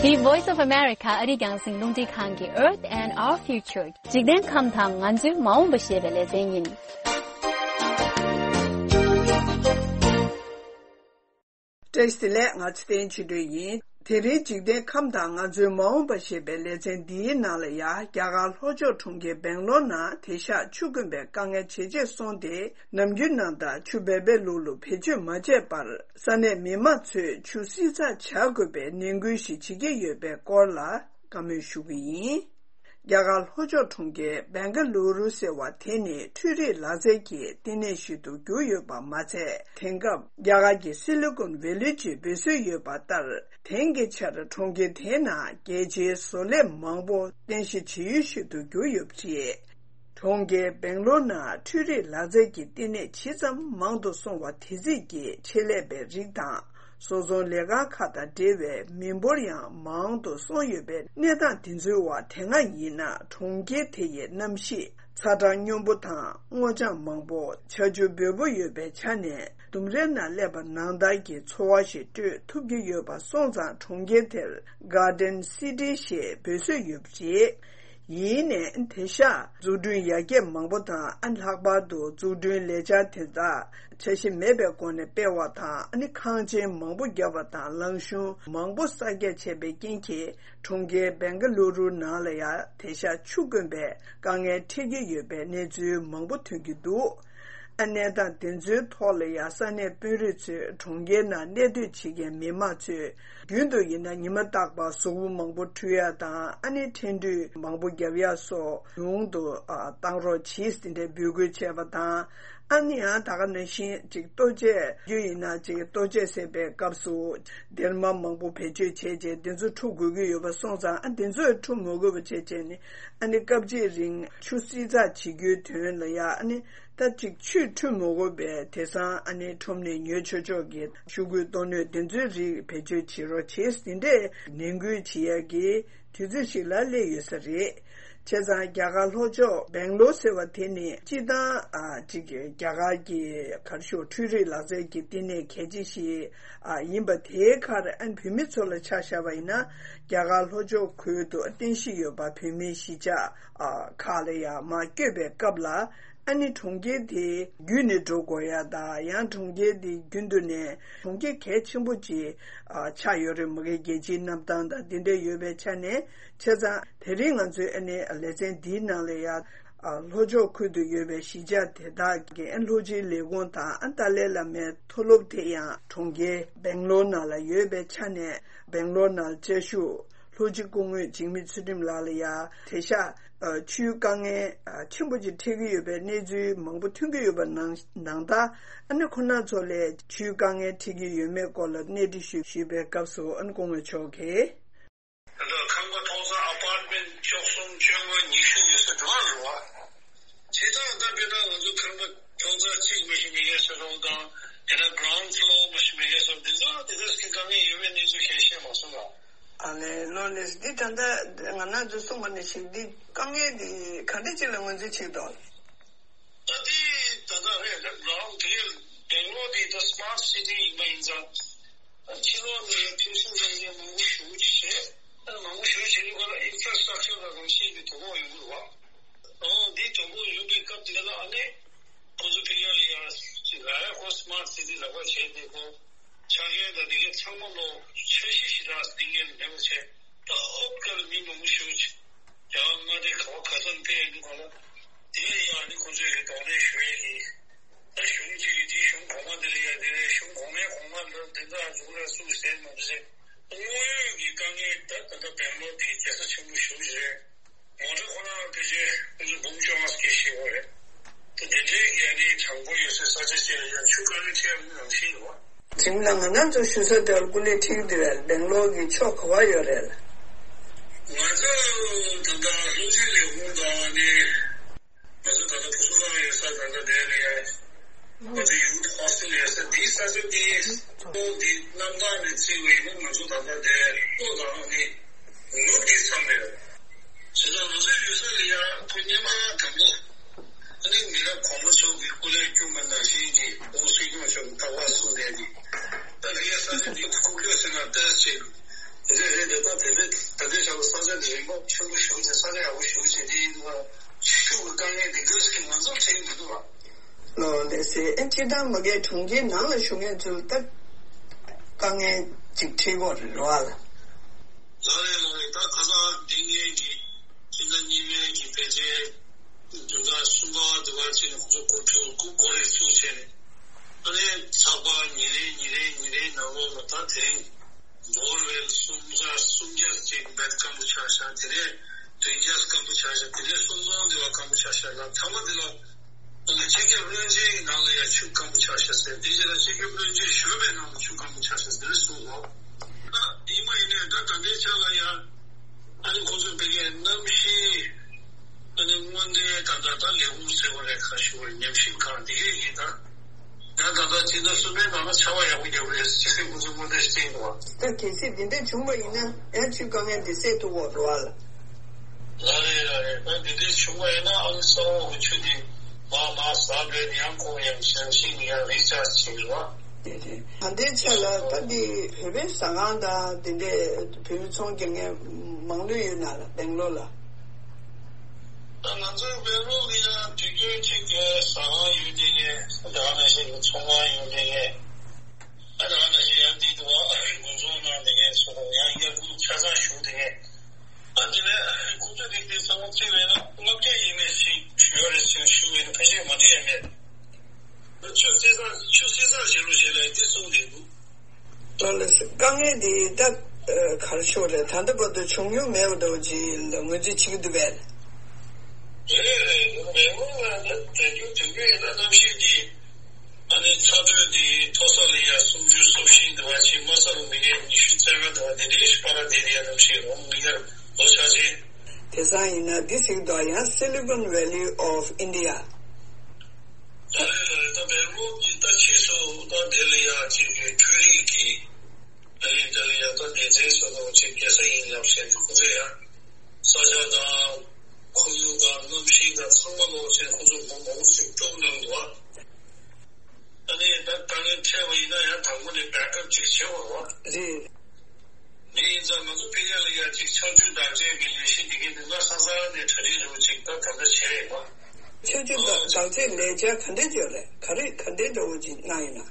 The Voice of America ཨ་རིའི་རྒྱང་སྲིང་རླུང་འཕྲིན་ཁང་གི Earth and Our Future འཇིག་རྟེན་ཁམས་དང་ང་ཚོའི་མ་འོངས་པ་ཞེས་པའི་ལེ་ཚན་ཡིན། བཀྲ་ཤིས་བདེ་ལེགས། ང་ཚེ་བརྟན་ཆོས་སྒྲོན་ཡིན། དེ་རིང་འཇིག་རྟེན་ཁམས་དང་ང་ཚོའི་མ་འོངས་པ་ཞེས་པའི་ལེ་ཚན་འདིའི་ནང་ལ་ཡང་རྒྱ་གར་ལྷོ་ཕྱོགས་གྲོང་ཁྱེར་སྦེང་ལོར་ནང་དེང་སང་ཆུ་དཀོན་པའི་དཀའ་ངལ་ཇེ་ཆེར་སོང་སྟེ་ནམ་རྒྱུན་ནང་ལྟར་ཆུ་འབེལ་འབེལ་ལུག་ལུག་བེད་སྤྱོད་མ་བྱས་པར་ས་གནས་མི་མང་ཚོས་ཆུ་བསྲི་ཚགས་བྱ་དགོས་པའི་ནན་སྐུལ་ཞིག་བྱེད་ཀྱི་ཡོད་པའི་སྐོར་ལ་བཀའ་མོལ་ཞུ་གི་ཡིན། རྒྱ་གར་ལྷོ་ཕྱོགས་གྲོང་ཁྱེར་སྦེང་ག་ལུ་རུ་ཟེར་བ་དེ་ནི་འཕྲུལ་རིག་ལག་རྩལ་གྱི་བསྟི་གནས་ཤིག་ཏུ་གྱུར་ཡོད་པ་མ་ཚད། དེང་སྐབས་རྒྱ་གར་གྱི་སི་ལི་ཀོན་ཝེ་ལི་ཅེས་འབོད་སྲོལ་ཡོད་པ་ལྟར། དེང་གི་ཆར་གྲོང་ཁྱེར་དེའི་ནང་རྒྱལ་སྤྱིའི་བཟོ་ལས་མང་པོ་རྟེན་གཞི་བྱེད་ཡུལ་ཞིག་ཏུ་གྱུར་ཡོད་པ་རེད། གྲོང་ཁྱེར་སྦེང་ལོར་ནང་འཕྲུལ་རིག་ལག་རྩལ་གྱི་བསྟི་གནས་ཇི་ཙམ་མང་དུ་སོང་བ་དེ་རྩིས་ཀྱི་ཆེད་ལས་པའི་རིགས་དང་། བཟོ་ཚོང་ལས་ཁང་ཁག་དང་འབྲེལ་བའི་མི་འབོར་ཡང་མང་དུ་སོང་ཡོད་པའི་གནས་སྟངས་དེ་ཚོའི་འོག་དེ་སྔ་ཡིན་ན་གྲོང་ཁྱེར་དེ་ཡི་གནམ་གཤིས་ཚ་གྲང་སྙོམས་པོ་དང་སྔོ་ལྗང་མང་པོ་ཆར་ཆུ་འབེལ་པོ་ཡོད་པའི་ཆ་ནས་ལྡུམ་རའི་ནང་སླེབས་པ་ནང་ལྟར་གྱི་ཚོར་བ་ཞིག་སྤྲོད་ཐུབ་ཀྱི་ཡོད་པ་སོང་ཙང་གྲོང་ཁྱེར་དེར་Garden City ཞེས་འབོད་སྲོལ་ཡོད་པ་རེད། ཡིན་ནའི་དེང་སང་འཛུགས་སྐྲུན་ཡར་རྒྱས་མང་པོ་དང་ཨ་ལྷག་པར་དུ་འཛུགས་སྐྲུན་ལས་འཆར་དེ་དག་འཆར་གཞི་མེད་པའི་སྒོ་ནས་སྤེལ་བ་དང་ཨ་ནི་ཁང་ཆེན་མང་པོ་བརྒྱབ་པ་དང་ལམ་གཞུང་མང་པོ་གསར་རྒྱག་བྱས་པའི་རྐྱེན་གྱིས་གྲོང་ཁྱེར་སྦེང་ག་ལུ་རུ་ནང་ལ་ཡང་དེང་སང་ཆུ་དཀོན་པའི་དཀའ་ངལ་འཕྲད་ཀྱི་ཡོད་པའི་གནས་ཚུལ་མང་པོ་ཐོན་གྱི་འདུག་ཨ་གནས་སྟངས་དེ་ཚོའི་ཐོག་ལ་ཡང་ས་གནས་དཔོན་རིགས་ཚོས་གྲོང་ཁྱེར་ནང་གནས་སྡོད་བྱེད་མཁན་མི་མང་ཚོས་རྒྱུན་དུ་ཡིན་ན་ཉི་མ་རྟག་པར་གཟུགས་པོ་མང་པོ་འཁྲུ་ཡ་དང་ཨ་ནི་འཕྲིན་འཕྲུལ་མང་པོ་རྒྱབ་ཡ་སོགས་ཉུང་དུ་ཨ་བཏང་རོགས་གྱིས་ཟེར་འདྲའི་འབོད་སྐུལ་བྱས་པ་དང་ཨ་ནི་ཡང་ད་ག་ནང་བཞིན་ཅིག་ལྟོ་ཆས་རྒྱུ་ཡིན་ན་ཅིག་ལྟོ་ཆས་ཟས་པའི་སྐབས་སུ་སྡེར་མ་མང་པོ་བེད་སྤྱོད་བྱས་རྗེས་དེ་ཚོ་འཁྲུ་དགོས་ཀྱི་ཡོད་པ་སོང་ཙང་ཨ་དེ་ཚོ་འཁྲུ་མ་དགོས་པ་བྱས་བྱས་ནས་ཨ་ནི་སྐབས་གཅིག་རིང་ཆུ་བསྲི་ཚགས་བྱེད་རྒྱུའི་དོན་ལ་ཡ་ཨ་ནི། ད་ཅིག་ཆུ་འཁྲུ་མི་དགོས་པའི་དེང་སང་ཨ་ནི་ཁྲོམ་ནས་ཉོ་ཆོག་ཆོག་གི་ཤོག་གུའི་ཏོག་སྣོད་དེ་ཚོའི་རིགས་བེད་སྤྱོད་བྱེད་རོགས་བྱེད་ཟེར་འདྲའི་ནན་སྐུལ་བྱེད་ཡག་གི་དུས་ཚོད་ཞིག་ལ་སླེབས་ཡོད་ས་རེད། བྱས་ཙང་རྒྱ་གར་ལྷོ་ཕྱོགས་སྦེང་ལོར་ཟེར་བ་དེ་ནི་སྤྱིར་བཏང་ཨ་ཅིག་རྒྱ་གར་གྱི་ག་རེ་ཞུ་འཕྲུལ་རིག་ལག་རྩལ་གྱི་བསྟི་གནས་གལ་ཆེ་ཞིག་ཨ་ཡིན་པ་དེའི་ཁར་ཨ་ནི་བོད་མི་ཚོ་ལ་ཆ་བཞག་པ་ཡིན་ན་རྒྱ་གར་ལྷོ་ཕྱོགས་ཁུལ་དུ་རྟེན་གཞི་ཡོད་པ་བོད་མིའི་གཞིས་ཆགས་ཨ་ཁག་ལ་ཡང་མར་བསྐྱོད་པའི་སྐབས་ལ། ཨ་ནི་གྲོང་ཁྱེར་དེ་བརྒྱུད་ནས་འགྲོ་དགོས་ཡ་དང་ཡང་གྲོང་ཁྱེར་དེ་རྒྱུན་དུ་ནས་གྲོང་ཁྱེར་གལ་ཆེན་པོ་ཅིག་ཨ་ཆགས་ཡོད་རེད་མ་གི་རྒྱལ་སྤྱིའི་གནམ་ཐང་དང་དེ་འདྲ་ཡོད་པའི་ཆ་ནས་བྱས་ཙང་དེ་རིང་ང་ཚོའི་ཨ་ནི་ལེ་ཚན་འདིའི་ནང་ལ་ཡ་ཨ་ལྷོ་ཕྱོགས་ཁུལ་དུ་ཡོད་པའི་གཞིས་ཆགས་དེ་དག་གི་ཨ་ལྷོ་སྤྱིའི་ལས་ཁུངས་དང་ཨ་ཏཱ་ལའི་བླ་མའི་མཐོ་སློབ་དེ་ཡང་གྲོང་ཁྱེར་སྦེང་ལོར་ནང་ལ་ཡོད་པའི་ཆ་ནས་སྦེང་ལོར་ནང་བཅའ་བཞུགས། ལྷོ་སྤྱི་སྐུ་ངོ་འཇིགས་མེད་ཚུལ་ཁྲིམས་ལགས་ལ་ཡང་དེང་སང་ཆུའི་དཀའ་ངལ་ཆེན་པོ་ཅིག་འཕྲད་ཀྱི་ཡོད་པའི་གནས་ཚུལ་མང་པོ་ཐོན་གྱི་ཡོད་པ་ནང་ནང་ལྟར་ཨ་ནི་ཁོ་ན་ཚོ་ལ་ཆུའི་དཀའ་ངལ་འཕྲད་ཀྱི་ཡོད་མེད་སྐོར་ལ་གནས་འདྲི་ཞུས་ཞུས་པའི་སྐབས་སུ་ཨ་ནི་སྐུ་ངོ་མཆོག་གིས། ད་ལྟ་ཁང་པ་ཐོག་ས་ཨ་པར་ཊི་མེན་ཊི་བཅུ་གསུམ་བཅོ་ལྔ་ཉི་ཤུ་ཡོད་ས་འགྲོ་བ་རེད་བ། བྱས་ཙང་ད་དཔེར་ན་ང་ཚོ་ཁང་པ་ཐོག་ས་གཅིག་མ་ཞིག་མེད་མཁན་ཟེར་རོགས་དང་དེ་ན་གྷི་རའུན་ཌི་ཕི་ལོར་མ་ཞིག་མེད་མཁན་ཟེར་རོགས་འདི་ཚོ་དེ་ཚོ་སྐྱེ་དཀའ་ངལ་ཡོད་པའི་གནས་ཚུལ་གང་ཤེས་མ་སོང་ལ། ཨ་ལས་ལོ་ལེས་འདི་ད་ལྟ་ང་རང་ཚོ་གསུངས་པ་ནང་བཞིན་འདི་དཀའ་ངལ་འདི་ག་འདྲ་ཅིག་ལ་ངོས་འཛིན་བྱེད་དོ། ད་འདི་ད་ལྟ་རེད་ད་གྷི་རའུན་ཌི་དེ་སྦེང་ལོར་འདི་ད་སི་མ་ཊི་སི་ཊི་ཡིན་པ་ཡིན་ཙང་ཕྱི་ལོགས་ནས་ཕེབས་བསུ་ཡོང་མཁན་མང་པོ་ཞེ་པོ་ཅིག་བྱས། ད་མང་པོ་ཞུ་བྱེད་ནུས་པ་ལ་ཨིན་ཕ་ར་སི་ཊག་ཅར་དང་གང་ཤེས་ཀྱི་དོ་ཕོག་ཡོང་གི་རེད་བ། ཨོ་འདི་དོ་ཕོག་ཡོང་པའི་སྐབས་དེ་ལ་ཨ་ནི་ཁོ་ཚོ་ཕི་ཡ་ལ་ཡ་ཅིག་ལ་ཡ་ཁོ་སི་མ་ཊི་སི་ཊི་ལག་པ་བྱས་ཏེ་ཁོ་ཆ་རྐྱེན་དང་འདི་གའི་ཚང་མ་ལོ་འཆར་གཞི་ཞིག་རག་སྟེང་ངེས་ལ་མེད་པ་བྱས། ད་ཨོབ་ཀར་མི་མང་པོ་ཞུ་ཅིག་ཡང་མངའ་སྡེ་ག་བ་ག་ཚོད་ཕེབས་ཡོང་གི་མ་ལ། དེ་ཡང་ཨ་ནི་ཁོ་ཚོས་ཀྱི་གདོང་ལེན་ཞུ་ཡས་ཀྱི། ད་གཞུང་གཅིག་གིས་དེའི་གཞུང་གོང་མ་དེ་ལ་ཡ་དེ་རེད། གཞུང་གོང་མའི་གོང་མ་ལ་དེ་འདྲ་འཛུགས་ལ་སུ་ཟེར་མ་རེད་ཟེར། དངོས་ཡོད་ཀྱི་དཀའ་ངལ་ད་ད་ལྟ་སྦེང་ལོར་དེ་རྒྱལ་ས་ཆེན་པོ་ཞེ་པོ་ཅིག་རེད། མོ་ཊ་ཁོ་རང་ཕལ་ཆེར་ཁོང་ཚོ་འབུམ་བཅོ་ལྔ་ཙམ་ཞིག་ཡོད་རེད། ད་དེ་འདྲའི་གི་ཨ་ནི་གྲངས་འབོར་ཡོད་སའི་ས་ཆ་ཅིག་ལ་ཡ་ཆུ་དཀའ་ངལ་འཕྲད་ཡོང་གི་རང་བཞིན་རེད་བ། དྲིན་ལ་ང་རང་ཚོ་ཞུ་ས་དེར་སྐུ་ལས་ཁྲིད་ཀྱི་འདུག་བས། སྦེང་ལོར་གྱི་ཕྱོགས་ག་བ་ཡོད་རེད་ལ། ང་ཚོ་ད་ལྟ་སློབ་སྤྱི་ལས་ཁུངས་དང་ནི་ང་ཚོ་ད་ལྟ་བུ་གསོ་ཁང་ཡོད་ས་ད་ལྟ་དེ་ལ་ཡ་ང་ཚོ་ཡུ་ཧོ་སི་ཊེལ་ཡོད་ས་འདིའི་ས་ཆ་འདི་ཏོག་འདི་གནམ་ཐང་ནས་བརྩིས་པ་ཡིན་ན་ང་ཚོ་ད་ལྟ་དེ་ལྷོ་དང་ནི་ནུབ་ཀྱི་མཚམས་རེད། བྱས་ཙང་ང་ཚོའི་ཡུལ་ས་ལ་ཡ་ཁོ་སྔོན་མ་དང་པོ། ཨ་ནི་མི་རབས་གོང་མ་ཚོ་གིས་སྐུ་ལས་བསྐྱོན་པ་ནང་བཞིན་གྱི་ཨོ་སྲིད་སྐྱོང་མཆོག་གིས་རྟག་པར་གསུངས་བསྡད་ཀྱི། ད་ལྷའི་ས་ཆ་འདི་ཁུག་ཀྱོག་ཟེར་ན་ལྟ་ཅེས། དེ་འདྲ་རེད་དེ། ད་དེ་འདྲ་ད་ལྟའི་ཆར་ལ་ས་ཆ་འདི་རིན་པ་ཆེན་པོ་ཞེ་པོ་ཅིག་ས་ཆ་ཡག་པོ་ཞེ་པོ་ཅིག་འདི་ཡིན་དུས་ཤུགས་ཀྱི་དཀའ་ངལ་འདི་འདྲ་ཞིག་མ་ཚོར་བྱེད་ཀྱི་མི་འདུག་ལ། ལོ་ལེ་སེ་ཨེ་སྤྱིར་བཏང་མ་གིའི་གྲོང་ཁྱེར་ནང་ལ་བཞུགས་མཁན་ཚོ་ལ་ད་དཀའ་ངལ་ཅིག་འཕྲད་ཀྱི་ཡོད་རེད་བ་ལ། ལགས་རེད་ལགས་རེད། ད་ཁ་སང་འདི་ངེད་ཀྱི་སྤྱི་ཟླ་གཉིས་པའི་གི་ཕལ་ཆེར་བདུན་ཕྲག་གསུམ་པ་དེ་བར་ཕྱིན་ནས་ཁོ་ཚོ་འགོ་ཚུགས་འགོ་འགོ་རེ་ཚུགས་བྱས་ནས། ཨ་ནི་ཚགས་པར་ཉིན་རེ་ཉིན་རེ་ཉིན་རེའི་ནང་ལོགས་ལ་ད་དེ་རིང་བོར་ཝེལ་སུམ་བརྒྱ་སུམ་བརྒྱ་ཅིག་བེད་སྐམ་པོ་ཆགས་ཤག་དེ་ནས་བདུན་བརྒྱ་སྐམ་པོ་ཆགས་ཤག་དེ་ནས་སུམ་སྟོང་དེ་བ་སྐམ་པོ་ཆགས་ཤག་ལ། ཐ་མ་དེ་ལ་ཨ་ནི་སྤྱི་ཁྱབ་བློན་ཆེན་གྱི་ནང་ལ་ཡང་ཆུ་སྐམ་པོ་ཆགས་ཤག་ཟེར། དེ་རྗེས་ལ་སྤྱི་ཁྱབ་བློན་ཆེན་གཞོན་པའི་ནང་ལ་ཆུ་སྐམ་པོ་ཆགས་ཤག་ཟེར་གསུངས་འདུག་ད་ཡིན་པ་ཡིན་ནའི་ད་ད་ལྟའི་ཆ་ལ་ཡང་ཨ་ནི་ཁོང་ཚོས་ཕ་གིའི་གནམ་གཤིས་ཨ་ནི་སྔོན་བརྡའི་ད་ལྟ་ད་ལས་ཁུངས་ཟེར་བ་རེད། ག་ཞུ་བ་རེད། ཉམས་ཞིབ་ཁང་འདི་གས་ཀྱིས་ད་ཡང་ད་ལྟ་སྤྱི་ཟླ་གསུམ་པའི་ནང་ལ་ཆར་པ་ཡག་པོ་རྒྱག་གི་རེད་ཟེར་ཁོང་ཚོས་སྔོན་བརྡ་ཞིག་བསྟན་འདུག་ད་གལ་སྲིད་འདི་འདྲ་བྱུང་བ་ཡིན་ན་ཡང་ཆུའི་དཀའ་ངལ་འདི་སེལ་ཐུབ་ཀྱི་ཡོད་རེད་བ་ལ། ལགས་རེད་ལགས་རེད། ད་འདི་འདྲ་བྱུང་བ་ཡིན་ན་ཨ་ནི་ས་འོག་གི་ཆུ་འདི་མར་མར་ཟགས་པས་ཡང་ཁོང་ཡང་ཞང་ཞིང་ཡང་རི་ཆགས་བྱེད་ཀྱི་རེད་བ། ད་ལྟའི་ཆ་ལ་ད་འདི་བོད་པའི་ཟ་ཁང་དང་འདི་འདྲའི་བོད་མི་ཚོང་རྒྱག་མཁན་མང་ལོས་ཡོད་ན་ལ་སྦེང་ལོར་ལ། ད་ང་ཚོའི་སྦེང་ལོར་ལ་ཡང་དུས་རྒྱུན་གཅིག་གི་ཟ་ཁང་ཡོད་དེ་ངས་ད་ག་ནང་བཞིན་གྱི་ཚོང་ཁང་ཡོད་དེ་ངས་ད་ག་ནང་བཞིན་ཡང་འདི་དུ་བ་དགུན་ཚོང་ནང་དེ་ངས་སོ་ཡང་དབྱར་དགུན་ཆ་ཚང་བཞུགས་དེ་ངས། ཨ་འདི་ནས་ཁོ་ཚོས་རིགས་དེ་ཚང་མ་བརྩིས་པས་ན་ལྔ་བརྒྱ་ཡས་མས་ཤིག་ཡོད་རེད་ཟེར་ཞུ་བས་ན་ཕལ་ཆེར་མ་འགྲིག་ཡས་མེད། ཆུ་བསྲེས་ཚར་ཆུ་བསྲེས་ཚར་བྱེད་རོགས་བྱེད་ལབ་འདི་གསུངས་བསྡད་འདུག་ལགས་ལགས་སེ། དཀའ་ངལ་འདི་ད་ག་རེ་ཞུ་དགོས་རེད། ད་ལྟ་བར་དུ་བྱུང་མྱོང་མེད་པ་འདྲ་བོ་ཅིག་ལ་ངོས་འཛིན་བྱེད་ཀྱི་འདུག་པས། རེད་རེད། མེད་མོད་ལ་ད་དུས་རྒྱུན་དུས་རྒྱུན་ཡིན་ན་གནམ་གཤིས་འདི། ཨ་ནི་ཚ་དྲོད་འདི་མཐོ་ས་ལ་ཡ་སུམ་ཅུ་སོ་བཞི་འདི་བ་ཕྱིན། དམའ་ས་ལ་མི་ངན་ཉི་ཤུ་རྩ་ལྔ་འདི་བ་འདི་འདྲའི་ཞིག་བར་ལ་བསྡད་དེ་ཡ་གནམ་གཤིས་རོང་མི་ངན་ལོ་ཆ་ཆེན། དེང་སང་ཡིན་ན་འདི་ཟེར་གྱི་འདུག་ཡང་Silicon Valley of India། ད་རེད་ད་རེད། ད་སྦེང་ལོར་གྱི་ད་ཕྱིས་སུ་ད་དེ་ལ་ཡ་ཅིག་གི་འཕྲུལ་རིག་གི་ཨ་ནི་དེ་ལ་ཡ་ད་སྡེ་ཚན་སོ་སོ་ཅིག་རྒྱལ་ས་ཡིན་ལབ་བྱས་ཏེ་ཁོ་ཚོས་ཡ་ས་ཆ་དང་ཁོར་ཡུག་དང་གནམ་གཤིས་དང་ཚང་མ་ལོག་བྱས་ཁོ་ཚོ་མང་པོ་ཞིག་སྐྱོབ་གནང་འདུག་ཨ་ནི་ད་དཀའ་ངལ་འཕྲད་པ་ཡིན་ན་ཡང་དང་པོ་ནས་བེག་ཨབ་ཅིག་བྱེད་དགོས་རེད་བ། རེད། འདི་ཡིན་ཙང་ང་ཚོ་ཕ་གི་ལ་ཡ་ཅིག་ཆར་ཆུ་དག་སྐྱེལ་གྱི་ལས་གཞི་འདི་གའི་འདི་ང་ས་ས་ནས་གྲ་སྒྲིག་རུ་ཅིག་ད་ད་ལྟ་བྱས་ཡོད་པ། ཆར་ཆུ་དག་དག་སྐྱེལ་ལས་འཆར་ག་འདྲས་ཡོད་རེད། ག་རེ་ག་འདྲས་འདྲ་བོ་ཅིག་གནང་ཡོད་ན།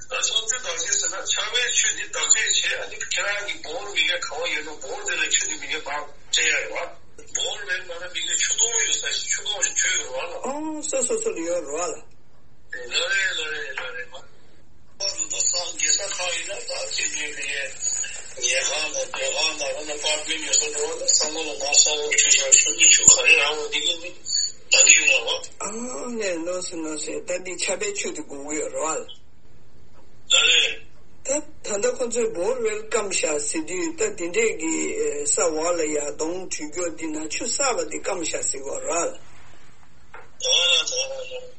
ད་ཆར་ཆུ་དག་སྐྱེལ་ཟེར་ན་ཆར་པའི་ཆུ་འདི་དག་སྐྱེལ་བྱས། ཨ་ནི་ཁྱེད་རང་གི་བོར་མི་ག་ག་བ་ཡོད་ན་བོར་དེ་ལ་ཆུ་འདི་མི་ག་མར་སྤྲད་ཡ་ཡོད་པ། བོར་ཝེལ་མ་ན་མི་ག་ཆུ་དོང་ཡོད་ས་ཞིག་ཆུ་དོང་ཞིག་བྱོས་ཡོད་རེད་བ་ལ། ཨོ་སོ་སོ་སོ་ལ་ཡོད་རེད་བ་ལ། ལ་རེད་ལ་རེད་ལ་རེད་མ། ད་ད་སང་རྒྱལ་ས་ཁག་ཡིན་ན་ད་ཅིག་གི་ཉལ་ཁང་དང་སྡོད་ཁང་དང་ཨ་ནི་ཨ་པར་ཊི་མེན་ཊི་ཡོད་ས་འགྲོ་བ་ལ་ས་མོ་ལ་མ་ས་འོག་ཆུ་ཤར་ཆུ་མི་ཆུ་ག་རེ་རང་བ་འདི་གི་ནི་ད་འདི་ཡོད་ར་བ། ཨ་ནས་ནོ་སི་ནོ་སི་ད་འདི་ཆར་པའི་ཆུ་དེ་དགོས་ཀྱི་ཡོད་ར་བ། ད་རེད། ད་ད་ལྟ་ཁོ་ཚོས་བོར་ཝེལ་སྐམ་ཤག་ཟེར་དུས་ད་འདི་འདྲས་ཀྱི་ས་འོག་ལ་ཡ་སྡོང་བྲུས་རྒྱུ་འདི་ན་ཆུ་བསགས་པ་འདི་སྐམ་ཤག་ཟེར་གོ་ར་བ།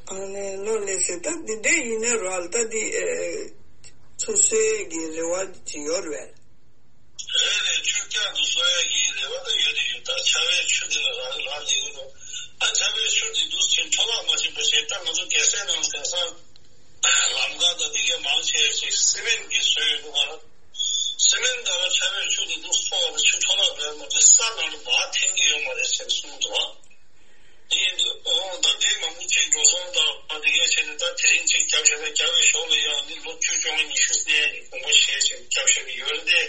ཨ་ནས་ལོ་ལེ་སེ་ད་འདི་འདྲས་ཡིན་ན་ར་ད་འདི་ཨེ་ཚུར་གསོ་ཡས་ཀྱི་རེ་བ་ཅིག་ཡོད་རེད། རེད་རེད། ཆུ་བསྐྱར་དུ་གསོ་ཡས་ཀྱི་རེ་བ་ད་ཡོད་དེ་ཡོད། ད་ཆར་པའི་ཆུ་འདི་ལ་རག་རག་ལས་ཀྱི་འདུག་ཨ་ཆར་པའི་ཆུ་འདི་འདུག་ཕྱིན་འཕྲོ་བརླག་མ་བྱེད་པ་བྱས། ད་ང་ཚོ་རྒྱལ་སའི་ནང་དེང་སང་ལམ་ཁ་དང་འདི་གས་མང་ཆེ་ཞིག་སི་མེན་གྱིས་བཟོས་ཡོད་འདུག་ག་ལ། སི་མེན་ད་ར་ཆར་པའི་ཆུ་འདི་འདུག་གསོ་བ་ཆུ་འཕྲོ་བརླག་ གསུངས་འདུག། ཡིན་འདུག། ཨོ་ད་དེ་མང་པོ་ཅིག་འགྲོ་སོང་དང་ཨ་དེ་གས་བྱས་ནས་ད་དེ་རིང་ཅིག་རྒྱབ་བཞག་ན་རྒྱབ་པའི་ཞོར་ལ་ཡང་ནི་ལོ་བཅུ་བཅོ་ལྔ་ཉི་ཤུ་ནས་དགོངས་པ་བཞེས་བྱས་རྒྱབ་བཞག་གི་ཡོད་རེད་དེ།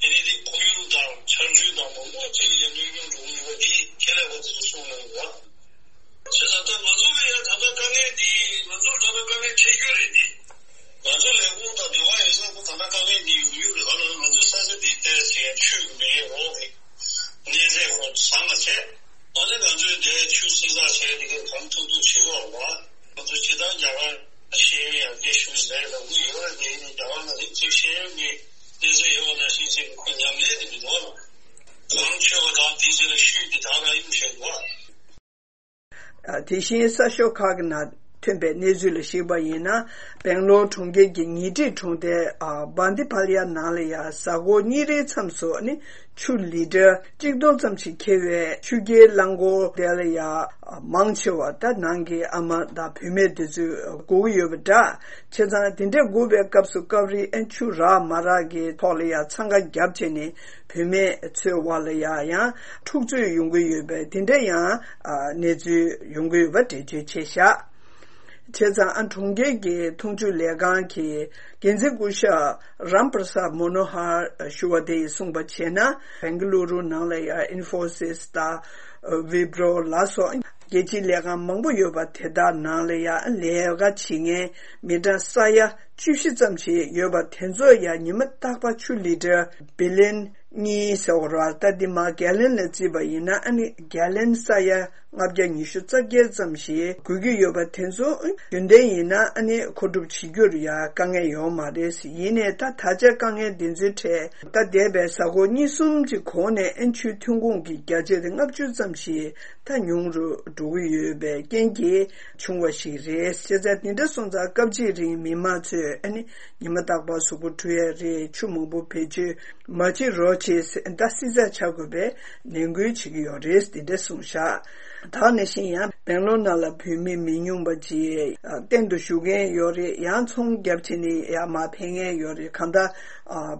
དེ་ནི་དེ་ཁོར་ཡུག་དང་ཆར་ཆུ་དང་མང་པོ་ཅིག་ལ་ཡང་གནོད་སྐྱོན་འགྲོ་གི་ཡོད་པ་དེ་ཁས་ལེན་པ་དེ་ཚོ་གསུངས་གནང་གི་འདུག། བྱས་ཙང་ད་ང་ཚོ་ལ་ཡང་ད་ལྟ་དཀའ་ངལ་འདི་ང་ཚོར་ད་ལྟ་དཀའ་ངལ་འཕྲད་རྒྱུ་རེད་འདི། ང་ཚོ་ལས་ཁུངས་དང་འབྲེལ་བ་ཡོད་ས་ཁོ་ད་ལྟ་དཀའ་ངལ་འདི་ཡོང་རྒྱུ་རེད། ག་ལ་ང་ཚོའི་ས་ཆ་འདི་ཏོག་ཙམ་ཆུ་མེད་འོག་གི་གནས་ཚད་ཁོ་བཟང་ང་ཚད། ཨ་ནི་ང་ཚོས་འདིར་ཆུ་བསྲི་ཚགས་བྱས་འདི་གའི་གང་ཐུབ་ཐུབ་བྱེད་དགོས་རེད་བ། ང་ཚོ་སྤྱིར་བཏང་རྒྱ་གར་ཤེས་ཡོན་ཡར་རྒྱས་ཞུ་ཟེར་ལབ་ཀྱི་ཡོད་རེད་དེ། ཡིན་ནའི་རྒྱ་གར་ལ་རིགས་གཅིག་ཤེས་ཡོན་གྱི་གནས་ཚད་ཡོད་པ་ནང་བཞིན་བྱས་ཁོ་ཉམས་ལེན་དེ་མི་འདུག་བ། གང་ཆོད་པ་དང་དེའི་རྗེས་ལ་ཤུལ་གྱི་དག་རང་ཡོང་བཞིན་འདུག་བ། དེ་བཞིན་གསར་ཤོག་ཁག་གི་ནང་ཐོན་པའི་གནས་ཚུལ་ལ་གཞིགས་པ་ཡིན་ན། སྦེང་ལོར་གྲོང་ཁྱེར་གྱི་ཉེ་འཁྲིས་གྲོང་རྡལ་ཨ་བན་དི་ཕ་ལི་ཡ་ནང་ལ་ཡང་གཟའ་འཁོར་གཉིས་རེའི་མཚམས་སུ་ནི་ཆུ་ལི་ཊར་གཅིག་སྟོང་ཙམ་ཞིག་འཁྱེར་བའི་ཆུ་རྐྱལ་རླངས་འཁོར་དེ་ལ་ཡང་མང་ཆེ་བ་ད་ནང་གི་ཨ་མ་དང་བུད་མེད་དེ་ཚོས་སྒུག་གི་ཡོད་པ་འདྲ། བྱས་ཙང་དེ་འདྲས་སྒུག་པའི་སྐབས་སུ་སྐབས་རེ་ཨ་ཆུ་རག་མ་རག་གི་ཐོག་ལ་ཡང་འཚང་ཁ་བརྒྱབ་བྱས་ནས། བུད་མེད་ཚོའི་དབར་ལ་ཡང་ཡང་འཁྲུག་རྩོད་ཡོང་གི་ཡོད་པའི་དེ་འདྲ་ཡང་ཨ་གནས་ཚུལ་ཡོང་གི་ཡོད་པ་འགྲེལ་བརྗོད་བྱས་བཞག། བྱས་ཙང་ཨ་གྲོང་ཁྱེར་གྱི་འཐུང་ཆུ་ལས་ཁང་གི་འགན་འཛིན་སྐུ་ཞབས་རམ་པྲ་སཱད་མོ་ནོ་ཧར་ཞུ་བ་དེ་ཡིས་གསུངས་པ་བྱས་ན། བེང་ག་ལུ་རུ་ནང་ལ་ཡང་ཨིན་ཧྥོ་སིས་དང་ཝི་པྲོ་ལ་སོགས་རྒྱལ་སྤྱིའི་ལས་ཁང་མང་པོ་ཡོད་པ་དེ་དག་ནང་ལ་ཡང་ལས་ཀ་བྱེད་མཁན་མི་གྲངས་ས་ཡ་བཅུ་བཞི་ཙམ་ཞིག་ཡོད་པ་དེ་ཚོ་ཡང་ཉི་མ་རྟག་པར་ཆུ་ལི་ཊར་བི་ལན་གཉིས་ཟེར་བ་རེད་བ། ད་འདི་མར་གྷལ་ལན་ལ་བརྩིས་པ་ཡིན་ན་ཨ་ནི་གྷལ་ལན་ས་ཡ་ལྔ་བརྒྱ་ཉི་ཤུ་རྩ་བརྒྱད་ཙམ་ཞིག་དགོས་ཀྱི་ཡོད་པ་དེ་ཚོ་རྒྱུན་ལྡན་ཡིན་ན་ཨ་ནི་མཁོ་སྒྲུབ་བྱེད་རྒྱུར་ཡང་དཀའ་ངལ་ཡོད་མ་རེད། ཡིན་ནའི་ད་ད་ཆ་དཀའ་ངལ་འདི་ཚོའི་གྲས་ད་འདས་པའི་གཟའ་འཁོར་གཉིས་གསུམ་གྱི་གོང་ནས་ཨ་ཆུའི་ཐོན་ཁུངས་ཀྱི་བརྒྱ་ཆ་དེ་ལྔ་བཅུ་ཙམ་ཞིག་ད་ཉུང་རུ་འགྲོ་གི་ཡོད་པའི་རྐྱེན་གྱིས། བྱུང་བ་ཞིག་རེད། བྱས་ཙང་དེ་འདྲ་སོང་ཙང་སྐབས་གཅིག་རིང་མི་མང་ཚོས་ཨ་ནི་ཉི་མ་རྟག་པར་གཟུགས་པོ་བཀྲུ་ཡ་རེད། ཆུ་མང་པོ་བེད་སྤྱོད་མ་བྱེད་རོགས་བྱེད་ཟེར་ད་བསྲི་ཚགས་བྱ་དགོས་པའི་ནན་སྐུལ་བྱེད་ཀྱི་ཡོད་རེད། དེ་འདྲ་གསུངས་བཞག། ད་ནང་བཞིན་ཡང་སྦེང་ལོར་ནང་ལ་བོད་མི་མི་ཉུང་བ་ཅིག་གཏན་དུ་བཞུགས་མཁན་ཡོད་རེད། ཡང་ཚོང་བརྒྱབ་བྱས་ནས་ཡར་མར་ཕེབས་མཁན་ཡོད་རེད། གང་ལྟར་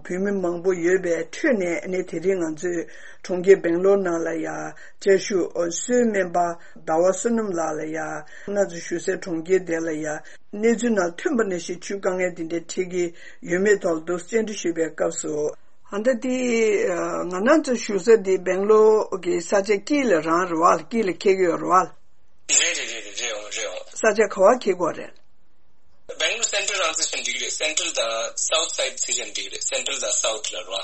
བོད་མི་མང་པོ་ཡོད་པའི་ཁྲོད་ནས་ཨ་ནི་དེ་རིང་ང་ཚོས་གྲོང་ཁྱེར་སྦེང་ལོར་ནང་ལ་ཡང་བཅའ་བཞུགས་གསོལ་སྨན་པ་ཟླ་བ་བསོད་ནམས་ལགས་ལ་ཡང་གནས་ཚུལ་ཞུ་སའི་གྲོང་ཁྱེར་དེ་ལ་ཡང་གནས་ཚུལ་ནང་ཐོན་པ་ནང་བཞིན་ཆུའི་དཀའ་ངལ་འདི་འདྲ་འཕྲད་ཀྱི་ཡོད་མེད་ཐོག་ཏུ་བཅར་འདྲི་ཞུས་པའི་སྐབས་སུ། ཨ་ད་དེ་ང་རང་ཚོ་བཞུགས་ས་དེ་སྦེང་ལོར་གྱི་ས་ཆ་དཀྱིལ་ལ་རང་རེད་བ། དཀྱིལ་ལ་འཁེལ་གྱི་ཡོད་རེད་བ། རེད་རེད་རེད་རེད་རེད་འོང་རེད་འོང་། ས་ཆ་ག་བ་འཁེལ་གྱི་ཡོད་རེད། སྦེང་ལོར་སེན་ཊལ་རང་བརྩི་བྱས་ན་འགྲིག་གི་རེད། སེན་ཊལ་དང་སའུ་ཐི་སའིཌ་བརྩི་བྱས་ན་འགྲིག་གི་རེད། སེན་ཊལ་དང་སའུ་ཐི་ལ་རོ།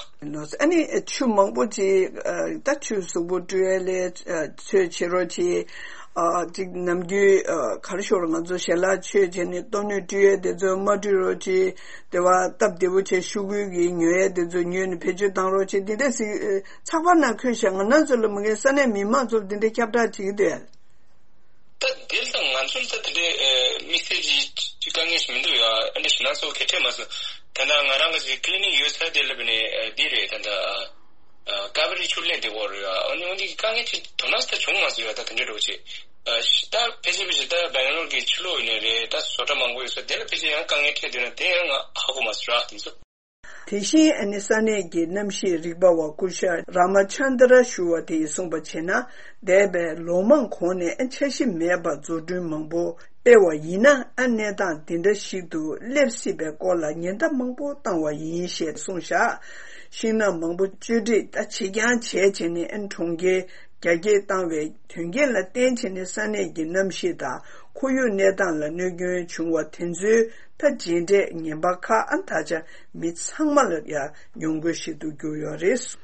ཨ་ནི་ཆུ་མང་པོ་ཅིག་ད་ཆུ་གཟུགས་པོ་བཀྲུ་ཡས་ལས་ཚོད་བྱེད་རོགས་གྱིས། ཅིག་ནམ་རྒྱུན་ག་རེ་ཞུ་རོགས། ང་ཚོ་ཞལ་ལག་མཆོད་བྱས་ནས་ལྟོ་སྣོད་བཀྲུ་ཡས་དེ་ཚོ་མ་བཀྲུ་རོགས་གྱིས། དེ་བ་སྟབས་བདེ་པོ་བྱས་ཤོག་གུ་གི་ཉོ་ཡས་དེ་ཚོ་ཉོས་ནས་བེད་སྤྱོད་བཏང་རོགས་གྱིས། འདི་འདྲ་ཞིག་ཚགས་པར་ནང་འཁོད་བཞག། ང་རང་ཚོ་ལ་མ་གི་ས་གནས་མི་མང་ཚོར་འདི་འདྲའི་ཁྱབ་བསྒྲགས་བྱེད་ཀྱི་འདུག་ཨ། ད་དེ་ལ་ད་ང་ཚོ་ལ་ད་དེ་འདྲའི་དམིགས་བསལ་གྱི་དཀའ་ངལ་ཞིག་མི་འདུག་ཡ། ཨ་འདྲ་ཞིག་ན་སོ་གལ་ཆེ་མ་སོང་། ད་ལྟ་ང་རང་གི་ཅིག་ཀི་ལི་ནིག་ཡོད་ས་དེ་ལ་བས་ནས་འདི་རེད། ད་ལྟ་ཀ་བེ་རི་ཆུ་ལེན་དེ་བོ་རེད་ཡ། ཨ་ནི་འོན་ཏེ་དཀའ་ངལ་ཅིག་དོ་སྣང་ས་བྱུང་མ་སོང་ཡ། ད་དེ་འདྲ་འགྲོ་ཅིག་ད་ཕལ་ཆེར་ཕལ་ཆེར་ད་སྦེང་ལོར་གྱི་ཕྱི་ལོགས་ཡིན་ནའི་རེད། ད་བཟོ་གྲྭ་མང་པོ་ཡོད་ས་དེ་ལ་ཕལ་ཆེར་ཡང་དཀའ་ངལ་འཕྲད་འདུག་ན་དེ་ཡང་ང་ཧ་གོ་མ་སོང་ར། དེ་ཚོ། དེ་བཞིན་ཨ་ནི་ས་གནས་ཀྱི་གནམ་གཤིས་རིག་པ་བ་སྐུ་ཞབས་ར་མ་ཆན་དྲ་ཞུ་བ་དེས་གསུངས་པ་བྱས་ན། འདས་པའི་ལོ་མང་གོང་ནས་འཆར་གཞི་མེད་པར་འཛུགས་སྐྲུན་མང་པོ་སྤེལ་བ་ཡིན་ན། ཨ་གནས་སྟངས་འདི་འདྲ་ཞིག་ཏུ་སླེབས་སྲིད་པའི་སྐོར་ལ་ཉེན་བརྡ་མང་པོ་བཏང་བ་ཡིན་ཞེས་གསུངས་བཞག། ཤིང་ནགས་མང་པོ་གཅོད་འབྲེག་ད་བྱེད་རྐྱང་བྱས་བྱས་ནས་ཨ་ནི་གྲོང་ཁྱེར་རྒྱ་སྐྱེད་བཏང་བའི་དོན་རྐྱེན་ལ་བརྟེན་བྱས་ནས་ས་གནས་ཀྱི་གནམ་གཤིས་དང་ཁོར་ཡུག་གནས་སྟངས་ལ་གནོད་སྐྱོན་བྱུང་བ་དེ་ཚོའི་ད་རྗེས་འབྲས་ངན་པ་ཁག་ཨ་ད་ཆ་མི་ཚང་མ་ལ་ཡང་མྱོང་དགོས་ཤིག་ཏུ་གྱུར་ཡོད་རེད། བྱས་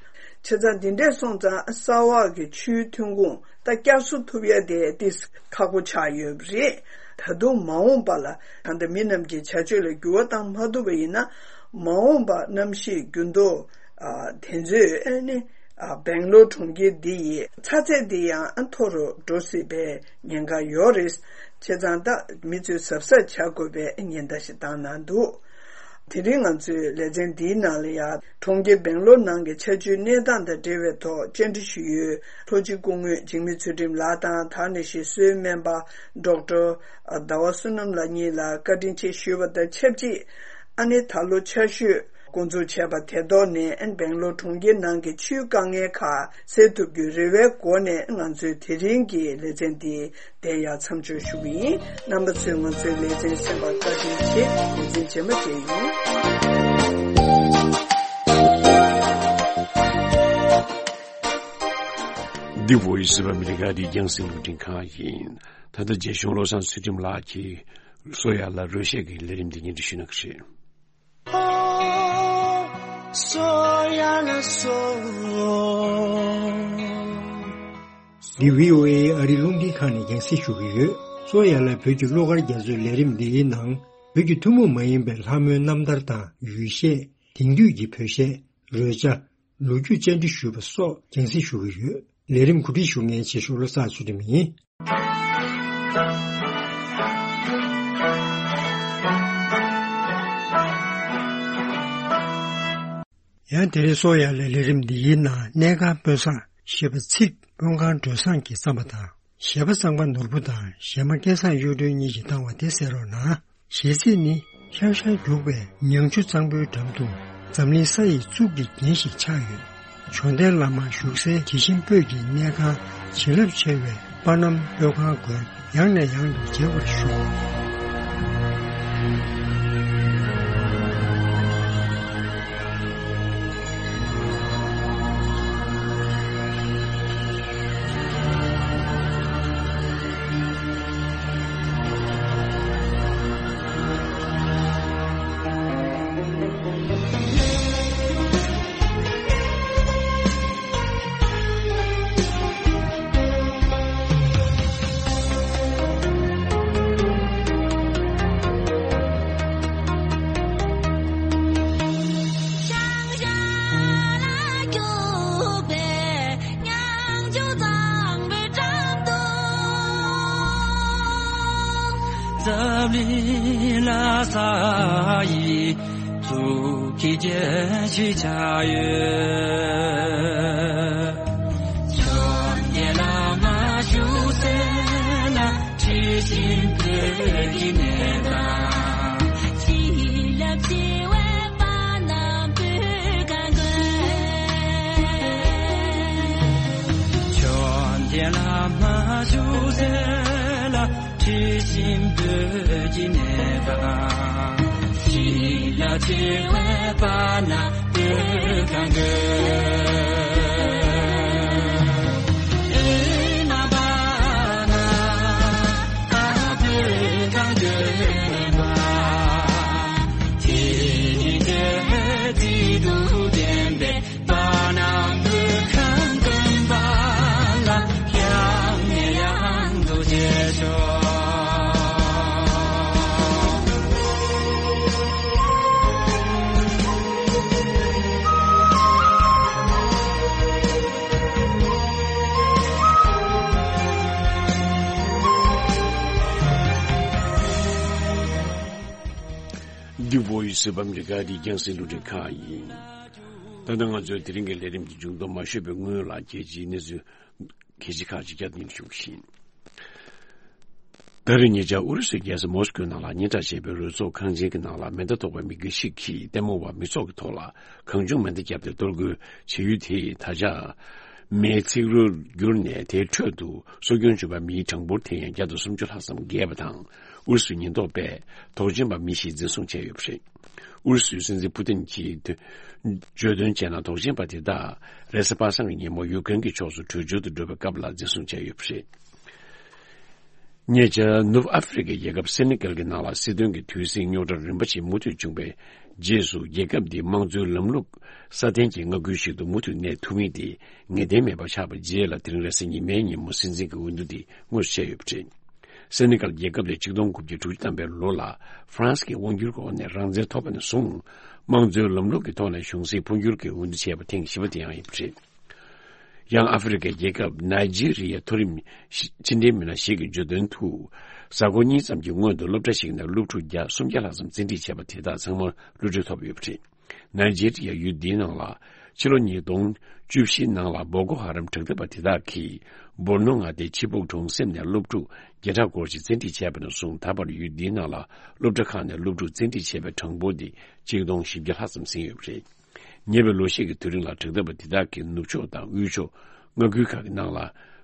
ཙང་འདི་འདྲས་སོང་ཙང་ས་འོག་གི་ཆུའི་ཐོན་ཁུངས་ད་བསྐྱར་གསོ་ཐུབ་ཡ་དེ་ཏིས་ཁག་པོ་ཆགས་ཡོད་པ་རེད། ད་དུང་མ་འོངས་པ་ལ་ད་ལྟ་མི་རྣམས་ཀྱི་བྱ་སྤྱོད་ལ་འགྱུར་བ་བཏང་མ་ཐུབ་པ་ཡིན་ན། མ་འོངས་པ་གནམ་གཤིས་འགྱུར་ལྡོག་དེ་ཚོས་ཨ་ནི། ཨ་སྦེང་ལོར་གྲོང་ཁྱེར་འདི་ཡི་ཚ་ཚད་འདི་ཡང་མཐོ་རུ་འགྲོ་སྲིད་པའི་ཉེན་ཁ་ཡོད་རེད། བྱས་ཙང་ད་མི་ཚོས་གཟབ་གཟབ་བྱ་དགོས་པའི་ཉེན་བརྡ་ཞིག་བཏང་གནང་འདུག། དེ་རིང་ང་ཚོའི་ལེ་ཚན་འདིའི་ནང་ལ་ཡང་གྲོང་ཁྱེར་སྦེང་ལོར་ནང་གི་ཆར་ཆུའི་གནས་སྟངས་དང་འབྲེལ་བའི་ཐོག་བཅར་འདྲི་ཞུས་ཡོད། ལྷོ་སྤྱི་སྐུ་ངོ་འཇིགས་མེད་ཚུལ་ཁྲིམས་ལགས་དང་། ད་ནི་ཞིག་གསོལ་སྨན་པ་ཌོག་ཊར་ཟླ་བ་བསོད་ནམས་ལགས་གཉིས་ལ་བཀའ་དྲིན་ཆེ་ཞུས་པ་དང་ཆབས་ཅིག། ཨ་ནི་ད་ལོ་ཆར་ཞོད་ འགོ་འཛུགས་བྱས་པ་དེ་ཐོག་ནས་སྦེང་ལོར་གྲོང་ཁྱེར་ནང་གི་ཆུའི་དཀའ་ངལ་ཁག་སེལ་ཐུབ་རྒྱུའི་རེ་བའི་སྒོ་ནས་ང་ཚོའི་དེ་རིང་གི་ལེ་ཚན་འདི་དེ་ཡང་མཚམས་འཇོག་ཞུ་གི་ཡིན། རྣམ་པ་ཚོས་ང་ཚོའི་ལེ་ཚན་གསན་པར་བཀའ་དྲིན་ཆེ། ལེ་ཚན་རྗེས་མ་མཇལ་ཡོང་། འདི་བོ་ཡི་སི་བ་མི་རི་ཀ་འདི་རྒྱང་སྲིང་རླུང་འཕྲིན་ཁང་ཡིན། ད་ལྟ་རྒྱལ་གཞུང་བློ་བཟང་ཚུལ་ཁྲིམས་ལགས་ཀྱིས་བསོད་ཡར་ལ་རོལ་ཆས་ཀྱི་ལས་རིམ་འདི་སྙན་སྒྲོན་ཞུ་གནང་གི་རེད། འདི་བྷི་ཨོ་ཨེ་ཨ་རི་རླུང་འཕྲིན་ཁང་ནས་རྒྱང་སྲིང་ཞུ་གི་ཡོད། བསོད་ཡར་ལ་བོད་ཀྱི་བློ་དཀར་རྒྱ་མཚོའི་ལས་རིམ་འདིའི་ནང་བོད་ཀྱི་ཐུན་མོང་མ་ཡིན་པའི་ལྷ་མོའི་རྣམ་ཐར་དང་ཡུལ་གཞས། དེང་དུས་ཀྱི་བོད་གཞས། རོལ་ཆ། ལོ་རྒྱུས་བཅར་འདྲི་ཞུས་པ་སོགས་རྒྱང་སྲིང་ཞུ་གི་ཡོད། ལས་རིམ་གོ་སྒྲིག་ཞུ་མཁན་བྱེད་ཤོག་བློ་བཟང་ཚུལ་ཁྲིམས་ཡིན། ཡང་དེ་རིང་བསོད་ཡར་ལ་ལས་རིམ་འདི་ཡི་ནང་གནས་ཁང་དཔོན་བཟང་ཞེས་པ་ཚིག་དཔོན་ཁང་སྒྲོལ་བཟང་གི་བརྩམས་པ་དང་། གཞས་པ་གཙང་པ་ནོར་བུ་དང་གཞས་མ་སྐལ་བཟང་གཡུ་སྒྲོན་གཉིས་ཀྱིས་བཏང་བ་དེ་གསན་རོགས་གནང་། གཞས་ཚིག་ནི་ཤང་ཤང་རྒྱུག་པའི་ཉང་ཆུ་གཙང་པོའི་འགྲམ་དུ་འཛམ་གླིང་ས་ཡི་གཙུག་གི་རྒྱན་ཞིག་ཆགས་ཡོད། བྱོན་ལྡན་བླ་མ་བཞུགས་སའི་དྲི་ཞིམ་སྤོས་ཀྱི་གནས་ཁང་བྱིན་རླབས་ཆེ་བའི་དཔལ་རྣམ་སྤོས་ཁང་དགོན་ཡང་ནས་ཡང་དུ་མཇལ་བར་ཤོག། འཛམ་གླིང་ལ་ས་ཡི་གཙུག་གི་རྒྱན་ཞིག་ཆགས་ཡོད། བྱོན་ལྡན་བླ་མ་བཞུགས་སའི་ལ་དྲི་ཞིམ་སྤོས་ཀྱི་གནས་ཁང་། བྱིན་རླབས་ཆེ་བའི་དཔལ་རྣམ་སྤོས་ཁང་དགོན། བྱོན་ལྡན་བླ་མ་བཞུགས་སའི་ལ་དྲི་ཞིམ་སྤོས་ཀྱི་གནས་ཁང་། བྱིན་རླབས་ཆེ་བའི་དཔལ་རྣམ་སྤོས་ཁང་དགོན། ཨེ་མ་དཔལ་རྣམ་སྤོས་ཁང་དགོན་པ། དེ་ནི་དེ་ཚེ་དུས་དྲན་པའི་དཔལ་རྣམ་སྤོས་ཁང་དགོན་པ་ལ་ཡང་ནས་ཡང་དུ་མཇལ་ཆོག། འདི་བོ་ཡི་སི་བ་མི་རི་ཀ་འདི་རྒྱང་སྲིང་རླུང་འཕྲིན་ཁང་ཡིན། ད་ལྟ་ང་ཚོའི་དེ་རིང་གི་ལས་རིམ་གྱི་མཇུག་སྡོམ་མ་ཞུས་པའི་སྔོན་ལ་རྒྱལ་སྤྱིའི་གནས་ཚུལ་གལ་ཆེ་ཁག་ཅིག་བསྐྱར་ཟློས་ཞུ་གི་ཡིན། ད་རེས་ཉེ་ཆར་ཨུ་རུ་སུའི་རྒྱལ་ས་མོ་སི་ཀོའི་ནང་ལ་སྙན་གྲགས་ཆེ་བའི་རོལ་ཚོགས་ཁང་ཆེན་གྱི་ནང་ལ་མེ་མདའ་ཐོགས་པའི་མི་དགེ་ཞིག་གིས་ལྟད་མོ་བ་མི་ཚོགས་ཀྱི་ཐོག་ལ་གང་བྱུང་མེ་མདའ་བརྒྱབ་སྟེ་གཏོར་རྒོལ་བྱེད་ཡུལ་དེས་ད་ཆ་མེའི་ཚིག་རུས་གྱུར་ནས་དེའི་ཁྲོད་དུ་གསོ་སྐྱོང་བྱུང་བའི་མིའི་གྲངས་འབོར་དེ་ཡང་བརྒྱ་དང་སུམ་ཅུ་ལྷག་ཙམ་བརྒལ་བ་དང་། ཨུ་རུ་སུའི་ཉེན་རྟོག་པས་དོགས་ཅན་པ་མི་བཞི་འཛིན་བཟུང་བྱས་ཡོད་པ་རེད། ཨུ་རུ་སུའི་སྲིད་འཛིན་ཕུ་ཏིན་གྱིས་བརྗོད་དོན་བྱས་ན། དོགས་ཅན་པ་དེ་དག་རེས་གཟའ་པ་སངས་ཀྱི་ཉིན་མོ་ཡུཀ་རེན་གྱི་ཕྱོགས་སུ་བྲོས་བྱོལ་དུ་འགྲོ་བའི་སྐབས་ལ་འཛིན་བཟུང་བྱས་ཡོད་པ་རེད། ཉེ་ཆར་ནུབ་ཨ་ཧྥེ་རི་ཀའི་རྒྱལ་ཁབ་སེ་ནེ་ཀལ་གྱི་ནང་ལ་སྲིད་དོན་གྱི་དུས་ཟིང་རྙོག་དྲ་རིམ་པ་ཞིག་མུ་མཐུད་བྱུང་བའི་རྗེས་སུ། རྒྱལ་ཁབ་འདིའི་དམངས་གཙོའི་ལམ་ལུགས་སྲ་བརྟན་གྱི་མངའ་ཁུལ་ཞིག་ཏུ་མུ་མཐུད་གནས་ཐུབ་མིན་དེ་ངེས་གཏན་མེད་པ་ཆགས་པའི་རྗེས་ལ། དེ་རིང་རེས་གཟའ་ཉི་མའི་ཉིན་མོ་སྲིད་འཛིན་གྱི་འོས་བསྡུ་འདི་དངོས་སུ་བྱས་ཡོད་པ་རེད། སེ་ནེ་ཀལ་རྒྱལ་ཁབ་དེ་ཆིག་སྟོང་དགུ་བརྒྱ་དྲུག་ཅུ་ཐམ་པའི་ལོ་ལ་ཧྥ་རན་སི་གི་དབང་བསྒྱུར་གྱི་འོག་ནས་རང་བཙན་ཐོབ་པ་ནས་བཟུང་། དམངས་གཙོའི་ལམ་ལུགས་ཀྱི་ཐོག་ནས་གཞུང་སྲིད་འཕོ་འགྱུར་གྱི་འོས་བསྡུ་བྱས་པ་ཐེངས་བཞི་པ་དེ་ཡང་ཡིན་པ་རེད། ཡང་ཨ་ཧྥེ་རི་ཁའི་རྒྱལ་ཁབ་ནཱི་ཇི་རི་ཡའི་མཐོ་རིམ་ཕྱི་འབྲེལ་མི་སྣ་ཞིག་གིས་བརྗོད་དོན་དུ། གཟའ་འཁོར་གཉིས་ཙམ་གྱི་སྔོན་དུ་སློབ་གྲྭ་ཞིག་ནས་སློབ་ཕྲུག་བརྒྱ་སུམ་བརྒྱ་ལྷག་ཙམ་བཙན་ཁྲིད་བྱས་པ་དེ་དག་ཚང་མར་གློད་གྲོལ་ཐོབ་ཡོད་པ་རེད། ནཱི་ཇི་རི་ཡ་ཡུལ་འདིའི་ནང་ལ་ཕྱི་ལོ་ཉིས་སྟོང་བཅུ་བཞིའི་ནང་ལ་བོ་ཀོ་ཧ་རམ་དྲག་འཐབ་པ་དེ་དག་གིས་ སྦུར་ནོ་མངའ་སྡེའི་ཆི་བུག་གྲོང་གསེབ་ནས་སློབ་ཕྲུག་བརྒྱ་ཕྲག་སྐོར་ཞིག་བཙན་ཁྲིད་བྱས་པ་ནས་བཟུང་ད་བར་ཡུལ་འདིའི་ནང་ལ་སློབ་གྲྭ་ཁག་ནས་སློབ་ཕྲུག་བཙན་ཁྲིད་བྱས་པའི་གྲངས་འབོར་འདི་ཆིག་སྟོང་བཞི་བརྒྱ་ལྷག་ཙམ་ཟིན་ཡོད་པ་རེད། ཉེ་བའི་ལོ་ཤས་ཀྱི་དུས་རིང་ལ་དྲག་འཐབ་པ་འདི་དག་གིས་ནུབ་ཕྱོགས་དང་དབུས་ཕྱོགས་མངའ་ཁུལ་ཁག་གི་ནང་ལ་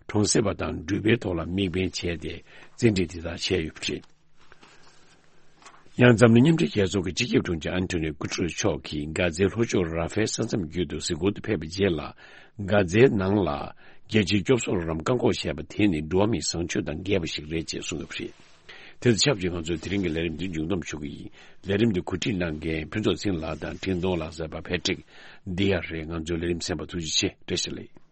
གྲོང་གསེབ་པ་དང་འགྲུལ་པའི་ཐོག་ལ་དམིགས་འབེན་བྱས་ཏེ་བཙན་ཁྲིད་འདི་དག་བྱས་ཡོད་པ་རེད། ཡང་འཛམ་གླིང་མཉམ་འབྲེལ་རྒྱལ་ཚོགས་ཀྱི་སྤྱི་ཁྱབ་དྲུང་ཆེ་ཨན་ཐོ་ནིའོ་གུ་ཏྲེ་རེས་མཆོག་གིས་གྷ་ཛའི་ལྷོ་ཕྱོགས་ར་ཧྥའི་ས་མཚམས་བརྒྱུད་དུ་གཟིགས་སྐོར་དུ་ཕེབས་པའི་རྗེས་ལ། གྷ་ཛའི་ནང་ལ་རྒྱལ་སྤྱིའི་སྐྱོབ་གསོ་རོགས་རམ་བཀག་འགོག་བྱས་པ་དེ་ནི་འགྲོ་བ་མིའི་བཟང་སྤྱོད་དང་འགལ་བ་ཞིག་རེད་ཅེས་གསུངས་ཡོད་པ་རེད། དེ་དང་ཆབས་ཅིག་ང་ཚོའི་དེ་རིང་གི་ལས་རིམ་འདི་མཇུག་བསྡོམས་ཞུ་གི་ཡིན། ལས་རིམ་འདི་གོ་སྒྲིག་གནང་མཁན་ཕུན་ཚོགས་ཚེ་རིང་ལགས་དང་འཕྲིན་གཏོང་ལག་རྩལ་པ་ཕེ་ཏྲིག་འདི་ཡ་རེད། ང་ཚོའི་ལས་རིམ་གསན་པར་ཐུགས་རྗེ་ཆེ། བཀྲ་ཤིས་བདེ་ལེགས།